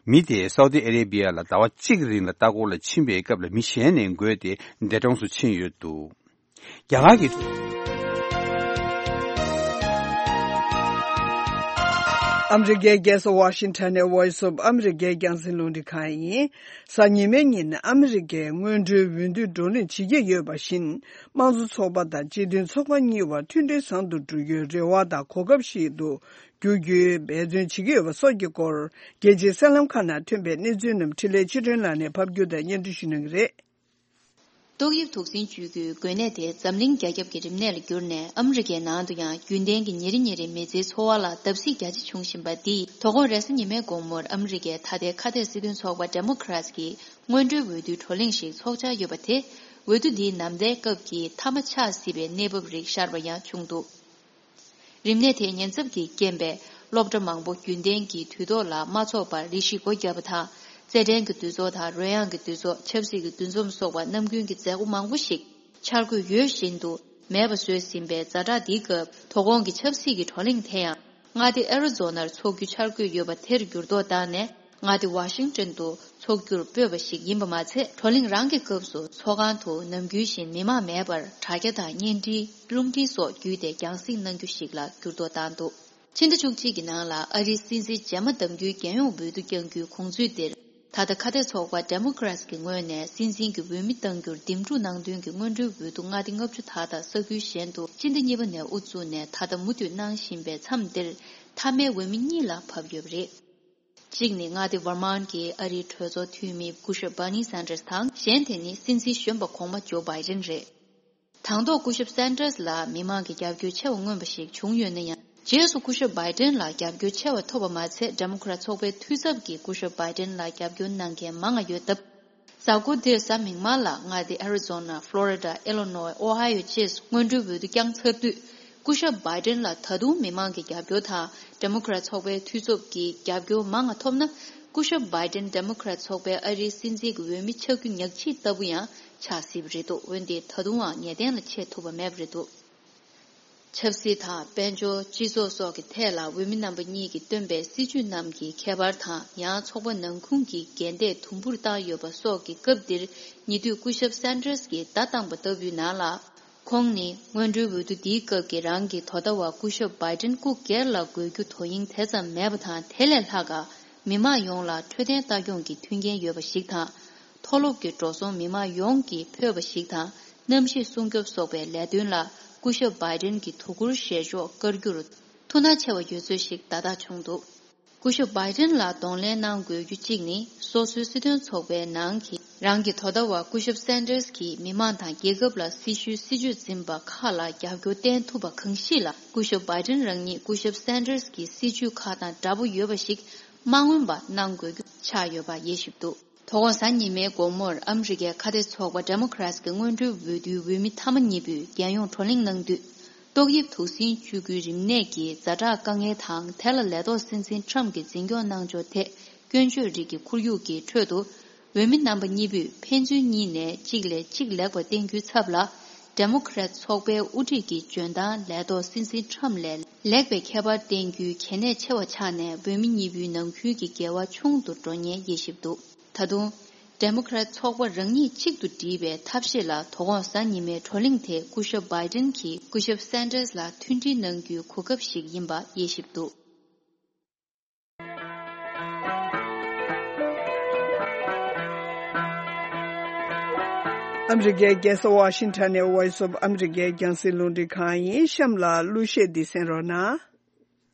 མི་དེ་སའུ་ཏི་ཨ་རེ་བི་ཡ་ལ་ཟླ་བ་གཅིག་རིང་ལ་ལྟ་སྐོར་ལ་ཕྱིན་པའི་སྐབས་ལ་མི་གཞན་ནས་འགོས་ཏེ་འདས་གྲོངས་སུ་ཕྱིན་ཡོད་འདུག་རྒྱ་གར་གྱི། ཨ་མི་རི་ཀའི་རྒྱལ་ས་ཝ་ཤིང་ཊོན་ནས་Voice of America་རྒྱང་སྲིང་རླུང་འཕྲིན་ཁང་ཡིན། གཟའ་ཉི་མའི་ཉིན་ཨ་མི་རི་ཀའི་སྔོན་འགྲོའི་འོས་བསྡུ་བགྲོ་གླེང་བྱེད་ཀྱི་ཡོད་པ་བཞིན། དམངས་གཙོ་ཚོགས་པ་དང་སྤྱི་མཐུན་ཚོགས་པ་གཉིས་བར་མཐུན་སྒྲིལ་བཟང་དུ་འགྲོ་རྒྱུའི་རེ་བ་དང་གོ་སྐབས་ཤིག་ཏུ་འགྱུར་རྒྱུའི་འབད་བརྩོན་བྱེད་ཀྱི་ཡོད་པ་སོགས་ཀྱི་སྐོར། རྒྱལ་སྤྱིའི་གསར་ལམ་ཁག་ནང་ཐོན་པའི་གནས་ཚུལ་རྣམས་འཕྲིན་ལས་ཆོས་སྒྲོན་ལགས་ནས་ཕབ་སྒྱུར་དང་སྙན་སྒྲོན་ཞུ་གནང་གི་རེད། ཏོག་དབྱིབས་དུག་སྲིན་བཅོས་རྒྱུའི་འགོས་ནད་དེ་འཛམ་གླིང་རྒྱ་ཁྱབ་ཀྱི་རིམས་ནད་ལ་གྱུར་ནས་ཨ་མི་རི་ཀའི་ནང་དུ་ཡང་རྒྱུན་ལྡན་གྱི་ཉིན་རེ་ཉིན་རེའི་མི་ཚེའི་འཚོ་བ་ལ་བརྡབ་གསིག་རྒྱ་ཆེ་བྱུང་བཞིན་པ་འདིས། དོ་དགོང་རེས་གཟའ་ཉི་མའི་དགོང་མོར་ཨ་མི་རི་ཀའི་ཐ་དད་ཁ་གཏད་སྲིད་དོན་ཚོགས་པ་Democrats་གིས་སྔོན་འགྲོའི་འོས་བསྡུའི་བགྲོ་གླེང་ཞིག་ཚོགས་འཆར་ཡོད་པ་དེ། འོས་བསྡུ་འདིའི་ནམ་ཟླའི་སྐབས་ཀྱི་མཐའ་མ་ཆགས་སྲིད་པའི་གནས་བབ་རིགས་ཤར་བ་ཡང་བྱུང་འདུག་རིམས་ནད་དེའི་ཉེན་ཚབས་ཀྱི་རྐྱེན་པས། སློབ་གྲྭ་མང་པོ་རྒྱུན་ལྡན་གྱི་དུས་ཐོག་ལ་མ་འཚོགས་པར་རེ་ཞིག་སྒོ་བརྒྱབ་པ་དང་། རྩེད་འགྲན་གྱི་འདུ་ཚོགས་དང་རོལ་དབྱངས་ཀྱི་འདུ་ཚོགས། ཆབ་སྲིད་ཀྱི་འདུ་འཛོམས་སོགས་པ་ནམ་རྒྱུན་གྱི་མཛད་སྒོ་མང་པོ་ཞིག་འཆར་འགོད་ཡོད་བཞིན་དུ་མེད་པ་བཟོས་ཟིན་པའི་ཛ་དྲག་འདིའི་སྐབས། དོ་དགོང་གི་ཆབ་སྲིད་ཀྱི་བགྲོ་གླེང་དེ་ཡང་མངའ་སྡེ་ཨེ་རི་ཛོ་ནར་འཚོགས་རྒྱུ་འཆར་འགོད་ཡོད་པ་དེར་འགྱུར་ལྡོག་བཏང་ནས། མངའ་སྡེ་ཝ་ཤིང་ཏོན་དུ་འཚོགས་རྒྱུར་སྤོས་པ་ཞིག་ཡིན་པ་མ་ཚད། བགྲོ་གླེང་རང་གི་སྐབས་སུ་ཚོགས་ཁང་དུ་ནམ་རྒྱུན་བཞིན་མི་མང་མེད་པར། དྲ་རྒྱ་དང་བརྙན་འཕྲིན། རླུང་འཕྲིན་སོགས་བརྒྱུད་དེ་རྒྱང་སྲིང་གནང་རྒྱུ་ཞིག་ལ་འགྱུར་ལྡོག་བཏང་འདུག་ཕྱི་ཟླ་བཅུ་གཅིག་གི་ནང་ལ་ཨ་རིའི་སྲིད་འཛིན་རྗེས་མ་གདམ་རྒྱུའི་རྒྱལ་ཡོངས་འོས་བསྡུ་བསྐྱང་རྒྱུའི་དགོངས་ཚུལ་འདིར། ད་ལྟ་ཁ་གཏད་ཚོགས་པ་Democrats་གི་ངོས་ནས་སྲིད་འཛིན་གྱི་འོས་མི་གཏང་རྒྱུར་འདེམས་སྒྲུག་གནང་དོན་གྱི་སྔོན་འགྲོའི་འོས་བསྡུ་མངའ་སྡེ་ལྔ་བཅུ་དག་དང་ས་ཁུལ་གཞན་དུ་སྤྱི་ཟླ་གཉིས་པ་ནས་དབུ་བཙུགས་ནས་ད་ལྟ་མུ་མཐུད་གནང་བཞིན་པའི་མཚམས་འདིར། མཐའ་མའི་འོས་མི་གཉིས་ལ་བབས་ཡོད་པ་རེད། གཅིག་ནི་མངའ་སྡེ་ཝར་མཱན་གྱི་ཨ་རིའི་གྲོས་ཚོགས་འཐུས་མི་སྐུ་ཞབས་Bernie Sanders་དང་། གཞན་དེ་ནི་སྲིད་འཛིན་གཞོན་པ་གོང་མ་ཇོ་བྷའི་ཏིན་རེད། དང་ཐོག་སྐུ་ཞབས་Sanders་ལ་མི་མང་གི་རྒྱབ་སྐྱོར་ཆེ་བ་མངོན་པ་ཞིག་བྱུང་ཡོད་ན་ཡང་། རྗེས་སུ་སྐུ་ཞབས་བྷའི་ཏིན་ལ་རྒྱབ་སྐྱོར་ཆེ་བ་ཐོབ་པ་མ་ཚད། Democrat་ཚོགས་པའི་འཐུས་ཚབ་ཀྱིས་སྐུ་ཞབས་བྷའི་ཏིན་ལ་རྒྱབ་སྐྱོར་གནང་མཁན་མང་ང་ཡོད་སྟབས། གཟའ་འཁོར་འདིར་གཟའ་མིག་དམར་ལ་མངའ་སྡེ་ཨེ་རི་ཛོ་ན། ཕློ་རི་ཌ། ཨེ་ལི་ནོའི། ཨོ་ཧའི་ཡོ་བཅས་སུ་སྔོན་འགྲོའི་འོས་བསྡུ་བསྐྱངས་ཚར་དུས། སྐུ་ཞབས་བྷའི་ཏིན་ལ་ད་དུང་མི་མང་གི་རྒྱབ་སྐྱོར་དང་། Democrat་ཚོགས་པའི་འཐུས་ཚབ་ཀྱི་རྒྱབ་སྐྱོར་མང་ང་ཐོབ་ན། སྐུ་ཞབས་བྷའི་ཏིན་Democrat་ཚོགས་པའི་ཨ་རིའི་སྲིད་འཛིན་གྱི་འོས་མི་ཆགས་རྒྱུ་ཉག་གཅིག་ལྟ་བུ་ཡང་ཆགས་སྲིད་པ་རེད་འདུག་འོན་ཏེ་ད་དུང་ཡང་ངེས་གཏན་ལ་ཆེ་ཐུབ་པ་མེད་པ་རེད་འདུག་ཆབ་སྲིད་དང་། དཔལ་འབྱོར། སྤྱི་ཚོགས་སོགས་ཀྱི་ཐད་ལ་འོས་མི་རྣམ་པ་གཉིས་ཀྱིས་བཏོན་པའི་སྲིད་ཇུས་རྣམས་ཀྱི་ཁྱད་པར་དང་། ཡང་ཚོགས་པ་ནང་ཁུལ་གྱི་འགལ་ཟླས་དུམ་བུར་བཏང་ཡོད་པ་སོགས་ཀྱི་སྐབས་འདིར། ཉེ་དུས་སྐུ་ཞབས་Sanders་གྱིས་བརྡ་བཏང་པ་ལྟ་བུའི་ནང་ལ། ཁོང་ནི་སྔོན་འགྲོའི་འོས་བསྡུ་འདིའི་སྐབས་ཀྱི་རང་གི་དོ་ཟླ་བ་སྐུ་ཞབས་བྷའི་ཏིན་སྐུ་སྒེར་ལ་དགོས་རྒྱུ་དོ་དབྱིངས་དེ་ཙམ་མེད་པ་དང་། དེ་ལས་ལྷག་ག་མི་མང་ཡོངས་ལ་འཕྲོད་བསྟེན་ལྟ་སྐྱོང་གི་མཐུན་རྐྱེན་ཡོད་པ་ཞིག་དང་། མཐོ་སློབ་ཀྱི་འགྲོ་སོང་མི་མང་ཡོངས་ཀྱིས་ཕོད་པ་ཞིག་དང་། གནམ་གཤིས་སྲུང་སྐྱོབ་སོགས་པའི་ལས་དོན་ལ་སྐུ་ཞབས་བྷའི་ཏིན་གྱི་དོ་ཁུར་བཞེས་ཕྱོགས་བཀར་རྒྱུར་ཐུགས་སྣང་ཆེ་བ་ཡོད་ཚུལ་ཞིག་བརྡ་རྟགས་བྱུང་འདུག་སྐུ་ཞབས་བྷའི་ཏིན་ལ་གདོང་ལེན་གནང་དགོས་རྒྱུ་གཅིག་ནི། སོ་སོའི་སྲིད་དོན་ཚོགས་པའི་ནང་གི་རང་གི་དོ་ཟླ་བ་སྐུ་ཞབས་Sanders་གྱིས་མི་མང་དང་རྒྱལ་ཁབ་ལ་སྲི་ཞུའི་སྲིད་ཇུས་འཛིན་པ་ཁག་ལ་རྒྱབ་སྐྱོར་བསྟན་ཐུབ་པ་གང་ཞིག་ལ། སྐུ་ཞབས་བྷའི་ཏིན་རང་ཉིད་སྐུ་ཞབས་Sanders་གྱི་སྲིད་ཇུས་ཁག་དང་འདྲ་པོ་ཡོད་པ་ཞིག་མ་མངོན་པ་གནང་དགོས་རྒྱུ་ཆགས་ཡོད་པ་དབྱེ་ཞིབ་འདུག་དོ་དགོང་གཟའ་ཉི་མའི་དགོང་མོར་ཨ་མི་རི་ཀའི་ཁ་གཏད་ཚོགས་པ་Democrats་གི་སྔོན་འགྲོའི་འོས་བསྡུའི་འོས་མི་མཐའ་མ་གཉིས་པོས་རྒྱལ་ཡོངས་བགྲོ་གླེང་གནང་དུས། ཏོག་དབྱིབས་དུག་སྲིན་བཅོས་ཁུལ་རིམས་ནད་ཀྱི་ཛ་དྲག་དཀའ་ངལ་དང་། དེ་ལ་ལས་ཐོག་སྲིད་འཛིན་Trump་གྱིས་འཛིན་སྐྱོང་གནང་ཕྱོགས་ཐད་སྐྱོན་བརྗོད་རིགས་ཀྱི་ཁོར་ཡུག་གི་ཁྲོད་དུ། འོས་མི་རྣམ་པ་གཉིས་པོས་ཕན་ཚུན་གཉིས་ནས་གཅིག་ལས་གཅིག་ལེགས་པ་བསྟན་རྒྱུའི་ཚབ་ལ། Democrat་ཚོགས་པའི་དབུ་ཁྲིད་ཀྱི་འཇོན་ཐང་ལས་ཐོག་སྲིད་འཛིན་Trump་ལས་ལེགས་པའི་ཁྱད་པར་བསྟན་རྒྱུའི་གལ་གནད་ཆེ་བ་ཆགས་ནས། འོས་མི་གཉིས་པོའི་ནང་ཁུལ་གྱི་འགལ་བ་ཆུང་དུ་འགྲོ་ཉེན་དབྱེ་ཞིབ་འདུག་ད་དུང་། ཌེ་མོ་ཀེ་རེ་ཊི་ཚོགས་པ་རང་ཉིད་གཅིག་ཏུ་བསྒྲིལ་བའི་ཐབས་ཤེས་ལ་དོ་དགོང་གཟའ་ཉི་མའི་བགྲོ་གླེང་དེ་སྐུ་ཞབས་བྷའི་ཌེན་གྱིས་སྐུ་ཞབས་སན་ཏར་སི་ལ་མཐུན་སྒྲིལ་གནང་རྒྱུའི་གོ་སྐབས་ཤིག་ཡིན་པ་དབྱེ་ཞིབ་འདུག། ཨ་མི་རི་ཀའི་རྒྱལ་ས་ཝ་ཤིང་ཊོན་ནས་Voice of America རྒྱང་སྲིང་རླུང་འཕྲིན་ཁང་ཡིན། གཤམ་ལ་གླུ་གཞས་འདི་གསན་རོགས་གནང་།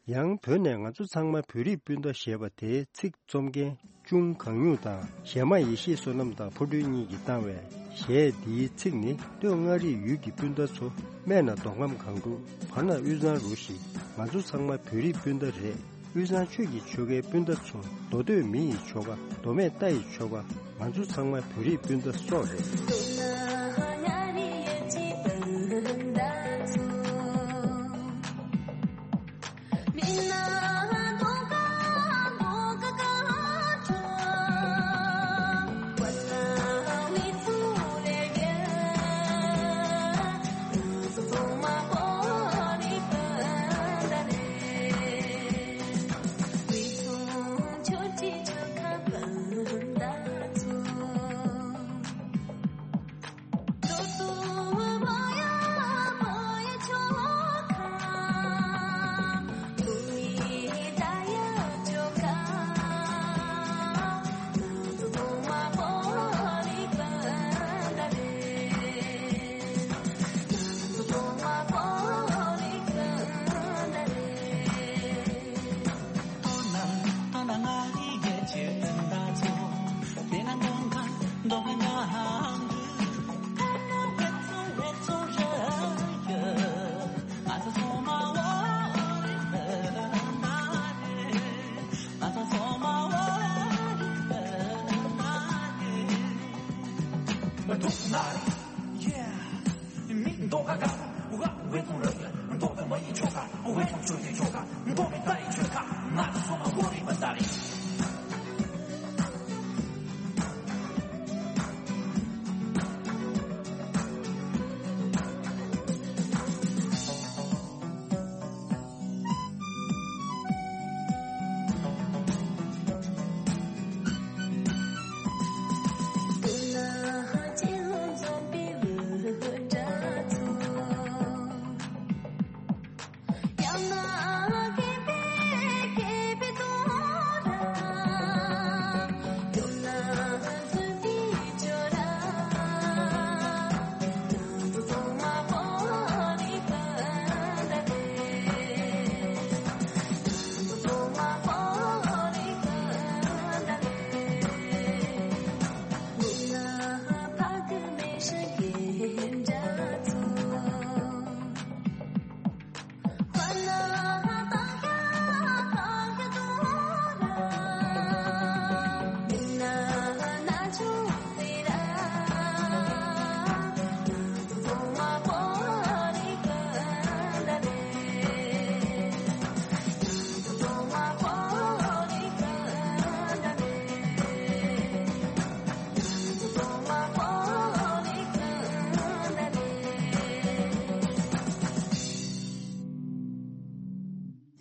ཡང་བོད་ནས་ང་ཚོ་ཚང་མ་བོད་རིགས་སྤུན་ཟླ་ཞེས་པ་དེའི་ཚིག་རྩོམ་མཁན་ཅུང་གང་ཉུང་དང་གཞས་མ་ཡེ་ཤེས་བསོད་ནམས་དང་ཕོ་བྲུན་གཉིས་ཀྱིས་བཏང་བའི་གཞས་འདིའི་ཚིག་ནི། སྟོད་མངའ་རིས་ཡུལ་གྱི་སྤུན་ཟླ་ཚོ། སྨད་ན་མདོ་ཁམས་སྒང་དྲུག་བར་ན་དབུས་གཙང་རུ་བཞི། ང་ཚོ་ཚང་མ་བོད་རིགས་སྤུན་ཟླ་རེད། དབུས་གཙང་ཆོས་ཀྱི་ཆོལ་ཁའི་སྤུན་ཟླ་ཚོ། མདོ་སྟོད་མི་ཡི་ཆོལ་ཁ། མདོ་སྨད་རྟ་ཡི་ཆོལ་ཁ། ང་ཚོ་ཚང་མ་བོད་རིགས་སྤུན་ཟླ་སོགས་རེད།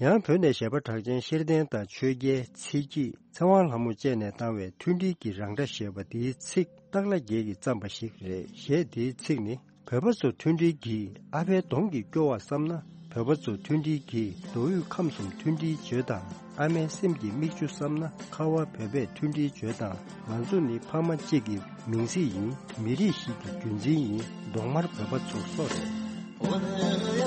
ཡང་བོད་ནས་གཞས་པ་གྲགས་ཅན་ཤེར་བསྟན་དང་ཆོས་རྒྱལ། ཚེ་སྐྱིད། ཚེ་དབང་ལྷ་མོ་བཅས་ནས་བཏང་བའི་མཐུན་སྒྲིལ་གྱི་རང་སྒྲ་ཞེས་པ་འདིའི་ཚིག་སྟག་ལྷ་རྒྱལ་གྱིས་བརྩམས་པ་ཞིག་རེད། གཞས་འདིའི་ཚིག་ནི། བོད་པ་ཚོ་མཐུན་སྒྲིལ་གྱིས་ཨ་ཕའི་གདོང་གི་སྐྱོ་བ་བསམ་ན། བོད་པ་ཚོ་མཐུན་སྒྲིལ་གྱིས་མདོ་དབུས་ཁམས་གསུམ་མཐུན་སྒྲིལ་བརྗོད་དང་། ཨ་མའི་སེམས་ཀྱི་མིག་ཆུ་བསམ་ན། ཁ་བ་བོད་པས་མཐུན་སྒྲིལ་བརྗོད་དང་། ང་ཚོ་ནི་ཕ་མ་གཅིག་གི་མིང་ཚིག་ཡིན། མི་རིགས་ཤིག་གི་རྒྱུན་འཛིན་ཡིན། གདོང་དམར་བོད་པ་ཚོ་སོགས་རེད།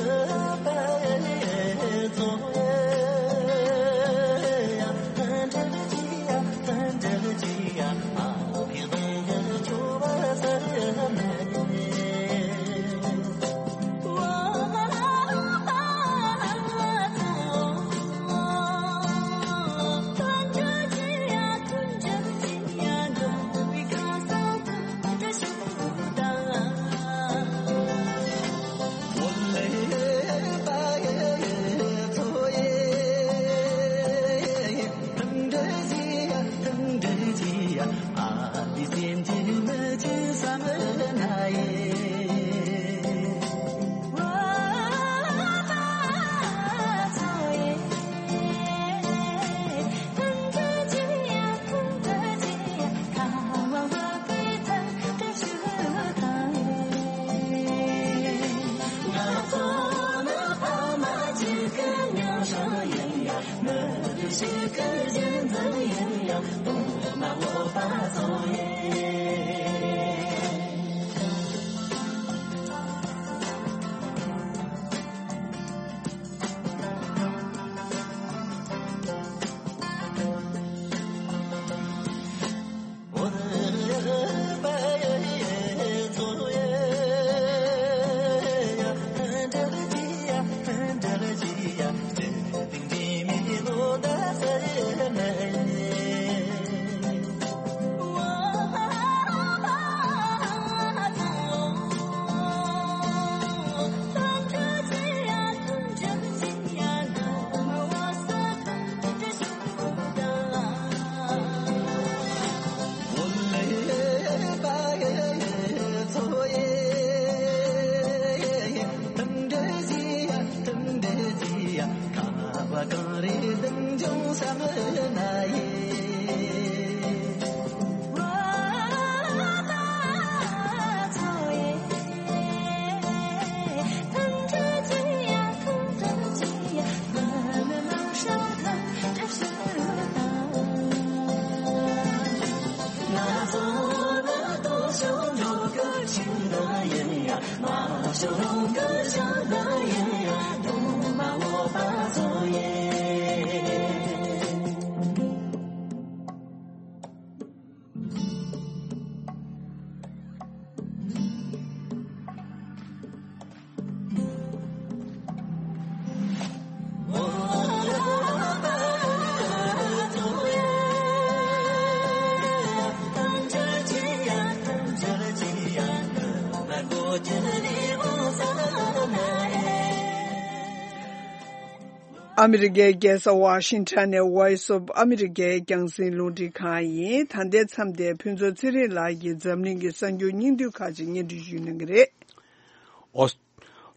ཨ་མི་རི་ཀའི་རྒྱལ་ས་ཝ་ཤིང་ཊོན་ནས་Voice of America རྒྱང་སྲིང་རླུང་འཕྲིན་ཁང་ཡིན། ད་ལྟའི་མཚམས་དེ་ཕུན་ཚོགས་ཚེ་རིང་ལགས་ཀྱིས་འཛམ་གླིང་གི་གསར་འགྱུར་སྙིང་བསྡུས་ཁག་ཅིག་སྙན་སྒྲོན་ཞུ་གནང་གི་རེད། ཨོ།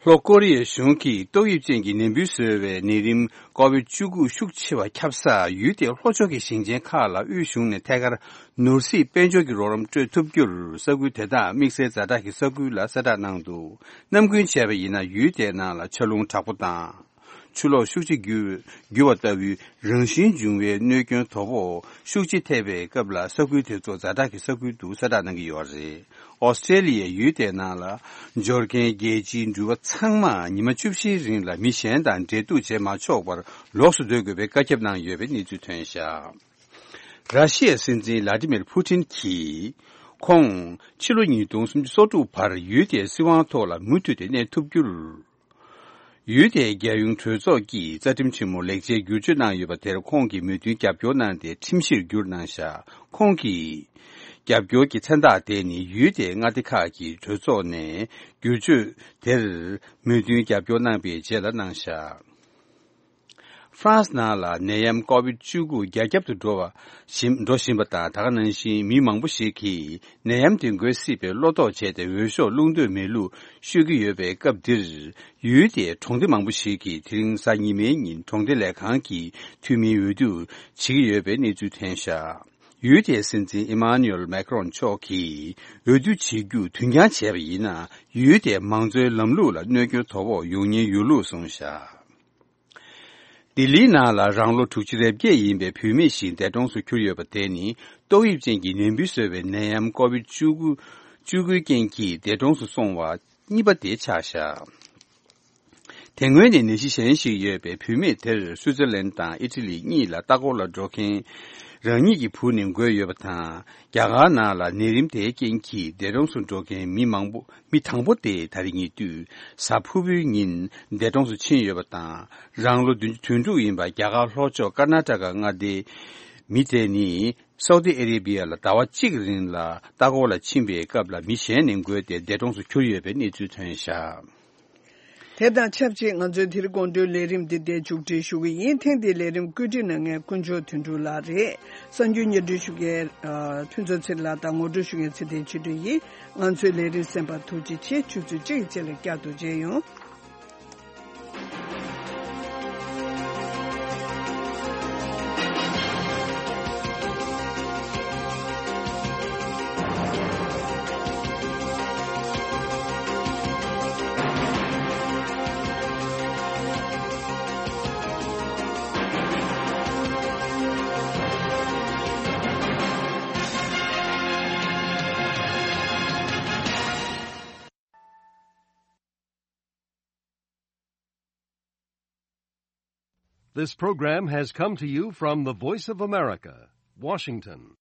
ལྷོ་ཀོ་རི་ཡའི་གཞུང་གིས་ཏོག་དབྱིབས་ཅན་གྱི་ནད་འབུ་བཟོ་བའི་ནད་རིམས་ཀོ་བིད་བཅུ་དགུ་ཤུགས་ཆེ་བ་ཁྱབ་ས་ཡུལ་དེའི་ལྷོ་ཕྱོགས་ཀྱི་ཞིང་ཆེན་ཁག་ལ་དབུས་གཞུང་ནས་ཐད་ཀར་ནོར་སྲིད་དཔལ་འབྱོར་གྱི་རོགས་རམ་སྤྲོད་ཐུབ་རྒྱུར་ས་ཁུལ་དེ་དག་དམིགས་བསལ་ཛ་དྲག་གི་ས་ཁུལ་ལ་གསལ་བསྒྲགས་གནང་འདུག། ནམ་རྒྱུན་བྱས་པ་ཡིན་ན་ཡུལ་དེའི་ནང་ལ་ཆར་རླུང་དྲག་པོ་དང་། ཆུ་ལོག་ཤུགས་ཆེ་རྒྱུ་རྒྱུ་བ་ལྟ་བུའི་རང་བཞིན་འབྱུང་བའི་གནོད་སྐྱོན་དོ་ཕོག་ཤུགས་ཆེ་ཐེབས་པའི་སྐབས་ལ་ས་ཁུལ་དེ་ཚོ་ཛ་དྲག་གི་ས་ཁུལ་དུ་གསལ་བསྒྲགས་གནང་གི་ཡོད་རེད། ཨོ་སི་ཀྲེ་ལི་ཡའི་ཡུལ་དེའི་ནང་ལ་འབྱོར་མཁན་རྒྱལ་སྤྱིའི་འགྲུལ་པ་ཚང་མ་ཉི་མ་བཅུ་བཞིའི་རིང་ལ་མི་གཞན་དང་འབྲེལ་གཏུག་བྱེད་མ་ཆོག་པར་ལོགས་སུ་སྡོད་དགོས་པའི་བཀའ་ཁྱབ་གནང་ཡོད་པའི་གནས་ཚུལ་ཐོན་བཞག། ར་ཤི་ཡའི་སྲིད་འཛིན་ལ་ཏི་མིར་ཕུ་ཏིན་གྱིས་ཁོང་ཕྱི་ལོ་ཉིས་སྟོང་སུམ་ཅུ་སོ་དྲུག་བར་ཡུལ་དེའི་སྲིད་དབང་ཐོག་ལ་མུ་མཐུད་དེ་གནས་ཐུབ་རྒྱུར། ཡུལ་དེའི་རྒྱལ་ཡོངས་གྲོས་ཚོགས་ཀྱིས་རྩ་ཁྲིམས་ཆེན་མོ་ལེགས་ཆའི་བསྒྱུར་བཅོས་གནང་ཡོད་པ་དེར་ཁོང་གིས་མོས་མཐུན་རྒྱབ་སྐྱོར་གནང་སྟེ་ཁྲིམས་གཞིར་བསྒྱུར་གནང་བཞག། ཁོང་གིས་རྒྱབ་སྐྱོར་གྱི་མཚན་རྟགས་དེ་ནི་ཡུལ་དེའི་མངའ་སྡེ་ཁག་གི་གྲོས་ཚོགས་ནས་བསྒྱུར་བཅོས་དེར་མོས་མཐུན་རྒྱབ་སྐྱོར་གནང་པའི་རྗེས་ལ་གནང་བཞག། ཧྥ་རན་སི་ནང་ལ་ནད་ཡམས་ཀོ་བིད་བཅུ་དགུ་རྒྱ་ཁྱབ་ཏུ་འགྲོ་བ་བཞིན་འགྲོ་བཞིན་པ་དང་། ད་ག་ནང་བཞིན་མི་མང་པོ་ཞིག་གིས་ནད་ཡམས་དེ་འགོས་སྲིད་པའི་བློ་དོགས་བྱས་ཏེ་འོས་ཤོག་བླུག་འདོད་མེད་ལུགས་ཤོད་ཀྱི་ཡོད་པའི་སྐབས་འདིར། ཡུལ་དེའི་གྲོང་སྡེ་མང་པོ་ཞིག་གིས་དེ་རིང་གཟའ་ཉི་མའི་ཉིན་གྲོང་སྡེ་ལས་ཁང་གི་འཐུས་མིའི་འོས་བསྡུ་བྱེད་ཀྱི་ཡོད་པའི་གནས་ཚུལ་ཐོན་བཞག། ཡུལ་དེའི་སྲིད་འཛིན་ཨི་མཱ་ནུ་ཨེལ་མེག་རོན་མཆོག་གིས་འོས་བསྡུ་བྱེད་རྒྱུ་དུས་འགྱངས་བྱས་པ་ཡིན་ན། ཡུལ་དེའི་མང་གཙོའི་ལམ་ལུགས་ལ་གནོད་སྐྱོན་དོ་ཕོག་ཡོང་ཉེན་ཡོད་ལུགས་གསུངས་བཞག། ལྡི་ལིའི་ནང་ལ་རང་ལོ་དྲུག་ཅུ་རེ་བརྒྱད་ཡིན་པའི་བུད་མེད་ཞིག་འདས་གྲོངས་སུ་གྱུར་ཡོད་པ་དེ་ནི་ཏོག་དབྱིབས་ཅན་གྱི་ནད་འབུ་བཟོ་བའི་ནད་ཡམས་ཀོ་བིད་བཅུ་དགུ་བཅུ་དགུའི་རྐྱེན་གྱིས་འདས་གྲོངས་སུ་སོང་བ་གཉིས་པ་དེ་ཆགས་བཞག། དེ་སྔོན་ནས་ནད་གཞི་གཞན་ཞིག་ཡོད་པའི་བུད་མེད་དེར་སུའུ་ཙེར་ལན་དང་ཨི་ཊ་ལི་གཉིས་ལ་ལྟ་སྐོར་ལ་འགྲོ་མཁན་རང་ཉིད་ཀྱི་བུ་ནི་འགོས་ཡོད་པ་དང་། རྒྱ་གར་ནང་ལ་ནད་རིམས་དེའི་རྐྱེན་གྱིས་འདས་གྲོངས་སུ་འགྲོ་མཁན་མི་མང་པོ་མི་དང་པོ་དེ་ད་རེས་ཉེ་དུས་གཟའ་ཕུར་བུའི་ཉིན་འདས་གྲོངས་སུ་ཕྱིན་ཡོད་པ་དང་། རང་ལོ་བདུན་ཅུ་དོན་དྲུག་ཡིན་པ་རྒྱ་གར་ལྷོ་ཕྱོགས་ཀར་ནཱ་ཊ་ཀ་མངའ་སྡེའི་མི་དེ་ནི་སའུ་ཏི་ཨ་རེ་བྷི་ཡ་ལ་ཟླ་བ་གཅིག་རིང་ལ་ལྟ་སྐོར་ལ་ཕྱིན་པའི་སྐབས་ལ་མི་གཞན་ནས་འགོས་ཏེ་འདས་གྲོངས་སུ་གྱུར་ཡོད་པའི་གནས་ཚུལ་ཐོན་བཞག། དེ་དང་ཆབས་ཅིག་ང་ཚོའི་དེ་རིང་དགོང་དྲོའི་ལས་རིམ་འདི་འདིར་མཇུག་སྒྲིལ་ཞུ་གི་ཡིན། ཐེངས་འདིའི་ལས་རིམ་བཀོད་སྒྲིག་གནང་མཁན་དཀོན་མཆོག་དོན་གྲུབ་ལགས་རེད། གསར་འགྱུར་སྙན་སྒྲོན་ཞུ་མཁན་ཨ་ཕུན་ཚོགས་ཚེ་རིང་ལགས་དང་ངོ་སྤྲོད་ཞུ་མཁན་ཚེ་བརྟན་ཆོས་སྒྲོན་ཡིན། ང་ཚོའི་ལས་རིམ་གསན་པར་ཐུགས་རྗེ་ཆེ། ཆུ་ཚོད་གཅིག་གི་རྗེས་ལ་བསྐྱར་དུ་མཇལ་ཡོང་། This program has come to you from the Voice of America, Washington.